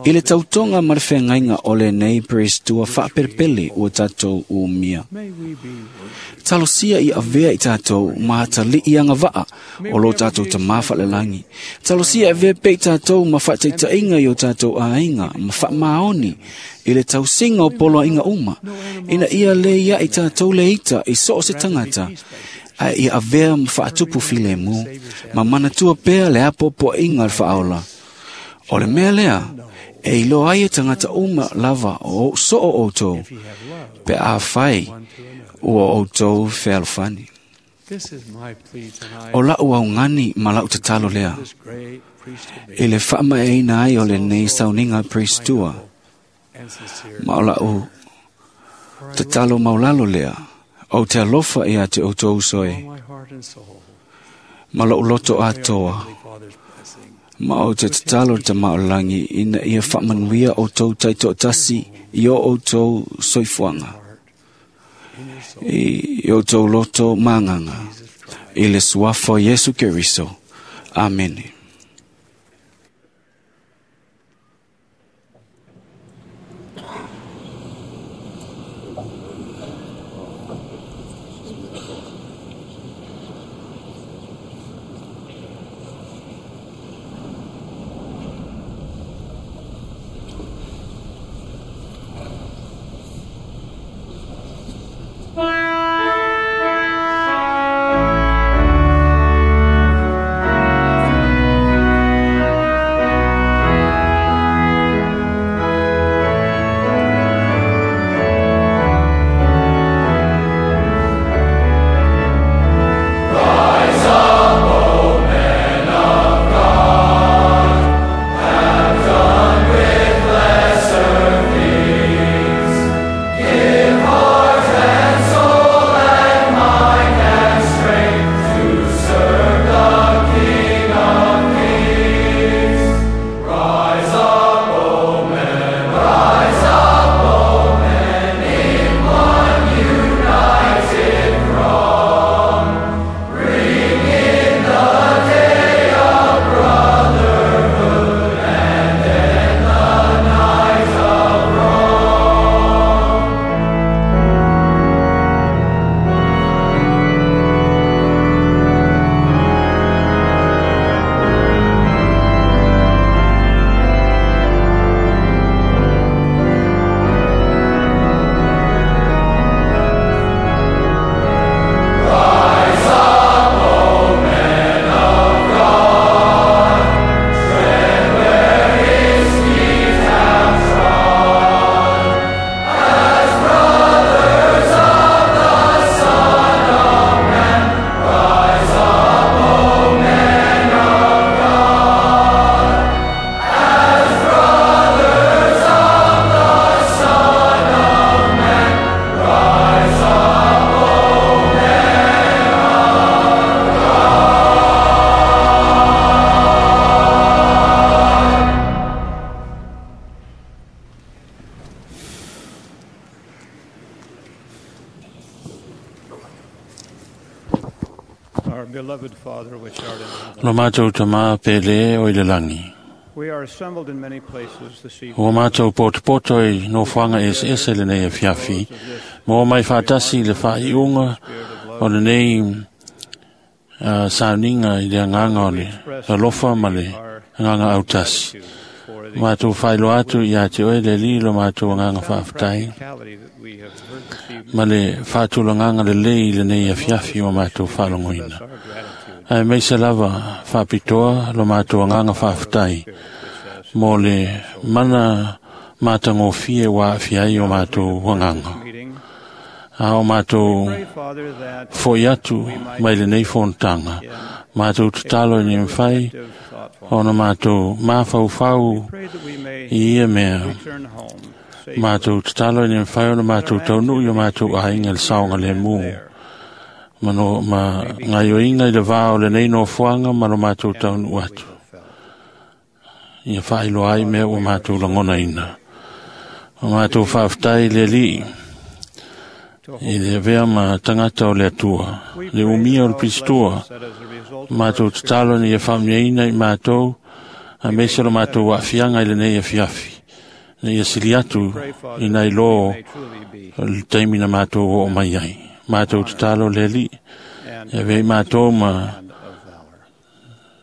i le tautoga ma le feagaiga o lenei Peristua faapelepele ua tatou umia. Talosia i avea i tatou ma atalii agavaa o lo tatou tamā faalelagi. Talosia e avea pea i tatou ma faataitaiga i o tatou aiga ma faamaoni i le tausiga o poloaiga uma, ina ia lē ia i tatou le ita i so o se tagata, ae ia avea ma faatupu filemu, ma manatua pea le apoapoaiga a le faaola. O le mea lea, e iloa ai e tagata uma lava o soo outou, pe afai ua outou fealofani. O lau augani ma lau tatalo lea, i le faamaeaina ai o lenei sauniga Peristua, ma o lau tatalo maulalo lea, ou te alofa ia te outou uso e, ma lou loto atoa, ma ou te tatalo le Tama o le Lagi ina ia faamanuia outou taitoatasi i o outou soifuaga, i outou loto magaga, i le suafa o Iesu Keriso. Amene. Lo mātou tamā pele o i le langi. Ua mātou potopoto i nofoaga eseese lenei afiafi, ma ua mai faatasi i le faaiuga o lenei uh, sauniga i le agaga o le alofa ma le agaga autasi. Mātou faailoa atu ia te oe le Alii lo mātou agaga faafetai, ma le faatulagaga lelei i lenei afiafi ua mātou faalogoina. Ae maise lava faapitoa lo mātou agaga faafetai mo le mana matagofie ua aafia ai o mātou agaga. A o mātou fo'i atu mai lenei fonotaga, mātou tatalo ina ia mafai ona mātou mafaufau i ia mea. Mātou tatalo ina ia mafai ona mātou taunuu i o mātou aiga i le saogalemu. Ma, no, ma gaioiga i le vā o lenei nofoaga ma lo mātou taunuu atu. Ia faailoa ai mea ua mātou lagonaina. O mātou faafetai le Alii, I le avea ma tagata o le Atua, le umia o le Pistoa, matou tatalo ina ia faamanuiaina i matou, aemaise o le matou aafiaga i lenei afiafi, ina ia sili atu i nai lo o le taimi na matou oo mai ai. Matou tatalo le Alii, e avea i matou ma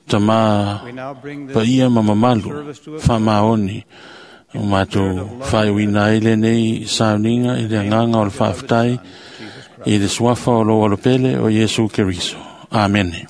tamā paia ma mamalu faamaoni o matou faaiuina ai lenei sauniga i le agaga o le faafetai i le suafa o lou Alopele o Iesu Keriso. Amene.